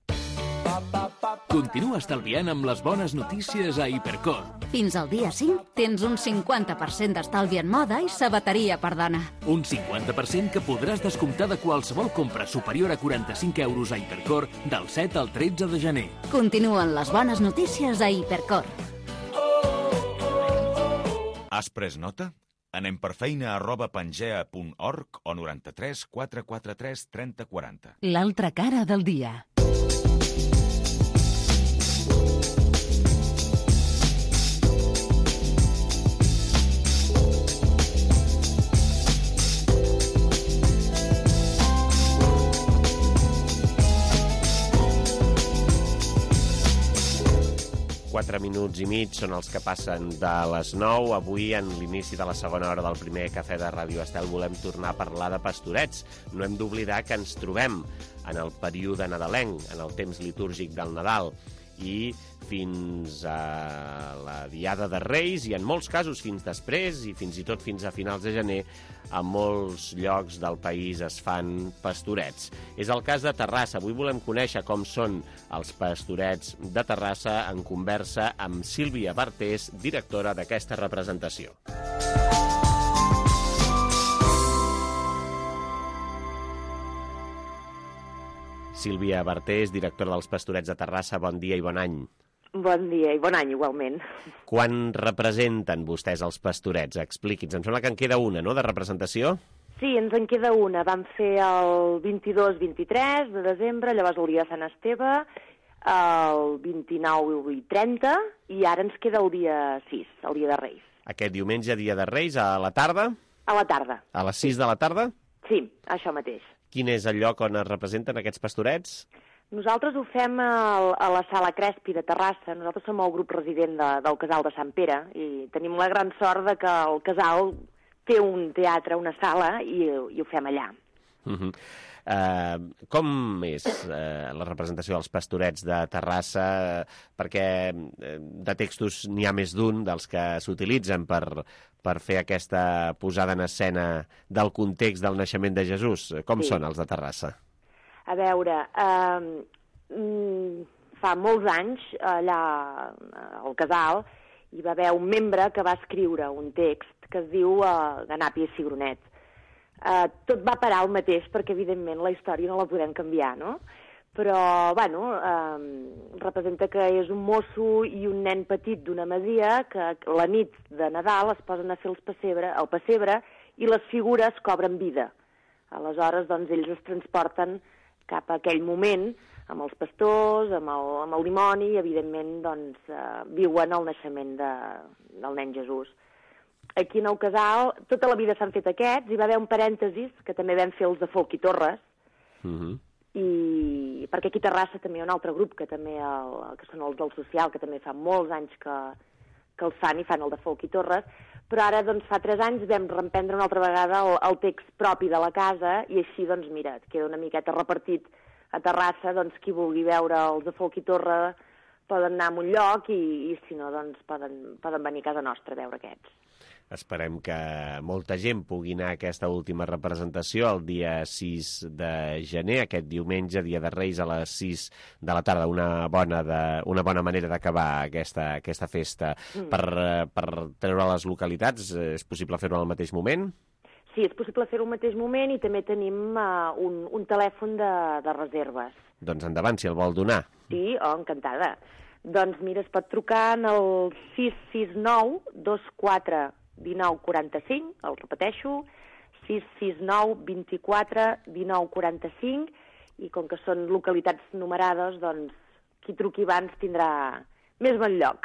S5: Continua estalviant amb les bones notícies a Hipercor.
S6: Fins al dia 5 tens un 50% d'estalvi en moda i sabateria per dona.
S5: Un 50% que podràs descomptar de qualsevol compra superior a 45 euros a Hipercor del 7 al 13 de gener.
S6: Continuen les bones notícies a Hipercor.
S20: Has pres nota? Anem per feina@pangea.org o 93 443 30 40.
S1: L'altra cara del dia.
S2: Quatre minuts i mig són els que passen de les 9. Avui, en l'inici de la segona hora del primer cafè de Ràdio Estel, volem tornar a parlar de pastorets. No hem d'oblidar que ens trobem en el període nadalenc, en el temps litúrgic del Nadal, i fins a la Diada de Reis, i en molts casos fins després, i fins i tot fins a finals de gener, a molts llocs del país es fan pastorets. És el cas de Terrassa. Avui volem conèixer com són els pastorets de Terrassa en conversa amb Sílvia Bartés, directora d'aquesta representació. Sílvia Bartés, directora dels Pastorets de Terrassa, bon dia i bon any.
S21: Bon dia i bon any, igualment.
S2: Quan representen vostès els Pastorets? Expliqui'ns. Em sembla que en queda una, no?, de representació?
S21: Sí, ens en queda una. Vam fer el 22-23 de desembre, llavors el dia de Sant Esteve, el 29 i 30, i ara ens queda el dia 6, el dia de Reis.
S2: Aquest diumenge, dia de Reis, a la tarda?
S21: A la tarda.
S2: A les 6 de la tarda?
S21: Sí, això mateix.
S2: Quin és el lloc on es representen aquests pastorets?
S21: Nosaltres ho fem a la Sala Crespi de Terrassa. Nosaltres som el grup resident del Casal de Sant Pere i tenim la gran sort de que el Casal té un teatre, una sala, i ho fem allà.
S2: Com és la representació dels pastorets de Terrassa? Perquè de textos n'hi ha més d'un dels que s'utilitzen per fer aquesta posada en escena del context del naixement de Jesús. Com són els de Terrassa?
S21: A veure, fa molts anys, allà al Casal, hi va haver un membre que va escriure un text que es diu Ganàpia i Cigronet. Tot va parar al mateix perquè, evidentment, la història no la podem canviar, no? Però, bueno, representa que és un mosso i un nen petit d'una masia que la nit de Nadal es posen a fer el pessebre i les figures cobren vida. Aleshores, doncs, ells es transporten cap a aquell moment amb els pastors, amb el dimoni, i, evidentment, doncs, viuen el naixement del nen Jesús. Aquí en el Casal, tota la vida s'han fet aquests, hi va haver un parèntesis, que també vam fer els de Folk i Torres, i perquè aquí a Terrassa també hi ha un altre grup, que també que són els del Social, que també fa molts anys que els fan, i fan el de Folk i Torres, però ara, doncs, fa 3 anys vam reemprendre una altra vegada el text propi de la casa, i així, doncs, mira, et queda una miqueta repartit a Terrassa, doncs, qui vulgui veure els de Folk i Torre poden anar a un lloc, i si no, doncs, poden venir a casa nostra a veure aquests.
S2: Esperem que molta gent pugui anar a aquesta última representació el dia 6 de gener, aquest diumenge, dia de Reis, a les 6 de la tarda. Una bona manera d'acabar aquesta festa. Per treure les localitats, és possible fer-ho al mateix moment?
S21: Sí, és possible fer-ho al mateix moment, i també tenim un telèfon de reserves.
S2: Doncs endavant, si el vol donar.
S21: Sí, encantada. Doncs mira, es pot trucar en el 669 24 19 45, el repeteixo, 669 24 19 45, i com que són localitats numerades, doncs qui truqui abans tindrà més bon lloc.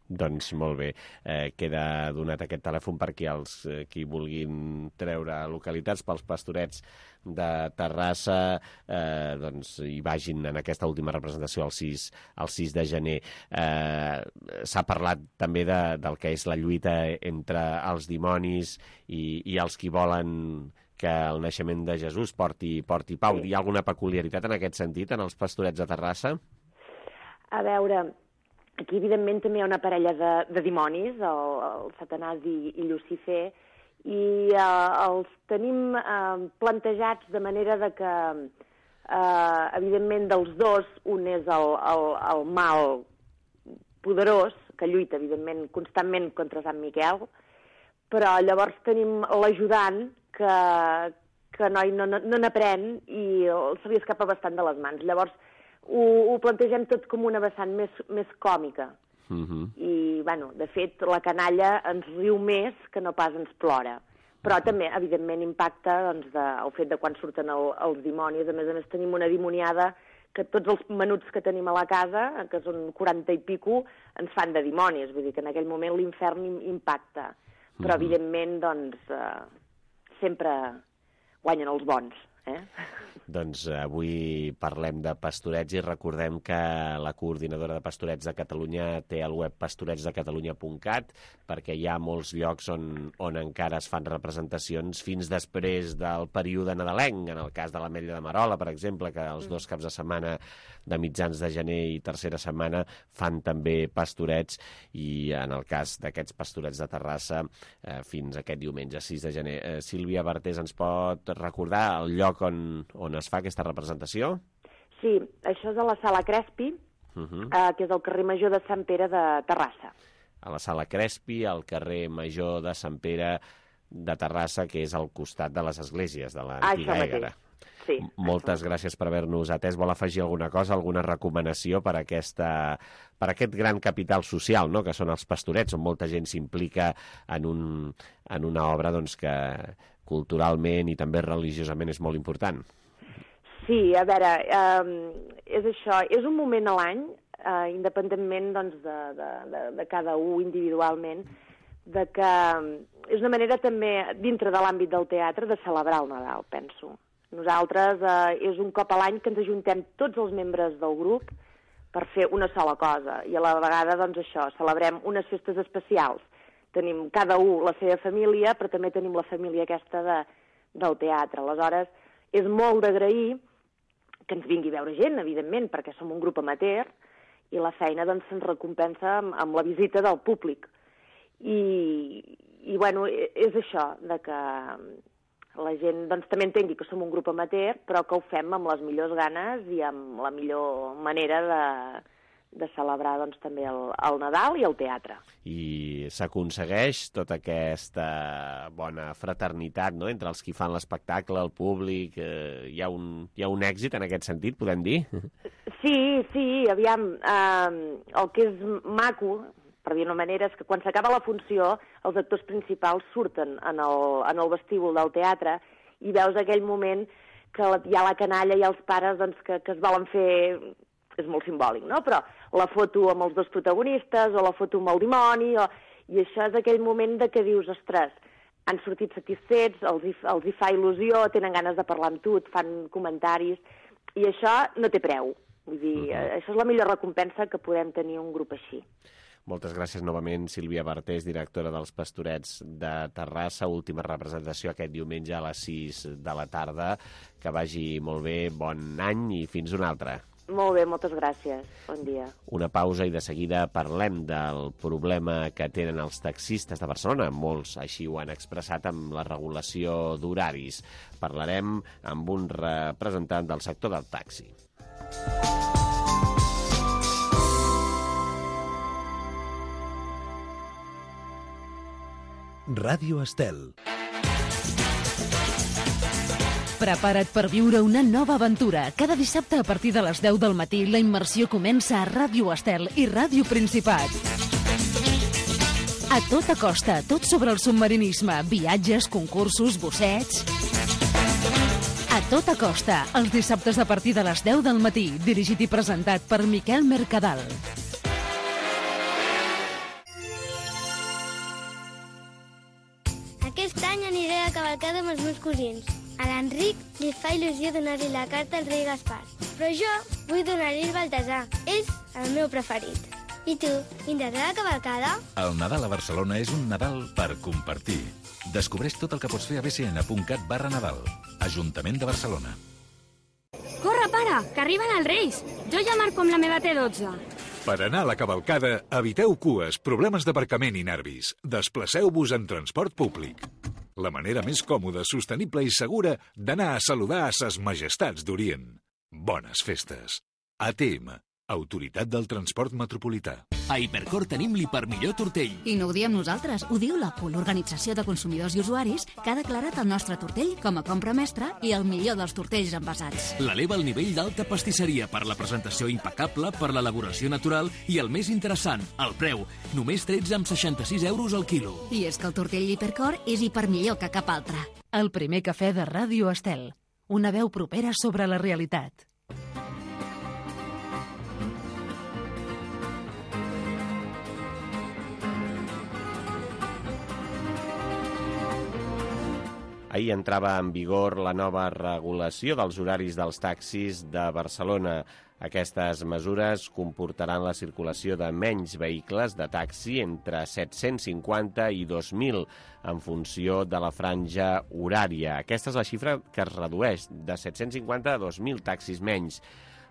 S2: Doncs molt bé, queda donat aquest telèfon per qui vulguin treure localitats pels Pastorets de Terrassa, doncs hi vagin en aquesta última representació el 6 de gener. S'ha parlat també del que és la lluita entre els dimonis i els qui volen que el naixement de Jesús porti pau. Hi ha alguna peculiaritat en aquest sentit en els Pastorets de Terrassa?
S21: A veure, aquí evidentment també hi ha una parella de dimonis, el Satanàs i Llucifer, i els tenim plantejats de manera de que, evidentment, dels dos, un és el mal poderós, que lluita, evidentment, constantment contra Sant Miquel, però llavors tenim l'ajudant que no n'aprèn i se li escapa bastant de les mans. Llavors, ho plantegem tot com una vessant més còmica. I, bueno, de fet, la canalla ens riu més que no pas ens plora. Però també, evidentment, impacta doncs, el fet de quan surten els dimonis. A més, tenim una dimoniada que tots els menuts que tenim a la casa, que són 40 i pico, ens fan de dimonis. Vull dir que en aquell moment l'infern impacta. Però, evidentment, doncs, sempre guanyen els bons.
S2: Doncs avui parlem de pastorets i recordem que la coordinadora de Pastorets de Catalunya té el web pastoretsdecatalunya.cat, perquè hi ha molts llocs on encara es fan representacions fins després del període nadalenc, en el cas de l'Ametlla de Merola, per exemple, que els 2 caps de setmana de mitjans de gener i tercera setmana fan també pastorets, i en el cas d'aquests Pastorets de Terrassa fins aquest diumenge 6 de gener. Sílvia Bartés, ens pot recordar el lloc on es fa aquesta representació?
S21: Sí, això és a la Sala Crespi, que és al carrer Major de Sant Pere de Terrassa.
S2: A la Sala Crespi, al carrer Major de Sant Pere de Terrassa, que és al costat de les esglésies de l'antiga Ègara.
S21: Sí,
S2: moltes gràcies per haver-nos atès. Vol afegir alguna cosa, alguna recomanació per aquest gran capital social, no?, que són els pastorets, on molta gent s'implica en una obra doncs, que culturalment i també religiosament és molt important?
S21: Sí, a veure, és això, és un moment a l'any, independentment doncs, de cada un individualment, de que és una manera també, dintre de l'àmbit del teatre, de celebrar el Nadal, penso. Nosaltres és un cop a l'any que ens ajuntem tots els membres del grup per fer una sola cosa, i a la vegada, doncs això, celebrem unes festes especials. Tenim cada un la seva família, però també tenim la família aquesta del teatre. Aleshores, és molt d'agrair que ens vingui a veure gent, evidentment, perquè som un grup amateur, i la feina doncs, se'ns recompensa amb la visita del públic. I bueno, és això, de que la gent doncs, també entengui que som un grup amateur, però que ho fem amb les millors ganes i amb la millor manera de celebrar doncs, també el Nadal i el teatre.
S2: I s'aconsegueix tota aquesta bona fraternitat, no?, entre els qui fan l'espectacle, el públic. Hi ha un èxit en aquest sentit, podem dir?
S21: Sí, aviam, el que és maco, per dir-ho d'una manera, és que quan s'acaba la funció els actors principals surten en el vestíbul del teatre i veus aquell moment que hi ha la canalla i els pares doncs, que es volen fer... És molt simbòlic, no? Però la foto amb els 2 protagonistes o la foto amb el dimoni, i això és aquell moment de que dius, ostres, han sortit satisfets, els hi fa il·lusió, tenen ganes de parlar amb tu, et fan comentaris, i això no té preu. Vull dir, això és la millor recompensa que podem tenir un grup així.
S2: Moltes gràcies novament, Sílvia Bartés, directora dels Pastorets de Terrassa. Última representació aquest diumenge a les 6 de la tarda. Que vagi molt bé, bon any i fins una altra.
S21: Molt bé, moltes gràcies. Bon dia.
S2: Una pausa i de seguida parlem del problema que tenen els taxistes de Barcelona. Molts així ho han expressat amb la regulació d'horaris. Parlarem amb un representant del sector del taxi.
S16: Ràdio Estel.
S1: Prepara't per viure una nova aventura. Cada dissabte a partir de les 10 del matí la immersió comença a Ràdio Estel i Ràdio Principat. A tota costa, tot sobre el submarinisme, viatges, concursos, bossets... A tota costa, els dissabtes a partir de les 10 del matí, dirigit i presentat per Miquel Mercadal.
S4: cavalcada amb els meus cosins. A l'Enric li fa il·lusió donar-li la carta al rei Gaspar. Però jo vull donar-li el Baltasar. És el meu preferit. I tu, vindràs a la cavalcada?
S22: El Nadal a Barcelona és un Nadal per compartir. Descobreix tot el que pots fer a bcn.cat/Nadal. Ajuntament de Barcelona.
S23: Corre, pare, que arriben els Reis. Jo ja marco amb la meva T12.
S18: Per anar a la cavalcada, eviteu cues, problemes d'aparcament i nervis. Desplaceu-vos en transport públic. La manera més còmoda, sostenible i segura d'anar a saludar a ses majestats d'Orient. Bones festes. ATM, Autoritat del Transport Metropolità.
S5: A Hipercor tenim l'hipermillor tortell.
S6: I no ho diem nosaltres, ho diu la CUL, l'Organització de Consumidors i Usuaris, que ha declarat el nostre tortell com a compra mestra i el millor dels tortells envasats.
S5: L'eleva al nivell d'alta pastisseria per la presentació impecable, per l'elaboració natural i el més interessant, el preu. Només 13,66 € al quilo.
S6: I és que el tortell Hipercor és hipermillor que cap altre.
S1: El primer cafè de Ràdio Estel. Una veu propera sobre la realitat.
S2: Ahir entrava en vigor la nova regulació dels horaris dels taxis de Barcelona. Aquestes mesures comportaran la circulació de menys vehicles de taxi entre 750 i 2.000 en funció de la franja horària. Aquesta és la xifra que es redueix de 750 a 2.000 taxis menys.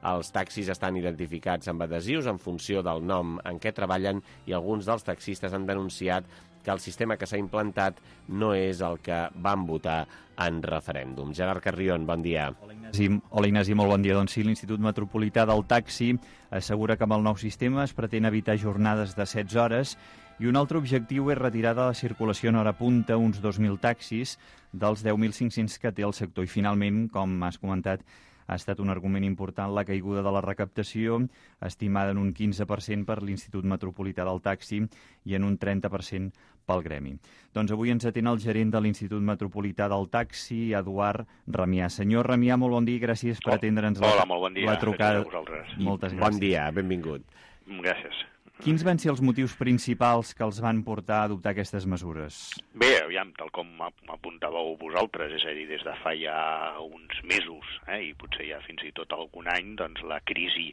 S2: Els taxis estan identificats amb adhesius en funció del nom en què treballen i alguns dels taxistes han denunciat que el sistema que s'ha implantat no és el que van votar en referèndum. Gerard Carrion, bon dia.
S24: Hola Ignasi, molt bon dia. Doncs sí, l'Institut Metropolità del Taxi assegura que amb el nou sistema es pretén evitar jornades de 16 hores i un altre objectiu és retirar de la circulació en hora punta uns 2.000 taxis dels 10.500 que té el sector. I finalment, com has comentat, ha estat un argument important la caiguda de la recaptació, estimada en un 15% per l'Institut Metropolità del Taxi i en un 30% pel gremi. Doncs avui ens atén el gerent de l'Institut Metropolità del Taxi, Eduard Ramià. Senyor Ramià, molt bon dia i gràcies per atendre'ns la trucada. Moltes gràcies.
S2: Bon dia, benvingut.
S25: Gràcies.
S24: Quins van ser els motius principals que els van portar a adoptar aquestes mesures?
S25: Bé, aviam, tal com apuntàveu vosaltres, és a dir, des de fa ja uns mesos, i potser ja fins i tot algun any, doncs la crisi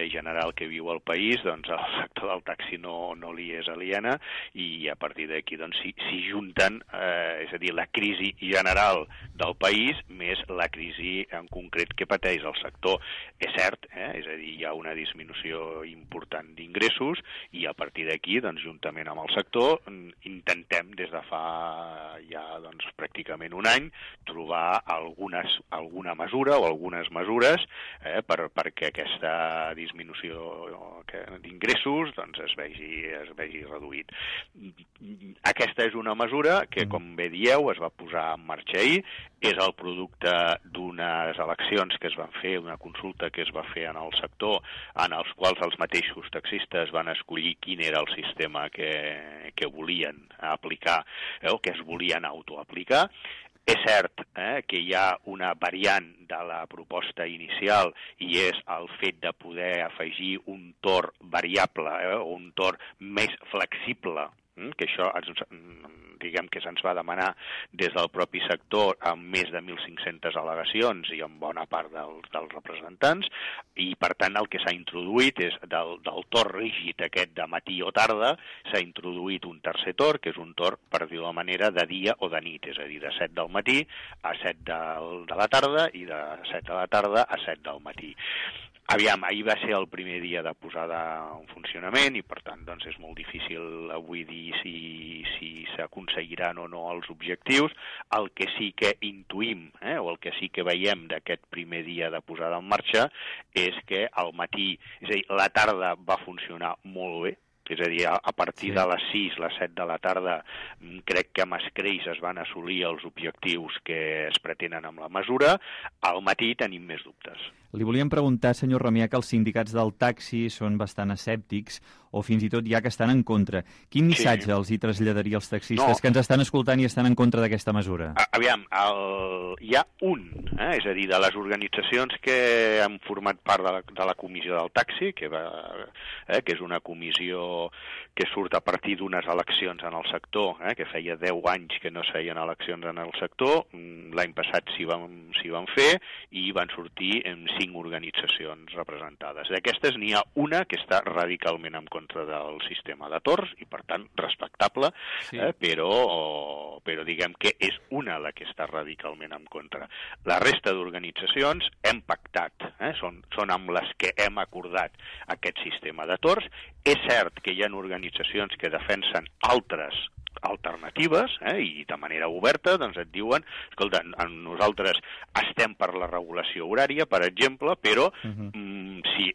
S25: general que viu el país, doncs el sector del taxi no li és aliena i a partir d'aquí doncs s'hi junten, és a dir, la crisi general del país més la crisi en concret que pateix el sector. És cert, és a dir, hi ha una disminució important d'ingressos i a partir d'aquí, doncs, juntament amb el sector, intentem des de fa ja doncs, pràcticament un any trobar alguna mesura o algunes mesures perquè aquesta disminució d'ingressos doncs, es vegi reduït. Aquesta és una mesura que, com bé dieu, es va posar en marxa ahir, és el producte d'unes eleccions que es van fer, una consulta que es va fer en el sector, en els quals els mateixos taxistes van escollir quin era el sistema que volien aplicar o que es volien autoaplicar. És cert que hi ha una variant de la proposta inicial i és el fet de poder afegir un torn variable o un torn més flexible, que això diguem que se'ns va demanar des del propi sector amb més de 1.500 al·legacions i amb bona part dels representants i per tant el que s'ha introduït és del torn rígid aquest de matí o tarda s'ha introduït un tercer torn que és un torn, per dir-ho de manera, de dia o de nit, és a dir, de 7 del matí a 7 de la tarda i de 7 de la tarda a 7 del matí. Aviam, ahir va ser el primer dia de posada en funcionament i, per tant, doncs és molt difícil avui dir si s'aconseguiran o no els objectius. El que sí que intuïm, o el que sí que veiem d'aquest primer dia de posada en marxa és que al matí, és a dir, la tarda va funcionar molt bé, és a dir, a partir de les 6, les 7 de la tarda, crec que amb escreix es van assolir els objectius que es pretenen amb la mesura. Al matí tenim més dubtes.
S24: Li volíem preguntar, senyor Ramià, que els sindicats del taxi són bastant escèptics o fins i tot ja que estan en contra. Quin missatge els hi traslladaria als taxistes que ens estan escoltant i estan en contra d'aquesta mesura?
S25: Aviam, hi ha un És a dir, de les organitzacions que han format part de la comissió del taxi, que és una comissió que surt a partir d'unes eleccions en el sector, que feia 10 anys que no es feien eleccions en el sector, l'any passat s'hi van fer i van sortir 5 organitzacions representades. D'aquestes n'hi ha una que està radicalment en contra del sistema de torns i, per tant, respectable, però diguem que és una la que està radicalment en contra. La resta d'organitzacions hem pactat, són amb les que hem acordat aquest sistema de torns. És cert que hi ha organitzacions que defensen altres alternatives, i de manera oberta doncs et diuen, escolta, nosaltres estem per la regulació horària, per exemple, però si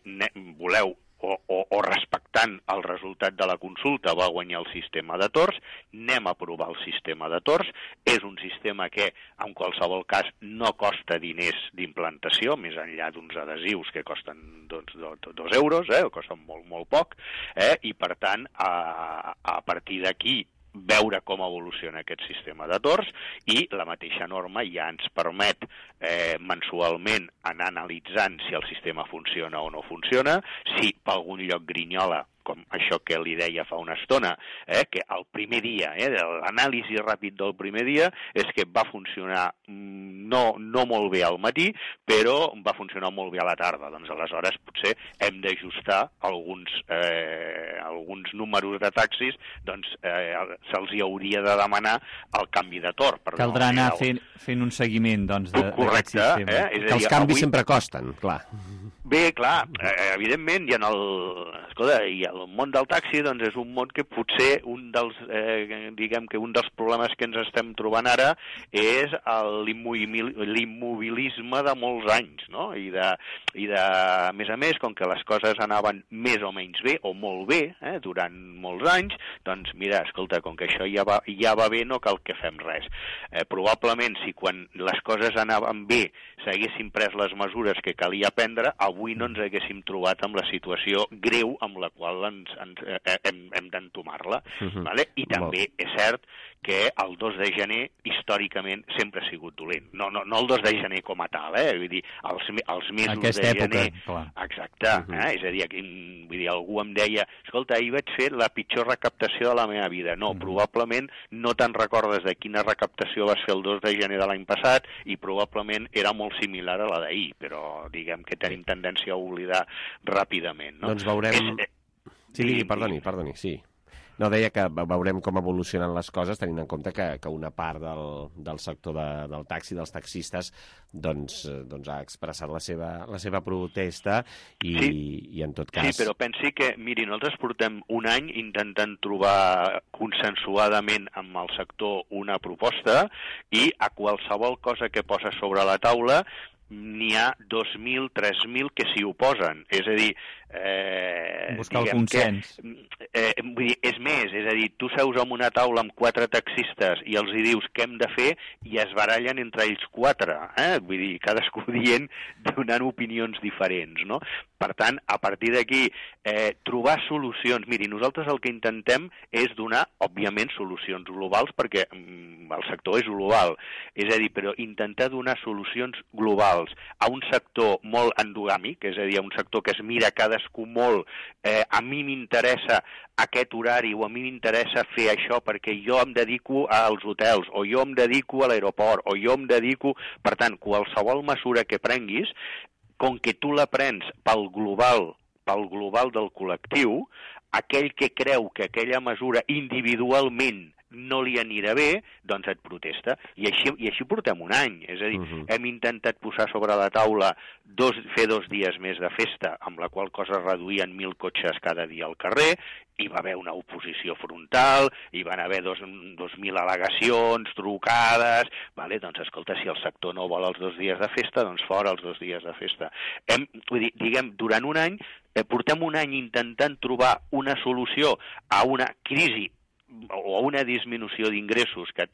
S25: voleu o respectant el resultat de la consulta va guanyar el sistema de torns, anem a aprovar el sistema de torns. És un sistema que, en qualsevol cas, no costa diners d'implantació, més enllà d'uns adhesius que costen 2 euros, costen molt, molt poc, i, per tant, a partir d'aquí, veure com evoluciona aquest sistema de torns, i la mateixa norma ja ens permet mensualment anar analitzant si el sistema funciona o no funciona, si per algun lloc grinyola, com això que li deia fa una estona, que el primer dia, l'anàlisi ràpid del primer dia, és que va funcionar no molt bé al matí, però va funcionar molt bé a la tarda. Doncs aleshores potser hem d'ajustar alguns números de taxis, doncs se'ls hi hauria de demanar el canvi de torn.
S24: Caldrà anar fent un seguiment, doncs, d'aquest sistema.
S2: Que els canvis sempre costen, clar.
S25: Bé, clar, evidentment, i el món del taxi doncs, és un món que potser un dels problemes que ens estem trobant ara és l'immobilisme de molts anys, no? I a més, com que les coses anaven més o menys bé, o molt bé, durant molts anys, doncs mira, escolta, com que això ja va bé, no cal que fem res. Probablement, si quan les coses anaven bé s'haguessin pres les mesures que calia prendre, avui no ens haguéssim trobat amb la situació greu amb la qual hem d'entomar-la. I també és cert que el 2 de gener històricament sempre ha sigut dolent. No el 2 de gener com a tal, vull dir, els mesos de gener. Exacte, és a dir, algú em deia, escolta, ahir vaig fer la pitjor recaptació de la meva vida. No, probablement no te'n recordes de quina recaptació vas fer el 2 de gener de l'any passat i probablement era molt similar a la d'ahir, però diguem que tenim tendència a oblidar ràpidament.
S2: Doncs veurem... Sí, perdoni, sí. No, deia que veurem com evolucionen les coses, tenint en compte que una part del sector del taxi, dels taxistes, doncs ha expressat la seva protesta i en tot cas...
S25: Sí, però pensi que, miri, nosaltres portem un any intentant trobar consensuadament amb el sector una proposta i a qualsevol cosa que posa sobre la taula n'hi ha 2.000, 3.000 que s'hi oposen. És a dir...
S24: buscar el consens.
S25: Vull dir, és més, és a dir, tu seus en una taula amb 4 taxistes i els hi dius què hem de fer i es barallen entre ells 4. Vull dir, cadascú dient, donant opinions diferents, no? Per tant, a partir d'aquí, trobar solucions... Miri, nosaltres el que intentem és donar, òbviament, solucions globals, perquè el sector és global. És a dir, però intentar donar solucions globals a un sector molt endogàmic, és a dir, a un sector que es mira cadascú molt, a mi m'interessa aquest horari o a mi m'interessa fer això perquè jo em dedico als hotels o jo em dedico a l'aeroport o jo em dedico... Per tant, qualsevol mesura que prenguis, com que tu la prens pel global del col·lectiu, aquell que creu que aquella mesura individualment no li anirà bé, doncs et protesta. I així portem un any. És a dir, hem intentat posar sobre la taula fer 2 dies més de festa, amb la qual cosa reduïen 1.000 cotxes cada dia al carrer, hi va haver una oposició frontal, hi van haver 2.000 al·legacions, trucades... Doncs, escolta, si el sector no vol els 2 dies de festa, doncs fora els 2 dies de festa. Diguem, durant un any, portem un any intentant trobar una solució a una crisi o una disminució d'ingressos que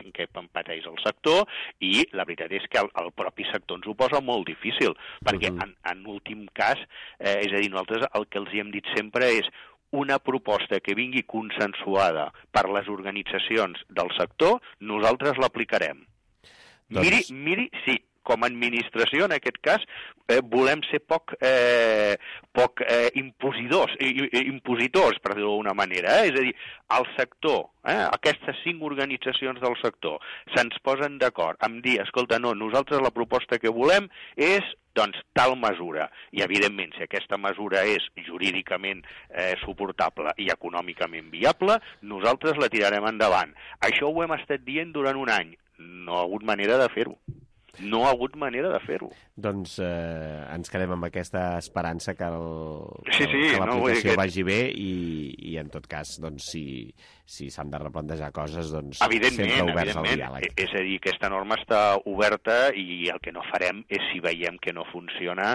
S25: pateix el sector i la veritat és que el propi sector ens ho posa molt difícil, perquè en últim cas, és a dir, nosaltres el que els hem dit sempre és una proposta que vingui consensuada per les organitzacions del sector, nosaltres l'aplicarem. Miri, sí, com a administració, en aquest cas, volem ser poc impositors, per dir-ho d'alguna manera. És a dir, el sector, aquestes 5 organitzacions del sector, se'ns posen d'acord amb dir, escolta, no, nosaltres la proposta que volem és doncs tal mesura, i evidentment si aquesta mesura és jurídicament suportable i econòmicament viable, nosaltres la tirarem endavant. Això ho hem estat dient durant un any, no ha hagut manera de fer-ho. No ha hagut manera de fer-ho.
S2: Doncs ens quedem amb aquesta esperança que
S25: que
S2: l'aplicació vagi bé i en tot cas, doncs, si s'han de replantejar coses, doncs sempre oberts al diàleg.
S25: És a dir, aquesta norma està oberta i el que no farem és, si veiem que no funciona,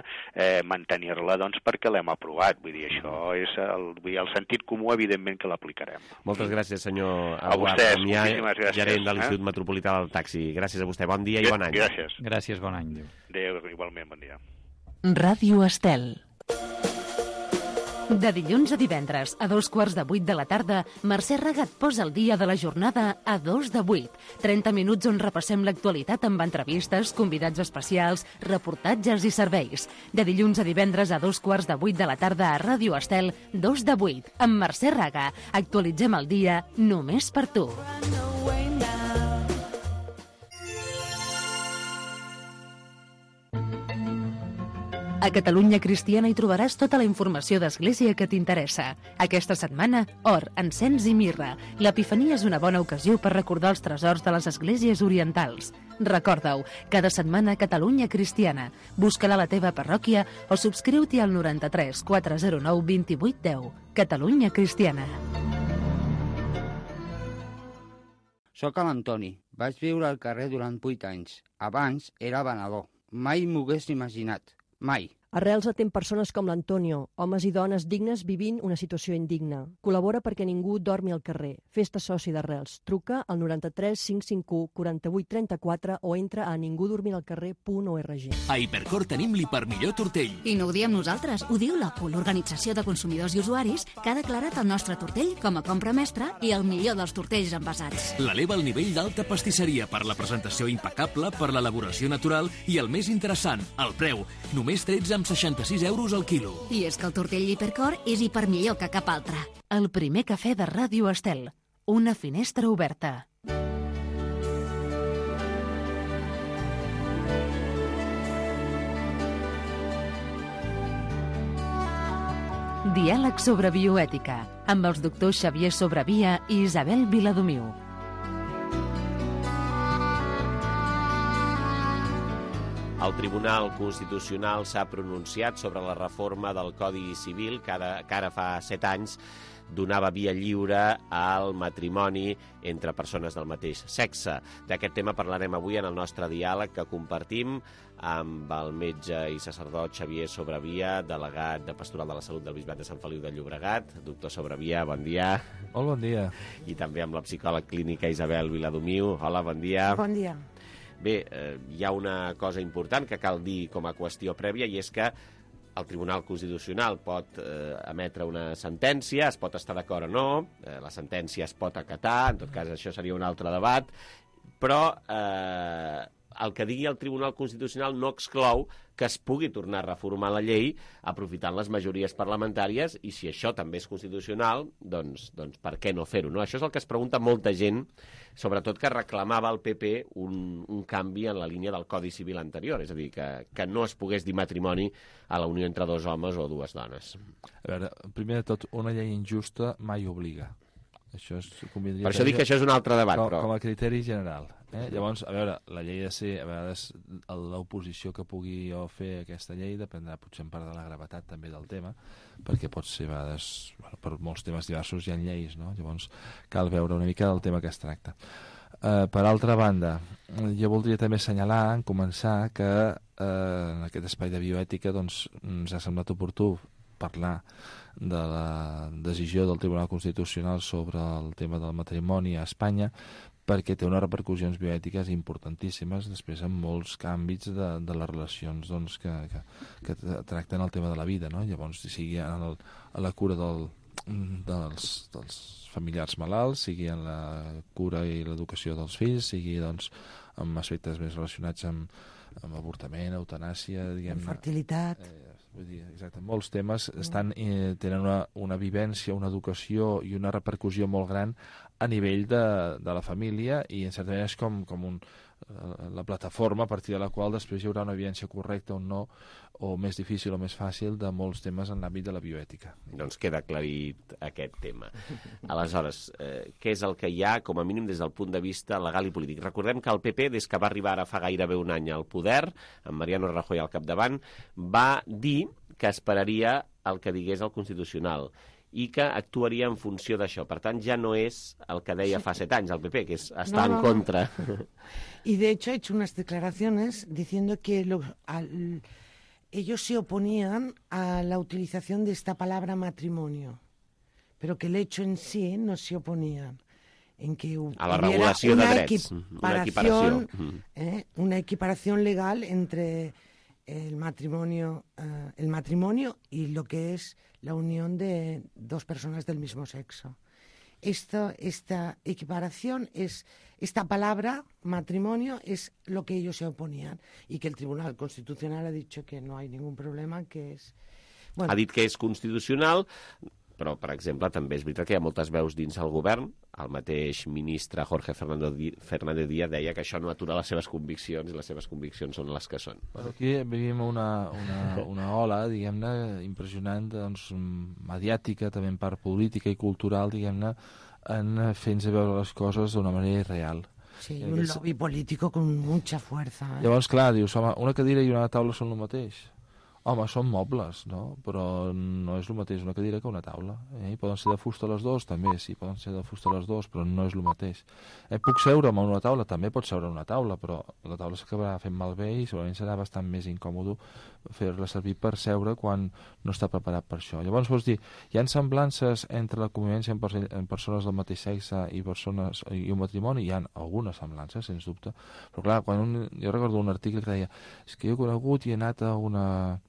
S25: mantenir-la doncs, perquè l'hem aprovat. Vull dir, això és el sentit comú, evidentment, que l'aplicarem.
S2: Moltes gràcies, senyor
S25: Eduard Damià,
S2: gerent de l'Institut Metropolità del Taxi. Gràcies a vostè. Bon dia i bon any.
S25: Gràcies.
S24: Gràcies, bon any.
S25: Adéu, igualment, bon dia.
S1: Ràdio Estel. De dilluns a divendres, a 7:45 de la tarda, Mercè Ragat posa el dia de la jornada a 2:08. 30 minuts on repassem l'actualitat amb entrevistes, convidats especials, reportatges i serveis. De dilluns a divendres a 7:15 de la tarda a Ràdio Estel, 2:08. Amb Mercè Raga, actualitzem el dia només per tu. A Catalunya Cristiana hi trobaràs tota la informació d'Església que t'interessa. Aquesta setmana, or, encens i mirra. L'Epifania és una bona ocasió per recordar els tresors de les esglésies orientals. Recorda-ho, cada setmana Catalunya Cristiana. Busca-la a la teva parròquia o subscriu-t'hi al 93 409 2810. Catalunya Cristiana.
S8: Soc l'Antoni. Vaig viure al carrer durant 8 anys. Abans era venedor. Mai m'ho hagués imaginat. Mai.
S10: Arrels atén persones com l'Antonio, homes i dones dignes vivint una situació indigna. Col·labora perquè ningú dormi al carrer. Fes-te soci d'Arrels. Truca al 93 551 48 34 o entra a ningudormiralcarrer.org.
S5: A Hipercor tenim l'hipermillor tortell.
S6: I no ho diem nosaltres, ho diu la PUL, l'Organització de Consumidors i Usuaris, que ha declarat el nostre tortell com a compra mestra i el millor dels tortells envasats.
S5: L'eleva al nivell d'alta pastisseria per la presentació impecable, per l'elaboració natural i el més interessant, el preu. Només 13,66 € al quilo.
S6: I és que el tortell Hipercor és hipermillor que cap altre.
S1: El primer cafè de Ràdio Estel. Una finestra oberta. Diàleg sobre bioètica, amb els doctors Xavier Sobrevia i Isabel Viladomiu.
S2: El Tribunal Constitucional s'ha pronunciat sobre la reforma del Codi Civil que ara fa 7 anys donava via lliure al matrimoni entre persones del mateix sexe. D'aquest tema parlarem avui en el nostre diàleg que compartim amb el metge i sacerdot Xavier Sobrevia, delegat de Pastoral de la Salut del Bisbat de Sant Feliu de Llobregat. Doctor Sobrevia, bon dia.
S12: Molt bon dia.
S2: I també amb la psicòleg clínica Isabel Viladomiu. Hola, bon dia.
S14: Bon dia.
S2: Bé, hi ha una cosa important que cal dir com a qüestió prèvia i és que el Tribunal Constitucional pot emetre una sentència, es pot estar d'acord o no, la sentència es pot acatar, en tot cas això seria un altre debat, però el que digui el Tribunal Constitucional no exclou que es pugui tornar a reformar la llei aprofitant les majories parlamentàries i si això també és constitucional, doncs per què no fer-ho? No? Això és el que es pregunta molta gent, sobretot que reclamava el PP un canvi en la línia del Codi Civil anterior, és a dir, que no es pogués dir matrimoni a la unió entre 2 homes o 2 dones.
S12: A veure, primer de tot, una llei injusta mai obliga. Això
S2: per això dic que això és un altre debat, però...
S12: Com a criteri general. Llavors, a veure, la llei ha de ser, a vegades, l'oposició que pugui fer aquesta llei dependrà potser en part de la gravetat també del tema, perquè pot ser, a vegades, per molts temes diversos hi ha lleis, no? Llavors cal veure una mica del tema que es tracta. Per altra banda, jo voldria també assenyalar, en començar, que en aquest espai de bioètica doncs, ens ha semblat oportú parlar de la decisió del Tribunal Constitucional sobre el tema del matrimoni a Espanya perquè té unes repercussions bioètiques importantíssimes després en molts àmbits de les relacions doncs, que tracten el tema de la vida, no? Llavors, sigui a la cura dels familiars malalts, sigui en la cura i l'educació dels fills, sigui doncs, amb aspectes més relacionats amb amb avortament, eutanàsia, diguem-ne...
S7: Fertilitat...
S12: Vull dir, exacte, molts temes tenen una vivència, una educació i una repercussió molt gran a nivell de la família, i en certa manera és com la plataforma a partir de la qual després hi haurà una evidència correcta o no, o més difícil o més fàcil, de molts temes en l'àmbit de la bioètica.
S2: Doncs queda aclarit aquest tema. Aleshores, què és el que hi ha, com a mínim des del punt de vista legal i polític? Recordem que el PP, des que va arribar ara fa gairebé un any al poder, amb Mariano Rajoy al capdavant, va dir que esperaria el que digués el Constitucional i que actuaria en funció d'això. Per tant, ja no és el que deia fa 7 anys el PP, que és estar en contra.
S7: Y de hecho ha hecho unas declaraciones diciendo que ellos se oponían a la utilización de esta palabra matrimonio, pero que el hecho en sí no se oponían. En que
S2: a la regulació de drets,
S7: una equiparación legal entre el matrimonio y lo que es la unión de dos personas del mismo sexo. Esta equiparación esta palabra matrimonio es lo que ellos se oponían, y que el Tribunal Constitucional ha dicho que no hay ningún problema, que es...
S2: Bueno. Ha dit que és constitucional, però, per exemple, també és veritat que hi ha moltes veus dins el govern. El mateix ministre Jorge Fernández Díaz deia que això no atura les seves conviccions, i les seves conviccions són les que són.
S12: Aquí vivim una ola, diguem-ne, impressionant, doncs, mediàtica, també en part política i cultural, diguem-ne, en fer-nos veure les coses d'una manera irreal.
S7: Sí, un lobby político con mucha fuerza.
S12: Llavors, clar, dius, home, una cadira i una taula són el mateix. Home, són mobles, no? Però no és el mateix una cadira que una taula. Poden ser de fusta les dues, també, sí, poden ser de fusta les dues, però no és el mateix. Puc seure en una taula? També pots seure en una taula, però la taula s'acabarà fent malbé i segurament serà bastant més incòmode fer-la servir per seure quan no està preparat per això. Llavors, vols dir, hi ha semblances entre la convivència en persones del mateix sexe i un matrimoni? Hi ha algunes semblances, sens dubte, però clar, jo recordo un article que deia és que jo he conegut i he anat a una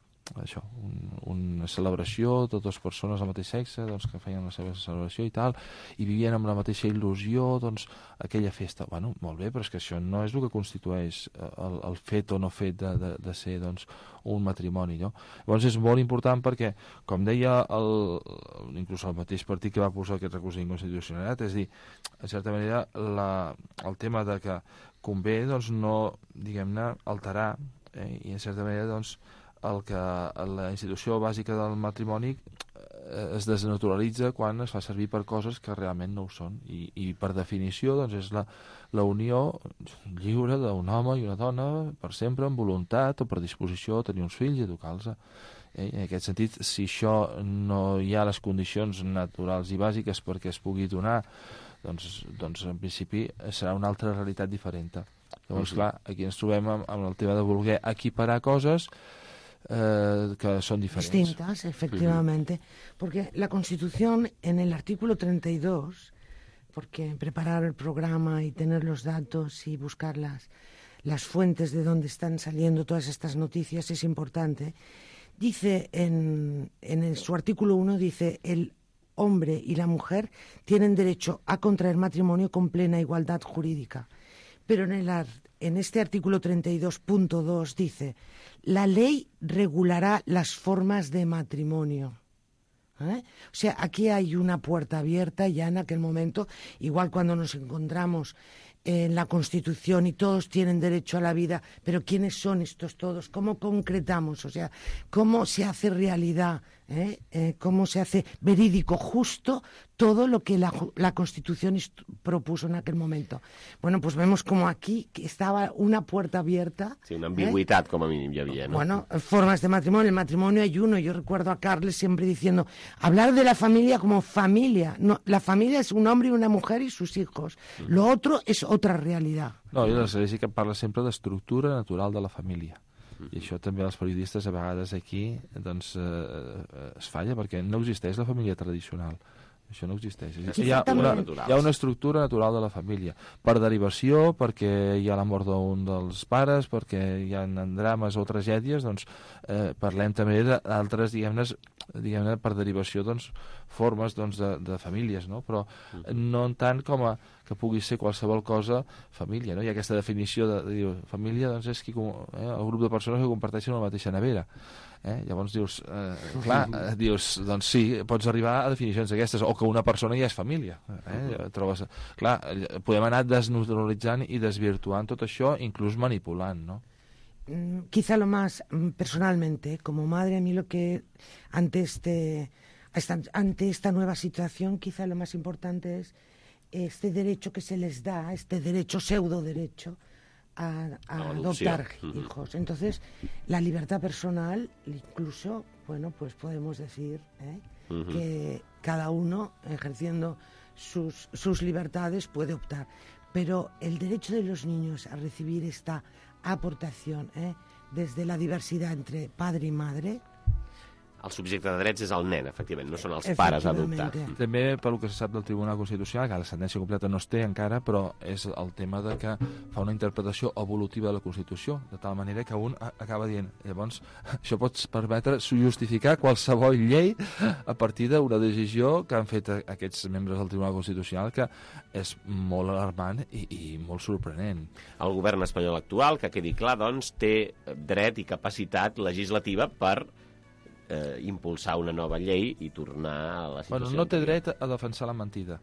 S12: celebració de dues persones del mateix sexe, doncs, que feien la seva celebració i tal, i vivien amb la mateixa il·lusió, doncs, aquella festa. Bueno, molt bé, però és que això no és el que constitueix el fet o no fet de ser, doncs, un matrimoni, no? Llavors és molt important perquè, com deia inclús el mateix partit que va posar aquest recurs d'inconstitucionalitat, és dir, en certa manera, el tema de que convé, doncs, no, diguem-ne, alterar, i en certa manera, doncs, la institució bàsica del matrimoni es desnaturalitza quan es fa servir per coses que realment no ho són, i per definició doncs és la unió lliure d'un home i una dona per sempre, amb voluntat o per disposició, tenir uns fills i educar-los. En aquest sentit, si això no hi ha les condicions naturals i bàsiques perquè es pugui donar, doncs en principi serà una altra realitat diferent. Llavors, clar, aquí ens trobem amb el tema de voler equiparar coses que son diferentes.
S7: Distintas, efectivamente. Porque la Constitución, en el artículo 32, porque preparar el programa y tener los datos y buscar las fuentes de donde están saliendo todas estas noticias es importante, dice en su artículo 1, dice: el hombre y la mujer tienen derecho a contraer matrimonio con plena igualdad jurídica. Pero en este artículo 32.2 dice: la ley regulará las formas de matrimonio. O sea, aquí hay una puerta abierta ya en aquel momento, igual cuando nos encontramos en la Constitución y todos tienen derecho a la vida, pero ¿quiénes son estos todos? ¿Cómo concretamos? O sea, ¿cómo se hace realidad? ¿Cómo se hace verídico, justo todo lo que la Constitución propuso en aquel momento? Bueno, pues vemos como aquí estaba una puerta abierta.
S2: Sí, una ambigüedad como a mí ya había, ¿no?
S7: Bueno, formas de matrimonio. El matrimonio hay uno. Yo recuerdo a Carles siempre diciendo, hablar de la familia como familia. No, la familia es un hombre y una mujer y sus hijos. Lo otro es otra realidad.
S12: No, i l'Església que parla sempre d'estructura natural de la família. I això també els periodistes a vegades aquí doncs, es falla, perquè no existeix la família tradicional. Això no existeix. Hi ha una estructura natural de la família. Per derivació, perquè hi ha la mort d'un dels pares, perquè hi ha drames o tragèdies, doncs parlem també d'altres, diguem-ne, per derivació, doncs, formes de famílies, no? Però no en tant com a que pugui ser qualsevol cosa família, no? Hi ha aquesta definició de família, doncs és el grup de persones que comparteixen la mateixa nevera. Llavors dius, doncs sí, pots arribar a definicions d'aquestes, o que una persona ja és família. Clar, podem anar desnaturalitzant i desvirtuant tot això, inclús manipulant, no?
S7: Quizá lo más, personalmente, como madre, a mí lo que ante esta nueva situación, quizá lo más importante es este derecho que se les da, este derecho, pseudo derecho, a adoptar hijos. Entonces, la libertad personal, incluso, bueno, pues podemos decir que cada uno, ejerciendo sus libertades, puede optar. Pero el derecho de los niños a recibir esta aportación desde la diversidad entre padre y madre.
S2: El subjecte de drets és el nen, efectivament, no són els pares a adoptar.
S12: També, pel que se sap del Tribunal Constitucional, que la sentència completa no es té encara, però és el tema de que fa una interpretació evolutiva de la Constitució, de tal manera que un acaba dient, llavors, això pot permetre justificar qualsevol llei a partir d'una decisió que han fet aquests membres del Tribunal Constitucional, que és molt alarmant i molt sorprenent.
S2: El govern espanyol actual, que quedi clar, doncs, té dret i capacitat legislativa per impulsar una nova llei i tornar a la situació...
S12: Bueno, no té dret a defensar la mentida.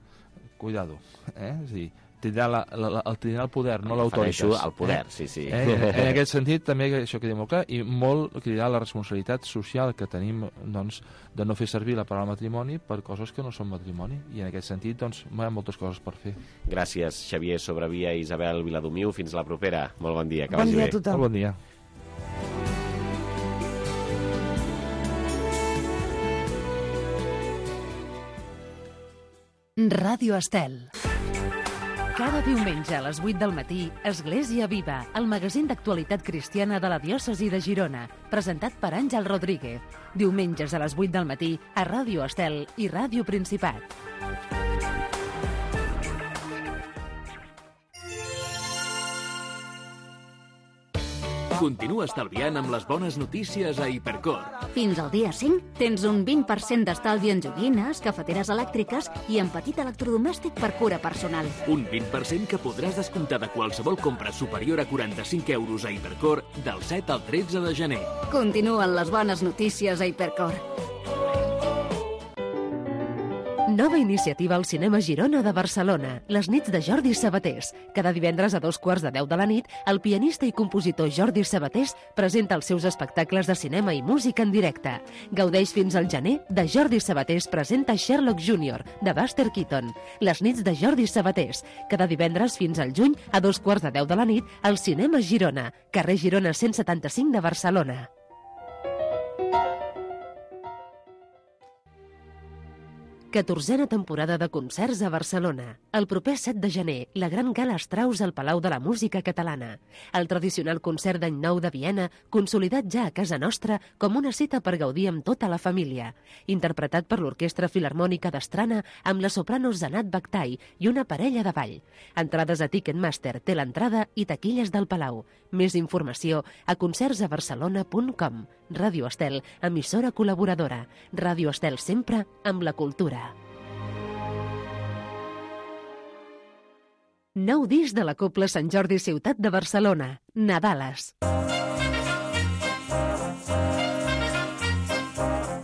S12: Cuidado. És a dir, tindrà el poder, no l'autoritat.
S2: El poder, sí.
S12: En aquest sentit, també això queda molt clar, i molt cridarà la responsabilitat social que tenim, doncs, de no fer servir la paraula matrimoni per coses que no són matrimoni. I en aquest sentit, doncs, hi ha moltes coses per fer.
S2: Gràcies, Xavier Sobrevia i Isabel Viladomiu. Fins la propera. Molt bon dia. Que
S7: vagi
S2: bé.
S7: Bon dia a tothom.
S12: Molt bon dia.
S1: Ràdio Estel. Cada diumenge a les 8 del matí, Església Viva, el magazín d'actualitat cristiana de la diòcesi de Girona, presentat per Àngel Rodríguez. Diumenges a les 8 del matí a Ràdio Estel i Ràdio Principat.
S5: Continua estalviant amb les bones notícies a Hipercor.
S6: Fins al dia 5 tens un 20% d'estalvi en joguines, cafeteres elèctriques i en petit electrodomèstic per cura personal.
S5: Un 20% que podràs descomptar de qualsevol compra superior a 45 euros a Hipercor del 7 al 13 de gener.
S6: Continuen les bones notícies a Hipercor.
S1: Nova iniciativa al Cinema Girona de Barcelona, les nits de Jordi Sabatés. Cada divendres a 2:15 de la nit, el pianista i compositor Jordi Sabatés presenta els seus espectacles de cinema i música en directe. Gaudeix fins al gener de Jordi Sabatés presenta Sherlock Jr., de Buster Keaton. Les nits de Jordi Sabatés. Cada divendres fins al juny a 2:15 de la nit, al Cinema Girona, carrer Girona 175 de Barcelona. 14a temporada de concerts a Barcelona. El proper 7 de gener, la gran gala Strauss al Palau de la Música Catalana. El tradicional concert d'Any Nou de Viena, consolidat ja a casa nostra com una cita per gaudir amb tota la família. Interpretat per l'Orquestra Filharmònica d'Astrana amb la soprano Zanat Baktai i una parella de ball. Entrades a Ticketmaster, té l'entrada i taquilles del Palau. Més informació a concertsabarcelona.com. Ràdio Estel, emissora col·laboradora. Ràdio Estel sempre amb la cultura. Nou disc de la Cobla Sant Jordi Ciutat de Barcelona, Nadales.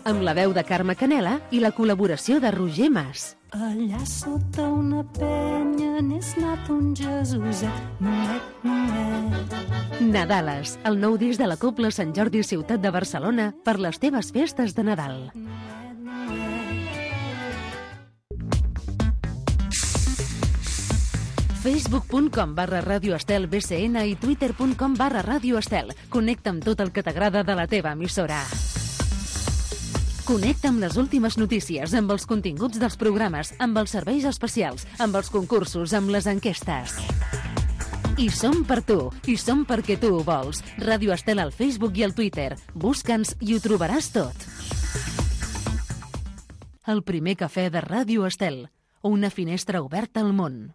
S1: Amb la veu de Carme Canela i la col·laboració de Roger Mas.
S3: Allà sota una penya n'és nat un Jesuset, nuet, nuet.
S1: Nadales, el nou disc de la Cobla Sant Jordi Ciutat de Barcelona per les teves festes de Nadal. Facebook.com/Ràdio Estel BCN i Twitter.com/Ràdio Estel. Connecta amb tot el que t'agrada de la teva emissora. Connecta amb les últimes notícies, amb els continguts dels programes, amb els serveis especials, amb els concursos, amb les enquestes. I som per tu, i som perquè tu ho vols. Ràdio Estel al Facebook i al Twitter. Busca'ns i ho trobaràs tot. El primer cafè de Ràdio Estel. Una finestra oberta al món.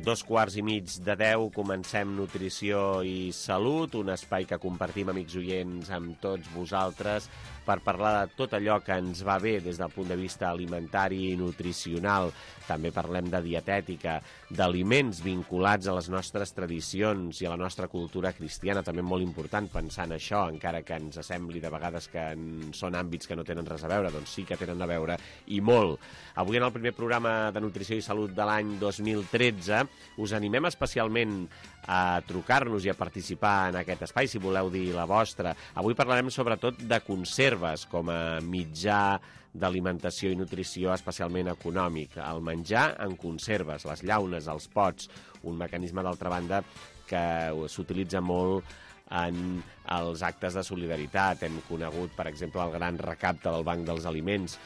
S2: 9:45 comencem Nutrició i Salut, un espai que compartim, amics oients, amb tots vosaltres per parlar de tot allò que ens va bé des del punt de vista alimentari i nutricional. També parlem de dietètica, d'aliments vinculats a les nostres tradicions i a la nostra cultura cristiana, també molt important pensar en això, encara que ens sembli de vegades que són àmbits que no tenen res a veure, doncs sí que tenen a veure, i molt. Avui, en el primer programa de Nutrició i Salut de l'any 2013, us animem especialment a trucar-nos i a participar en aquest espai, si voleu dir la vostra. Avui parlarem sobretot de conserves com a mitjà d'alimentació i nutrició especialment econòmic. El menjar en conserves, les llaunes, els pots, un mecanisme, d'altra banda, que s'utilitza molt en els actes de solidaritat. Hem conegut, per exemple, el gran recapte del Banc dels Aliments,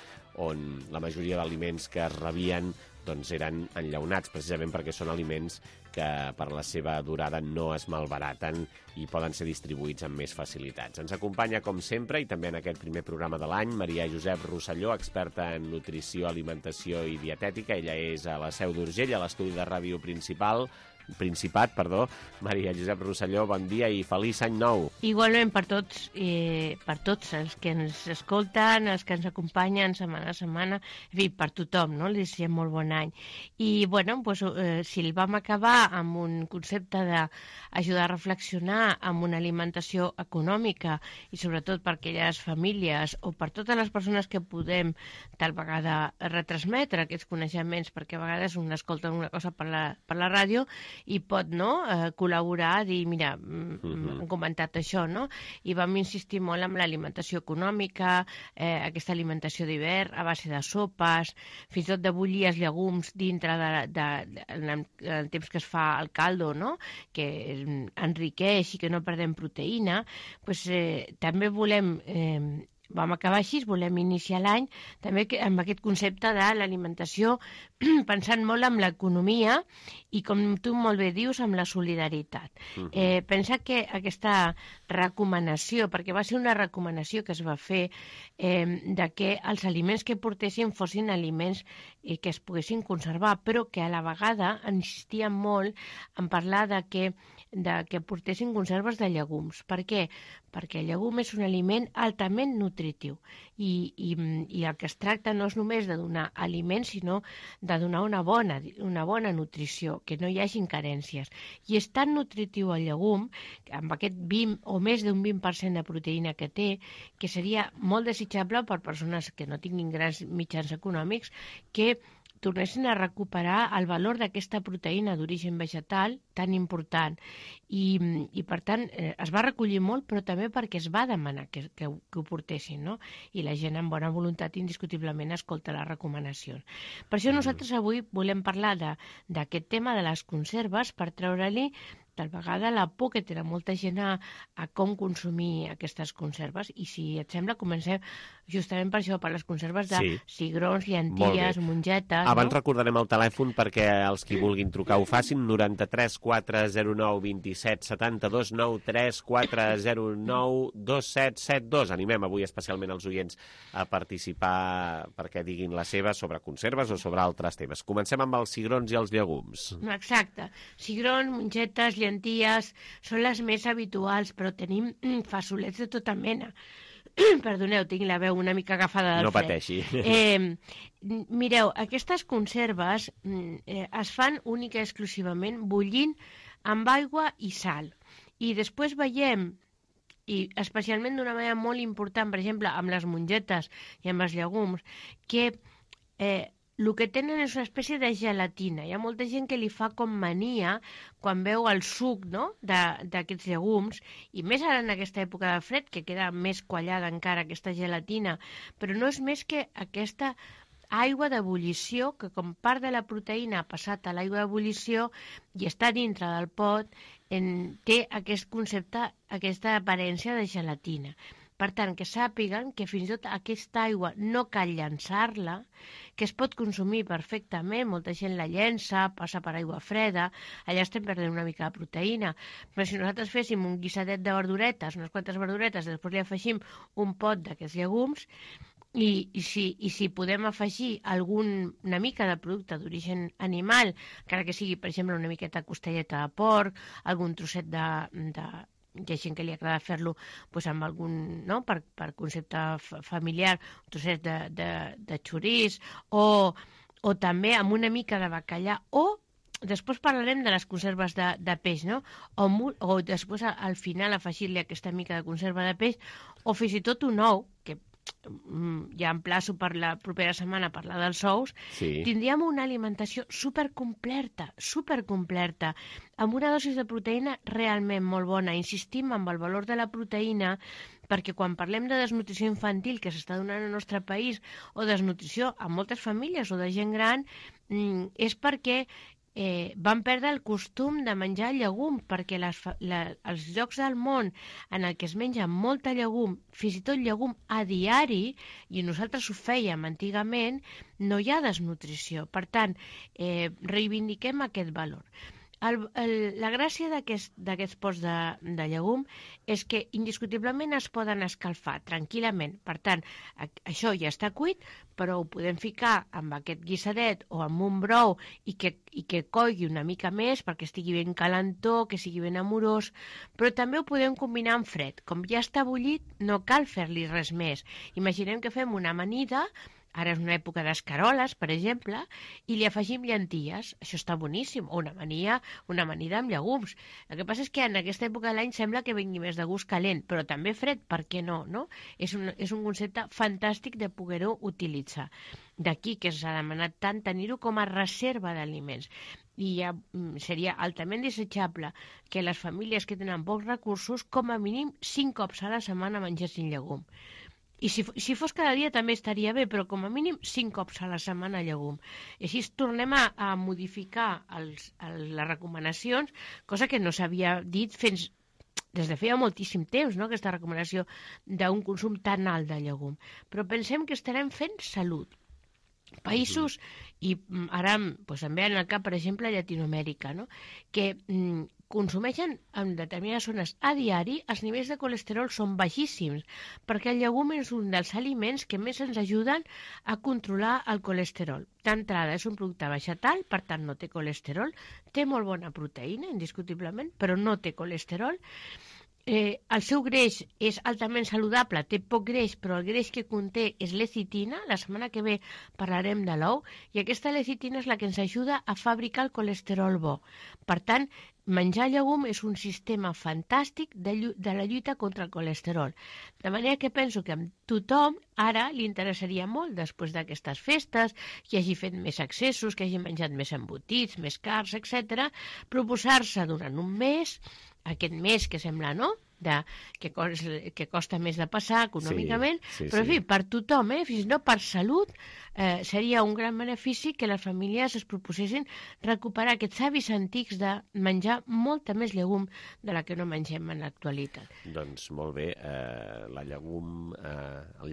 S2: on la majoria d'aliments que es rebien doncs eren enllaunats, precisament perquè són aliments que per la seva durada no es malbaraten i poden ser distribuïts amb més facilitats. Ens acompanya, com sempre, i també en aquest primer programa de l'any, Maria Josep Rosselló, experta en nutrició, alimentació i dietètica. Ella és a la Seu d'Urgell, a l'estudi de ràdio Principat. Maria Josep Rosselló, bon dia i feliç any nou.
S9: Igualment per tots els que ens escolten, els que ens acompanyen setmana a setmana, en fi, per tothom, no? Les desitgem molt bon any. I, bueno, doncs, si el vam acabar amb un concepte d'ajudar a reflexionar amb una alimentació econòmica i sobretot per aquelles famílies o per totes les persones que podem tal vegada retransmetre aquests coneixements, perquè a vegades un escolta una cosa per la ràdio i pot col·laborar, dir, mira, han comentat això, no? I vam insistir molt en l'alimentació econòmica, aquesta alimentació d'hivern a base de sopes, fins i tot de bullir els llegums dintre del temps que es fa el caldo, no? Que enriqueix i que no perdem proteïna. Pues, també vam acabar així, volem iniciar l'any també amb aquest concepte de l'alimentació pensant molt en l'economia i, com tu molt bé dius, amb la solidaritat. Pensa que aquesta recomanació, perquè va ser una recomanació que es va fer de que els aliments que portessin fossin aliments que es poguessin conservar, però que a la vegada insistíem molt en parlar de que portessin conserves de llegums. Per què? Perquè el llegum és un aliment altament nutritiu i el que es tracta no és només de donar aliments, sinó de donar una bona nutrició, que no hi hagin carències. I és tan nutritiu el llegum, amb aquest 20 o més d'un 20% de proteïna que té, que seria molt desitjable per persones que no tinguin grans mitjans econòmics, que tornessin a recuperar el valor d'aquesta proteïna d'origen vegetal tan important. I per tant, es va recollir molt, però també perquè es va demanar que ho portessin, no? I la gent amb bona voluntat indiscutiblement escolta les recomanacions. Per això nosaltres avui volem parlar d'aquest tema de les conserves per treure-li tal vegada la por que té molta gent a com consumir aquestes conserves. I si et sembla, comencem justament per això, per les conserves de cigrons, llenties, mongetes.
S2: Abans recordarem el telèfon perquè els qui vulguin trucar ho facin, 93 409 27 72 93 409 2772. Animem avui especialment els oients a participar perquè diguin la seva sobre conserves o sobre altres temes. Comencem amb els cigrons i els llegums.
S9: Exacte. Cigrons, mongetes, llenties són les més habituals, però tenim fasolets de tota mena. Perdoneu, tinc la veu una mica agafada del fred.
S2: No pateixi.
S9: Mireu, aquestes conserves es fan única i exclusivament bullint amb aigua i sal. I després veiem, i especialment d'una manera molt important, per exemple, amb les mongetes i amb els llegums, que el que tenen és una espècie de gelatina. Hi ha molta gent que li fa com mania quan veu el suc, no?, d'aquests llegums, i més ara en aquesta època de fred, que queda més quallada encara aquesta gelatina, però no és més que aquesta aigua d'ebullició, que com part de la proteïna ha passat a l'aigua d'ebullició i està dintre del pot, té aquest concepte, aquesta aparença de gelatina. Per tant, que sàpiguen que fins i tot aquesta aigua no cal llançar-la, que es pot consumir perfectament, molta gent la llença, passa per aigua freda, allà estem perdent una mica de proteïna. Però si nosaltres féssim un guisadet de verduretes, unes quantes verduretes, després li afegim un pot d'aquests llegums, I si podem afegir una mica de producte d'origen animal, encara que sigui, per exemple, una miqueta costelleta de porc, algun trosset de hi ha gent que li agrada fer-lo doncs, amb algun, no? per concepte familiar, un trosset de xoriç, o també amb una mica de bacallà, o després parlarem de les conserves de peix, no? O després al final afegir-li aquesta mica de conserva de peix, o fins i tot un ou, que ja emplaço per la propera setmana a parlar dels ous, tindríem una alimentació supercompleta, amb una dosi de proteïna realment molt bona. Insistim en el valor de la proteïna, perquè quan parlem de desnutrició infantil que s'està donant al nostre país, o desnutrició a moltes famílies o de gent gran, és perquè van perdre el costum de menjar llegum, perquè els llocs del món en el que es menja molta llegum, fins i tot llegum a diari, i nosaltres ho fèiem antigament, no hi ha desnutrició. Per tant, reivindiquem aquest valor. La gràcia d'aquests pots de llegum és que indiscutiblement es poden escalfar tranquil·lament. Per tant, això ja està cuit, però ho podem ficar amb aquest guisadet o amb un brou i que coigui una mica més perquè estigui ben calentó, que sigui ben amorós, però també ho podem combinar amb fred. Com ja està bullit, no cal fer-li res més. Imaginem que fem una amanida, ara és una època d'escaroles, per exemple, i li afegim llenties. Això està boníssim. O una amanida amb llegums. El que passa és que en aquesta època de l'any sembla que vingui més de gust calent, però també fred, per què no? És un concepte fantàstic de poder-ho utilitzar. D'aquí que s'ha demanat tant tenir-ho com a reserva d'aliments. I ja seria altament desitjable que les famílies que tenen pocs recursos, com a mínim 5 cops a la setmana mengessin llegum. I si fos cada dia també estaria bé, però com a mínim 5 cops a la setmana llegum. I així tornem a modificar les recomanacions, cosa que no s'havia dit des de feia moltíssim temps, no? Aquesta recomanació d'un consum tan alt de llegum. Però pensem que estarem fent salut. Països, i ara em ve al cap, per exemple, Llatinoamèrica, no? Que consumeixen en determinades zones a diari, els nivells de colesterol són baixíssims, perquè el llegum és un dels aliments que més ens ajuden a controlar el colesterol. D'entrada, és un producte vegetal, per tant no té colesterol, té molt bona proteïna, indiscutiblement, però no té colesterol. El seu greix és altament saludable, té poc greix, però el greix que conté és lecitina. La setmana que ve parlarem de l'ou, i aquesta lecitina és la que ens ajuda a fabricar el colesterol bo. Per tant, menjar llegum és un sistema fantàstic de la lluita contra el colesterol. De manera que penso que a tothom ara li interessaria molt, després d'aquestes festes, que hagi fet més accessos, que hagi menjat més embotits, més cars, etc., proposar-se durant un mes, aquest mes que sembla, no?, que costa més de passar econòmicament, però en fi, per tothom, fins i tot per salut, seria un gran benefici que les famílies es proposessin recuperar aquests hàbits antics de menjar molta més llegum de la que no mengem en l'actualitat.
S2: Doncs molt bé, el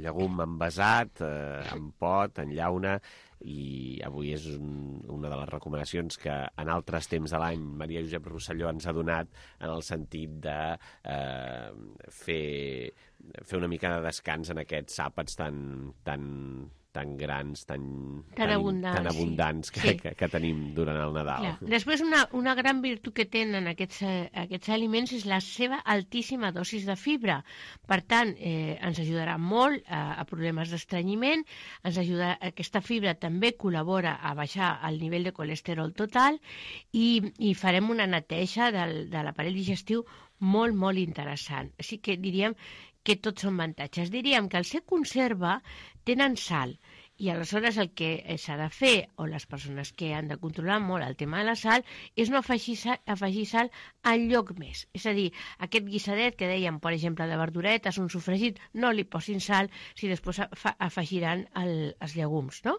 S2: llegum envasat, en pot, en llauna, i avui és una de les recomanacions que en altres temps de l'any Maria Josep Rosselló ens ha donat, en el sentit de fer una mica de descans en aquests àpats tan grans, tan abundants que tenim durant el Nadal.
S9: Després, una gran virtut que tenen aquests aliments és la seva altíssima dosis de fibra. Per tant, ens ajudarà molt a problemes d'estrenyiment, aquesta fibra també col·labora a baixar el nivell de colesterol total i farem una neteja de l'aparell digestiu molt, molt interessant. Així que diríem que tots són avantatges. Diríem que al ser conserva tenen sal, i aleshores el que s'ha de fer, o les persones que han de controlar molt el tema de la sal, és no afegir sal enlloc més. És a dir, aquest guisadet que dèiem, per exemple, de verduretes, un sofregit, no li posin sal si després afegiran els llegums, no?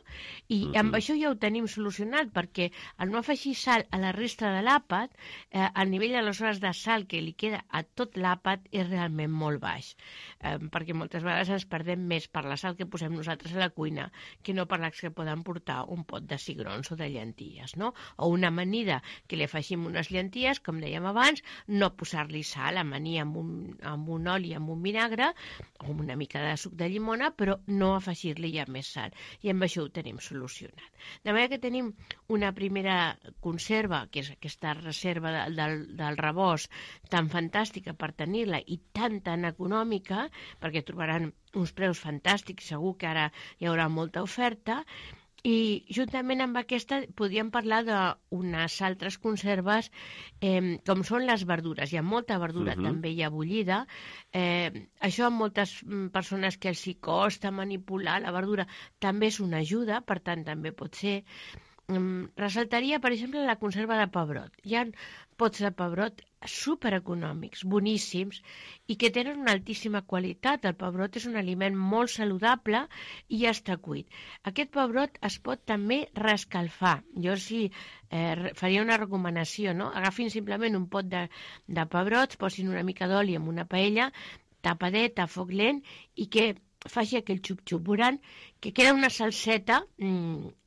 S9: I amb això ja ho tenim solucionat, perquè al no afegir sal a la resta de l'àpat, el nivell aleshores de sal que li queda a tot l'àpat és realment molt baix, perquè moltes vegades ens perdem més per la sal que posem nosaltres a la cuina que no parlar que poden portar un pot de cigrons o de llenties, no? O una amanida que li afegim unes llenties, com dèiem abans, no posar-li sal, amanir amb un oli, amb un vinagre, o amb una mica de suc de llimona, però no afegir-li ja més sal. I amb això ho tenim solucionat. De manera que tenim una primera conserva, que és aquesta reserva del rebost tan fantàstica per tenir-la i tan econòmica, perquè trobaran uns preus fantàstics, segur que ara hi haurà molta oferta, i juntament amb aquesta podríem parlar d'unes altres conserves com són les verdures. Hi ha molta verdura també ja bullida. Això a moltes persones que els hi costa manipular la verdura també és una ajuda, per tant també pot ser. Ressaltaria, per exemple, la conserva de pebrot. Hi ha pots de pebrot supereconòmics, boníssims, i que tenen una altíssima qualitat. El pebrot és un aliment molt saludable i ja està cuit. Aquest pebrot es pot també reescalfar. Jo faria una recomanació, no? Agafin simplement un pot de pebrots, posin una mica d'oli en una paella, tapadet a foc lent, i que faci aquell xup-xup. Veuran que queda una salseta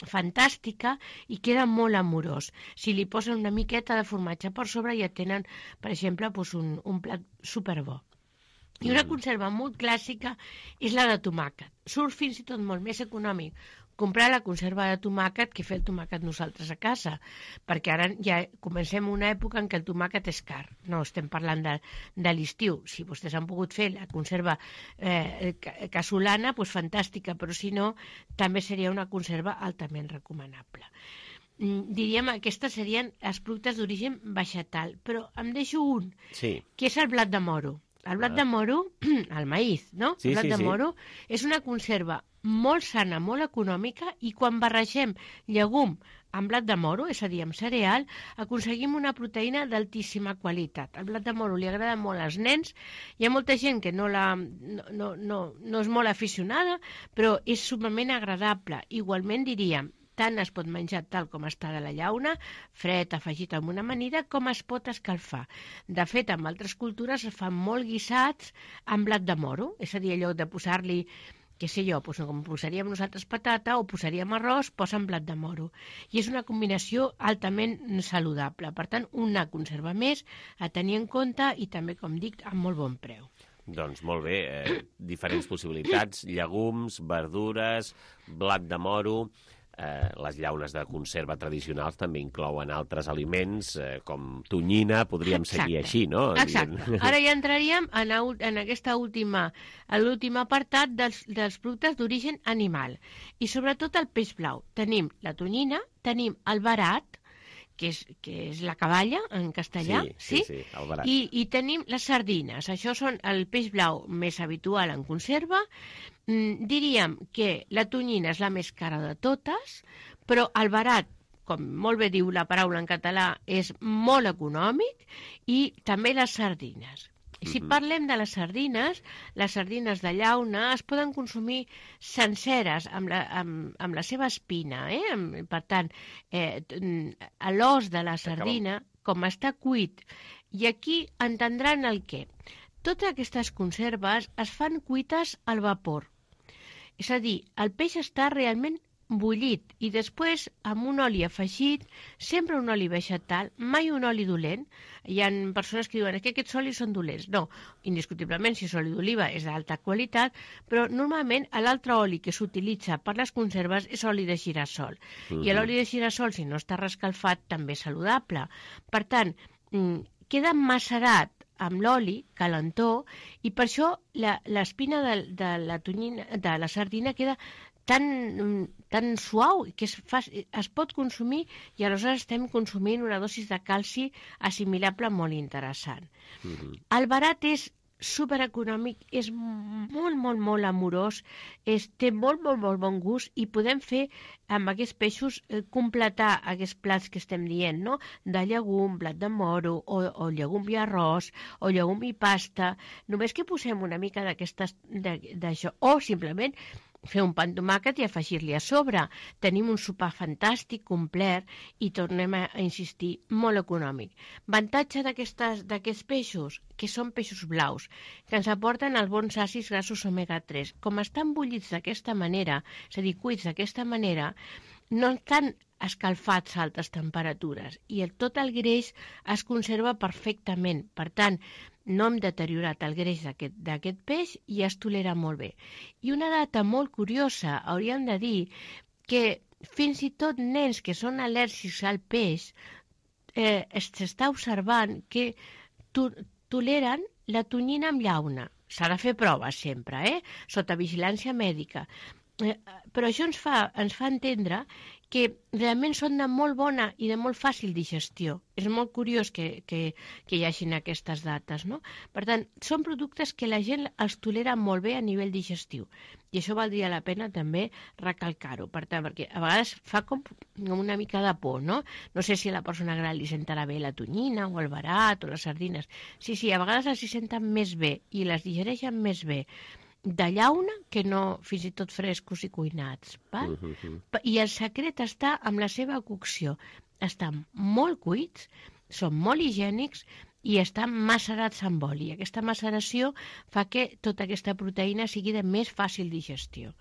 S9: fantàstica i queda molt amorós. Si li posen una miqueta de formatge per sobre ja tenen, per exemple, un plat superbo. I una conserva molt clàssica és la de tomàquet. Surt fins i tot molt més econòmic comprar la conserva de tomàquet que fer el tomàquet nosaltres a casa, perquè ara ja comencem una època en què el tomàquet és car. No estem parlant de l'estiu. Si vostès han pogut fer la conserva casolana, doncs fantàstica, però si no, també seria una conserva altament recomanable. Diríem que aquestes serien els productes d'origen vegetal, però em deixo un, que és el blat de moro. El blat de moro, el maïs, no? El blat de moro és una conserva molt sana, molt econòmica, i quan barregem llegum amb blat de moro, és a dir, amb cereal, aconseguim una proteïna d'altíssima qualitat. El blat de moro li agrada molt als nens. Hi ha molta gent que no és molt aficionada, però és sumament agradable. Igualment diríem, tant es pot menjar tal com està de la llauna, fred, afegit amb una amanida, com es pot escalfar. De fet, en altres cultures es fan molt guisats amb blat de moro, és a dir, allò de posar-li, què sé jo, com posaríem nosaltres patata o posaríem arròs, posen blat de moro. I és una combinació altament saludable. Per tant, una conserva més a tenir en compte i també, com dic, amb molt bon preu.
S2: Doncs molt bé, diferents possibilitats, llegums, verdures, blat de moro. Les llaunes de conserva tradicionals també inclouen altres aliments com tonyina, podríem seguir així, no?
S9: Exacte. Ara ja entraríem en aquesta l'últim apartat dels productes d'origen animal. I sobretot el peix blau. Tenim la tonyina, tenim el verat, que és la caballa en castellà,
S2: sí, el verat.
S9: I tenim les sardines. Això són el peix blau més habitual en conserva. Diríem que la tonyina és la més cara de totes, però el verat, com molt bé diu la paraula en català, és molt econòmic, i també les sardines. Si parlem de les sardines de llauna es poden consumir senceres amb la seva espina. Per tant, l'os de la sardina, com està cuit, i aquí entendran el què. Totes aquestes conserves es fan cuites al vapor. És a dir, el peix està realment bullit i després amb un oli afegit, sempre un oli vegetal, mai un oli dolent. Hi ha persones que diuen que aquests olis són dolents. No, indiscutiblement, si és oli d'oliva és d'alta qualitat, però normalment l'altre oli que s'utilitza per les conserves és oli de girassol. I l'oli de girassol, si no està reescalfat, també és saludable. Per tant, queda macerat amb l'oli, calentó, i per això l'espina de la sardina queda tan suau que es pot consumir, i aleshores estem consumint una dosi de calci assimilable molt interessant. El verat és supereconòmic, és molt, molt, molt amorós, té molt, molt, molt bon gust, i podem fer amb aquests peixos completar aquests plats que estem dient, no? De llegum, blat de moro, o llegum i arròs, o llegum i pasta. Només que posem una mica d'això, o simplement fer un pa amb tomàquet i afegir-li a sobre. Tenim un sopar fantàstic, complet, i tornem a insistir, molt econòmic. Avantatge d'aquests peixos, que són peixos blaus, que ens aporten els bons àcids grassos omega-3. Com estan bullits d'aquesta manera, és a dir, cuits d'aquesta manera, no estan escalfats a altes temperatures i tot el greix es conserva perfectament. Per tant, no hem deteriorat el greix d'aquest peix i es tolera molt bé. I una data molt curiosa, hauríem de dir que fins i tot nens que són al·lèrgics al peix s'està observant que toleren la tonyina amb llauna. S'ha de fer proves sempre, sota vigilància mèdica. Però això ens fa entendre que realment són de molt bona i de molt fàcil digestió. És molt curiós que hi hagin aquestes dates, no? Per tant, són productes que la gent els tolera molt bé a nivell digestiu. I això valdria la pena també recalcar-ho. Per tant, perquè a vegades fa com una mica de por, no? No sé si a la persona gran li sentarà bé la tonyina o el verat o les sardines. Sí, a vegades els hi senten més bé i les digereixen més bé de llauna que no fins i tot frescos i cuinats. Val? I el secret està amb la seva cocció. Estan molt cuits, són molt higiènics i estan macerats amb oli. Aquesta maceració fa que tota aquesta proteïna sigui de més fàcil digestió.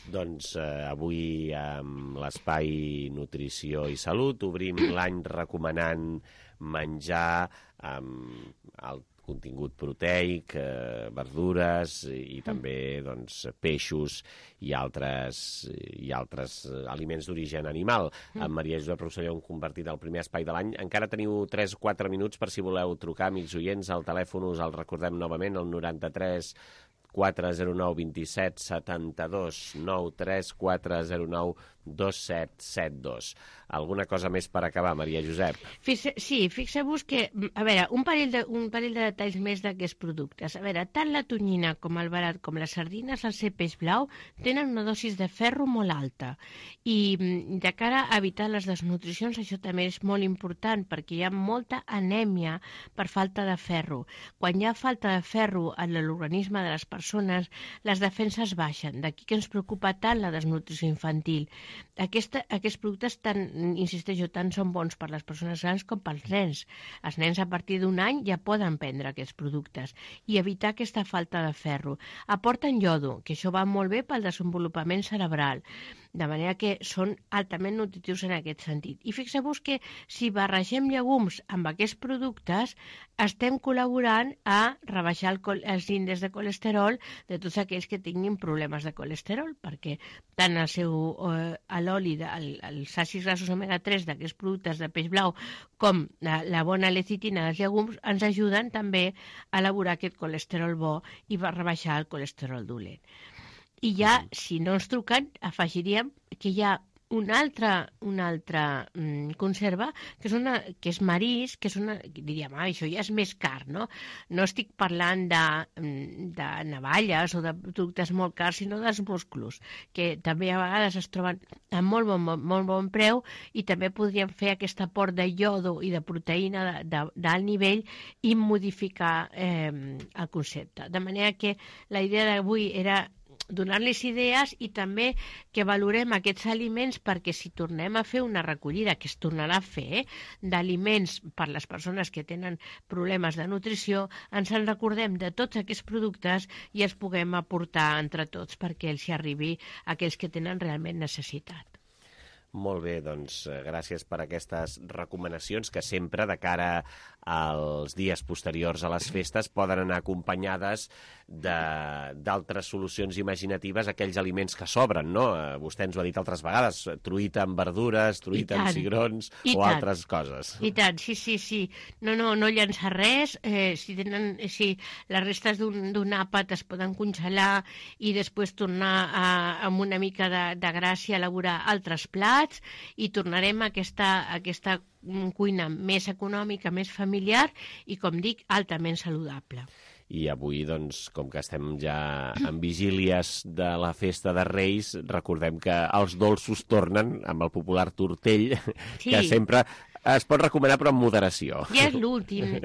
S2: Doncs avui amb l'Espai Nutrició i Salut obrim l'any recomanant menjar el contingut proteic, verdures i també peixos i altres aliments d'origen animal. Amb Maria Josep Rosselló hem compartit el primer espai de l'any. Encara teniu 3 o 4 minuts per si voleu trucar, amics oients. El telèfon us el recordem novament, el 93 409 27 72 93 409 2772. Alguna cosa més per acabar, Maria Josep?
S9: Sí, fixeu-vos que, a veure, un parell de detalls més d'aquests productes. A veure, tant la tonyina com el verat com les sardines, al ser peix blau, tenen una dosis de ferro molt alta. I de cara a evitar les desnutricions, això també és molt important, perquè hi ha molta anèmia per falta de ferro. Quan hi ha falta de ferro en l'organisme de les persones, les defenses baixen. D'aquí que ens preocupa tant la desnutrició infantil. Aquests productes, insisteixo, tant són bons per les persones grans com pels nens. Els nens a partir d'un any ja poden prendre aquests productes i evitar aquesta falta de ferro. Aporten iodo, que això va molt bé pel desenvolupament cerebral, de manera que són altament nutritius en aquest sentit. I fixeu-vos que si barregem llegums amb aquests productes estem col·laborant a rebaixar els índexs de colesterol de tots aquells que tinguin problemes de colesterol, perquè tant l'oli, els àcids grassos omega-3 d'aquests productes de peix blau com la bona lecitina dels llegums ens ajuden també a elaborar aquest colesterol bo i a rebaixar el colesterol dolent. I ja, si no ens truquen, afegiríem que hi ha una altra conserva, que és marís, diríem, això ja és més car, no? No estic parlant de navalles o de productes molt cars, sinó dels musclos, que també a vegades es troben a molt bon preu i també podríem fer aquest aport de iodo i de proteïna d'alt nivell i modificar el concepte. De manera que la idea d'avui era donar-los idees i també que valorem aquests aliments perquè si tornem a fer una recollida, que es tornarà a fer, d'aliments per les persones que tenen problemes de nutrició, ens en recordem de tots aquests productes i els puguem aportar entre tots perquè els hi arribi a aquells que tenen realment necessitat.
S2: Molt bé, doncs gràcies per aquestes recomanacions que sempre de cara als dies posteriors a les festes poden anar acompanyades d'altres solucions imaginatives a aquells aliments que sobren, no? Vostè ens ho ha dit altres vegades, truita amb verdures, truita amb cigrons o altres coses. I tant, sí. No llançar res, si les restes d'un àpat es poden congelar i després tornar amb una mica de gràcia a elaborar altres plats i tornarem a aquesta cuina més econòmica, més familiar i, com dic, altament saludable. I avui, doncs, com que estem ja en vigílies de la festa de Reis, recordem que els dolços tornen amb el popular tortell, que sempre Es pot recomanar, però amb moderació.
S9: Ja és l'últim,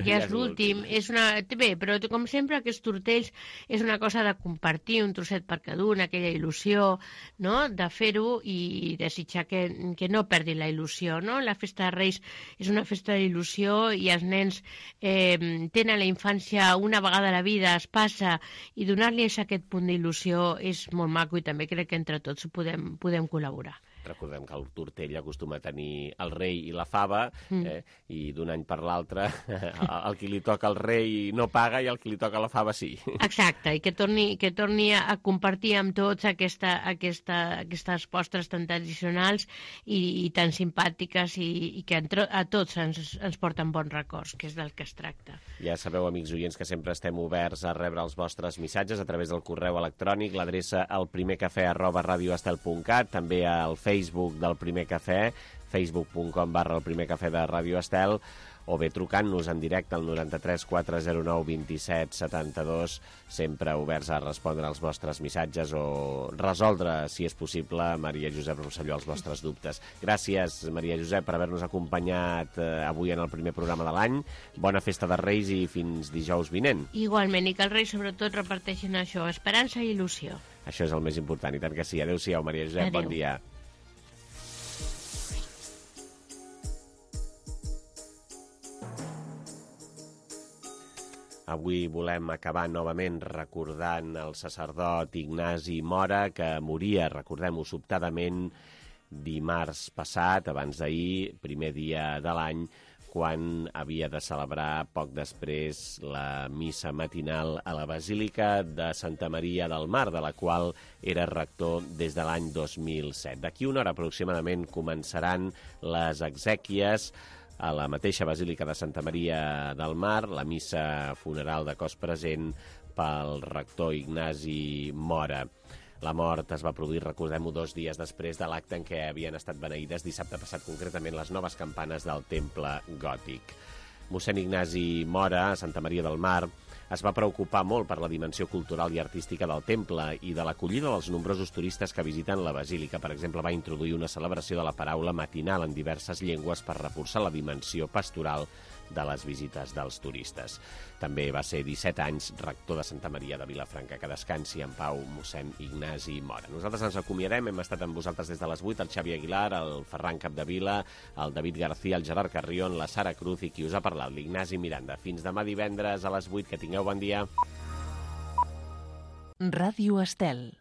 S9: Bé, però com sempre aquests tortells és una cosa de compartir un trosset per cada un, aquella il·lusió, no?, de fer-ho i desitjar que no perdi la il·lusió, no? La festa de Reis és una festa d'il·lusió i els nens tenen la infància una vegada a la vida, es passa, i donar-li aquest punt d'il·lusió és molt maco i també crec que entre tots podem col·laborar.
S2: Recordem que el tortell acostuma a tenir el rei i la fava, i d'un any per l'altre el qui li toca al rei no paga i el qui li toca la fava sí.
S9: Exacte, i que torni a compartir amb tots aquestes postres tan tradicionals i tan simpàtiques i que a tots ens porten bons records, que és del que es tracta.
S2: Ja sabeu, amics oients, que sempre estem oberts a rebre els vostres missatges a través del correu electrònic, l'adreça elprimercafè@radioestel.cat, també al Facebook del Primer Cafè, facebook.com/elprimercafè de Ràdio Estel, o bé trucant-nos en directe al 93 409 27 72, sempre oberts a respondre als vostres missatges o resoldre, si és possible, Maria Josep Rosselló, els vostres dubtes. Gràcies, Maria Josep, per haver-nos acompanyat avui en el primer programa de l'any. Bona festa de Reis i fins dijous vinent.
S9: Igualment, i que els Reis sobretot reparteixin això, esperança i il·lusió.
S2: Això és el més important, i tant que sí. Adéu-siau, Maria Josep, bon dia. Avui volem acabar novament recordant el sacerdot Ignasi Mora, que moria, recordem-ho, sobtadament dimarts passat, abans d'ahir, primer dia de l'any, quan havia de celebrar poc després la missa matinal a la Basílica de Santa Maria del Mar, de la qual era rector des de l'any 2007. D'aquí una hora aproximadament començaran les exèquies a la mateixa Basílica de Santa Maria del Mar, la missa funeral de cos present pel rector Ignasi Mora. La mort es va produir, recordem-ho, 2 dies després de l'acte en què havien estat beneïdes dissabte passat, concretament les noves campanes del temple gòtic. Mossèn Ignasi Mora, a Santa Maria del Mar, es va preocupar molt per la dimensió cultural i artística del temple i de l'acollida dels nombrosos turistes que visiten la basílica. Per exemple, va introduir una celebració de la paraula matinal en diverses llengües per reforçar la dimensió pastoral de les visites dels turistes. També va ser 17 anys rector de Santa Maria de Vilafranca. Que descansi en pau mossèn Ignasi Mora. Nosaltres ens acomiadem, hem estat amb vosaltres des de les 8, el Xavi Aguilar, el Ferran Capdevila, el David García, el Gerard Carrion, la Sara Cruz i qui us ha parlat, l'Ignasi Miranda. Fins demà divendres a les 8, que tingueu bon dia.
S1: Ràdio Estel.